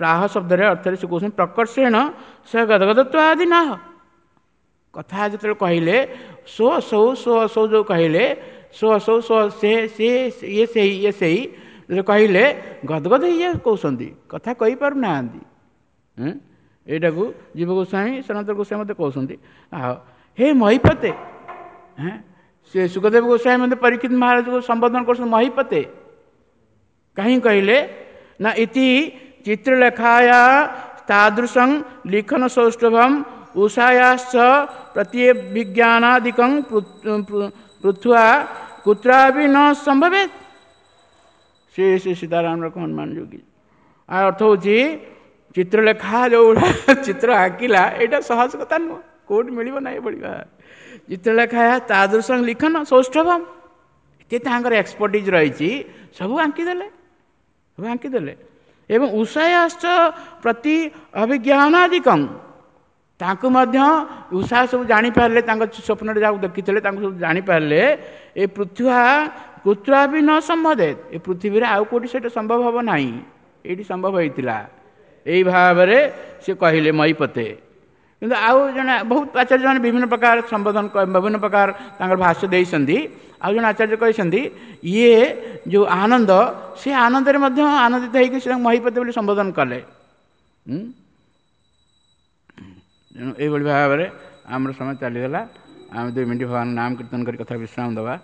ପ୍ରାହ ଶବ୍ଦରେ ଅର୍ଥରେ ସେ କହୁଛନ୍ତି ପ୍ରକର୍ଷେଣ ସେ ଗଦଗଦତ୍ୱ ଆଦି ନାହ। କଥା ଯେତେବେଳେ କହିଲେ ସୋ ସୌ ସୋ ଅସୌ ଯେଉଁ କହିଲେ, ସୋ ଅସୌ ସୋ ସେ ସେ ଇଏ ସେଇ ଇଏ ସେଇ କହିଲେ ଗଦଗଦ ହେଇଯାଇ କହୁଛନ୍ତି, କଥା କହିପାରୁନାହାନ୍ତି। ଏଇଟାକୁ ଜୀବ ଗୋସ୍ୱାମୀ ସନାତନ ଗୋସ୍ୱାମୀ ମଧ୍ୟ କହୁଛନ୍ତି। ଆଉ ହେ ମହିପତେ, ସେ ସୁଖଦେବ ଗୋସ୍ୱାମୀ ମଧ୍ୟ ପରୀକ୍ଷିତ ମହାରାଜକୁ ସମ୍ବୋଧନ କରୁଛନ୍ତି ମହିପତେ। କାହିଁକି କହିଲେ ନା ଇତି ଚିତ୍ରଲେଖାୟା ତାଦୃଶଂ ଲିଖନ ସୌଷ୍ଠଭം ଉଷାୟାଶ୍ଚ ପ୍ରତ୍ୟଭିଜ୍ଞାନାଦିକଂ ପୃଥୁଆ କୁତ୍ରାପି ନ ସମ୍ଭବେତ୍। ସେ ସେ ସୀତାରାମ ରକମ ହନୁମାନ ଯୋଗୀ। ଆଉ ଅର୍ଥ ହେଉଛି ଚିତ୍ରଲେଖା ଯେଉଁଗୁଡ଼ା ଚିତ୍ର ଆଙ୍କିଲା, ଏଇଟା ସହଜ କଥା ନୁହଁ, କେଉଁଠି ମିଳିବ ନାହିଁ ଏଭଳି। ଚିତ୍ରଲେଖା ତାଦୃଶଂ ଲିଖନ ସୌଷ୍ଠଭମ୍, ଏତେ ତାଙ୍କର ଏକ୍ସପର୍ଟିଜ୍ ରହିଛି, ସବୁ ଆଙ୍କିଦେଲେ, ସବୁ ଆଙ୍କିଦେଲେ। ଏବଂ ଉଷାୟାଶ୍ଚ ପ୍ରତି ଅଭିଜ୍ଞାନାଦିକଂ, ତାଙ୍କୁ ମଧ୍ୟ ଉଷା ସବୁ ଜାଣିପାରିଲେ, ତାଙ୍କ ସ୍ୱପ୍ନରେ ଯାହାକୁ ଦେଖିଥିଲେ ତାଙ୍କୁ ସବୁ ଜାଣିପାରିଲେ। ଏ ପୃଥ୍ୱା କୁତ୍ରା ବି ନ ସମ୍ଭବେ, ଏ ପୃଥିବୀରେ ଆଉ କେଉଁଠି ସେଇଟା ସମ୍ଭବ ହେବ ନାହିଁ, ଏଇଠି ସମ୍ଭବ ହେଇଥିଲା। ଏଇ ଭାବରେ ସେ କହିଲେ ମହିପତେ। କିନ୍ତୁ ଆଉ ଜଣେ ବହୁତ ଆଚାର୍ଯ୍ୟମାନେ ବିଭିନ୍ନ ପ୍ରକାର ସମ୍ବୋଧନ, ବିଭିନ୍ନ ପ୍ରକାର ତାଙ୍କର ଭାଷ୍ୟ ଦେଇଛନ୍ତି। ଆଉ ଜଣେ ଆଚାର୍ଯ୍ୟ କହିଛନ୍ତି ଇଏ ଯେଉଁ ଆନନ୍ଦ, ସେ ଆନନ୍ଦରେ ମଧ୍ୟ ଆନନ୍ଦିତ ହେଇକି ସେ ତାଙ୍କୁ ମହିପତେ ବୋଲି ସମ୍ବୋଧନ କଲେ। ତେଣୁ ଏଇଭଳି ଭାବରେ ଆମର ସମୟ ଚାଲିଗଲା। ଆମେ ଦୁଇ ମିନିଟ୍ ଭଗବାନ ନାମ କୀର୍ତ୍ତନ କରି କଥା ବିଶ୍ରାମ ଦେବା।